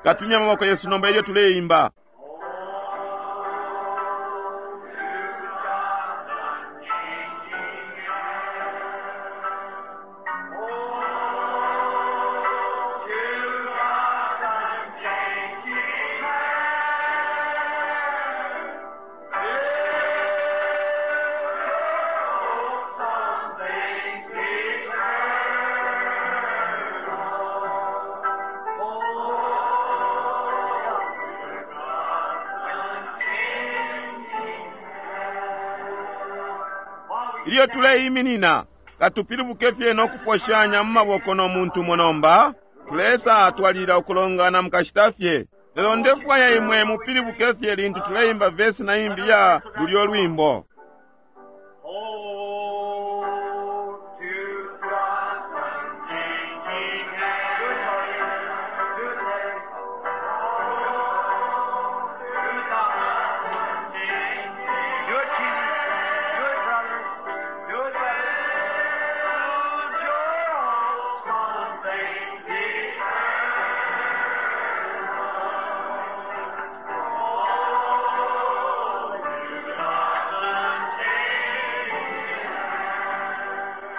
Katumya amaboko yesu nomba ilyo tuleimba. Ilyo tuleiminina, katupilibuke fye no kuposhanya mu maboko no muntu umo nomba. Tulesa twalila ukulongana mukashita fye. Lelo ndefwaya imwe mupilibuke fye lintu tuleimba vesi na imbi ya lulyo lwimbo. Oh, to God, unchanging hand. Good day. Oh, to God, unchanging. Do it, Keith. Do it, brother. Do it, brother. Build your hopes on things eternal. Oh, to God, unchanging.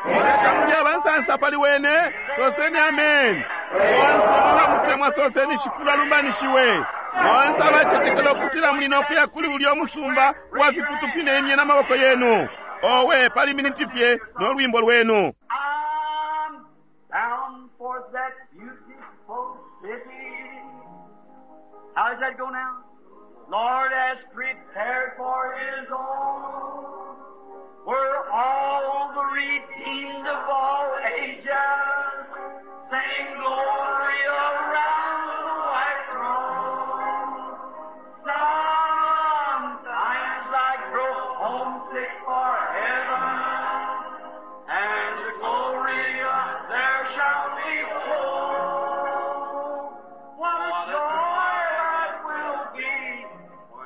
Bushe tamuli abansansa pali wene? Soseni amen. Bonse mwabamutemwa soseni Shikulu alumbanishiwe. Bonse abacetekela ukutila muli nokuya kuli ulya umusumba wa fifutu fine imye n'amaboko yenu. Owe pali miniti fye n'olwimbo lwenu. I'm bound for that beautiful city. How does that go now? Lord has prepared for his own. Where all the redeemed of all ages sing glory around the white throne. Sometimes I grow homesick for heaven, and the glory there shall be full. What a joy that will be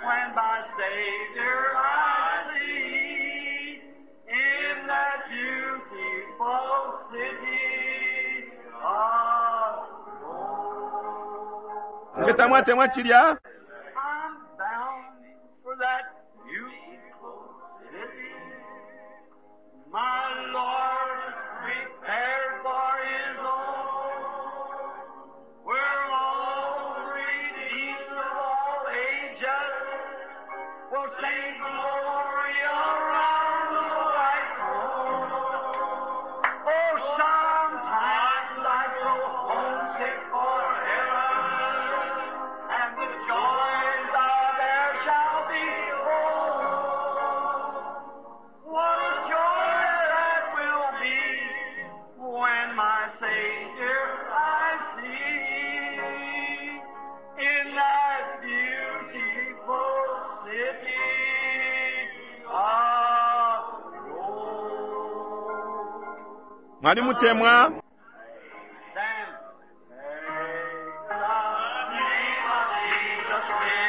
when my Savior I see in that beautiful city of gold. Bushe tamwatemwa chilya? I'm bound for that beautiful city. My Lord is prepared for his own. Where all the redeemed of all ages will sing glory around the white throne. Oh, sometimes I grow homesick for heaven, and the joys of there shall be full. What a joy that will be when my Savior I see in that beautiful city of gold. Mwalimutemwa? Then take the name of Jesus in.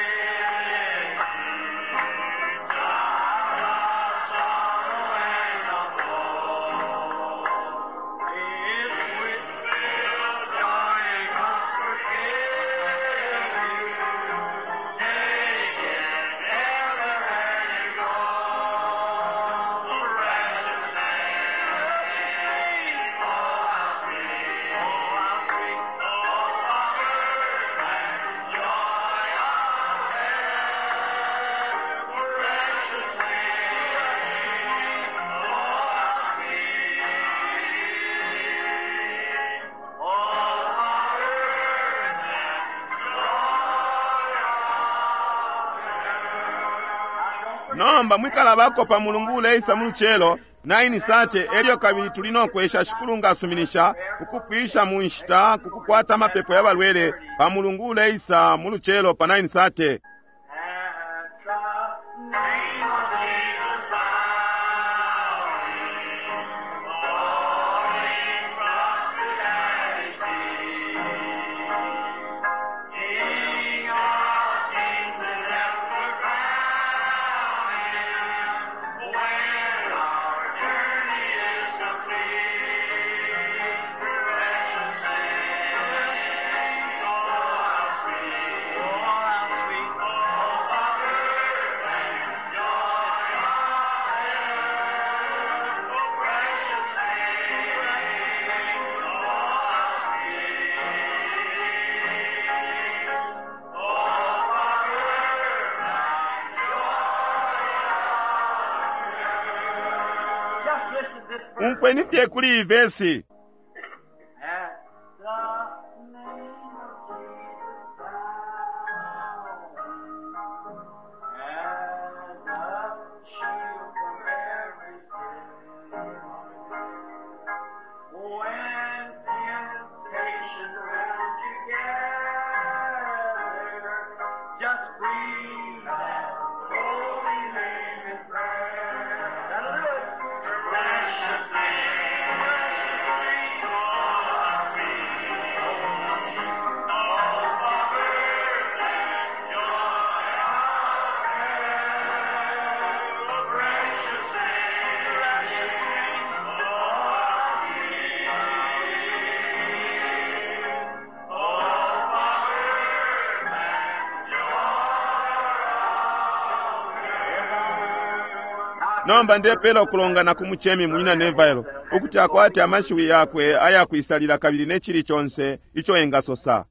Nomba mwikalabako pa mulungu uleisa mu lucelo 9 sate elyo kabili tuli nokwesha Shikulu nga asuminisha ukupwisha mu nshita kukukwata amapepo ya balwele pa mulungu uleisa mu lucelo pa 9 sate. At the name of Jesus, bowing, falling prostrate at His feet, King of kings and ever crowning, when our journey is complete, precious name, oh how sweet, oh how sweet, oh power and joy of heaven, oh precious name, oh how sweet, oh power and joy. Just listen to this verse. Umfweni fye kuli iyi vesi. At the name of Jesus, bowing, as a shield from every sin. When temptations round you gather, just breathe that holy name in prayer. That'll do it. Precious name, precious name, oh, sweet, oh, Father, and joy our precious name, precious name, oh, sweet, oh, Father, and joy Nomba ndepela ukulongana ku muchemi munyina Neville ukuti akwate amashiwi yakwe ayakwisalila kabili ne chili chonse icho engasosa.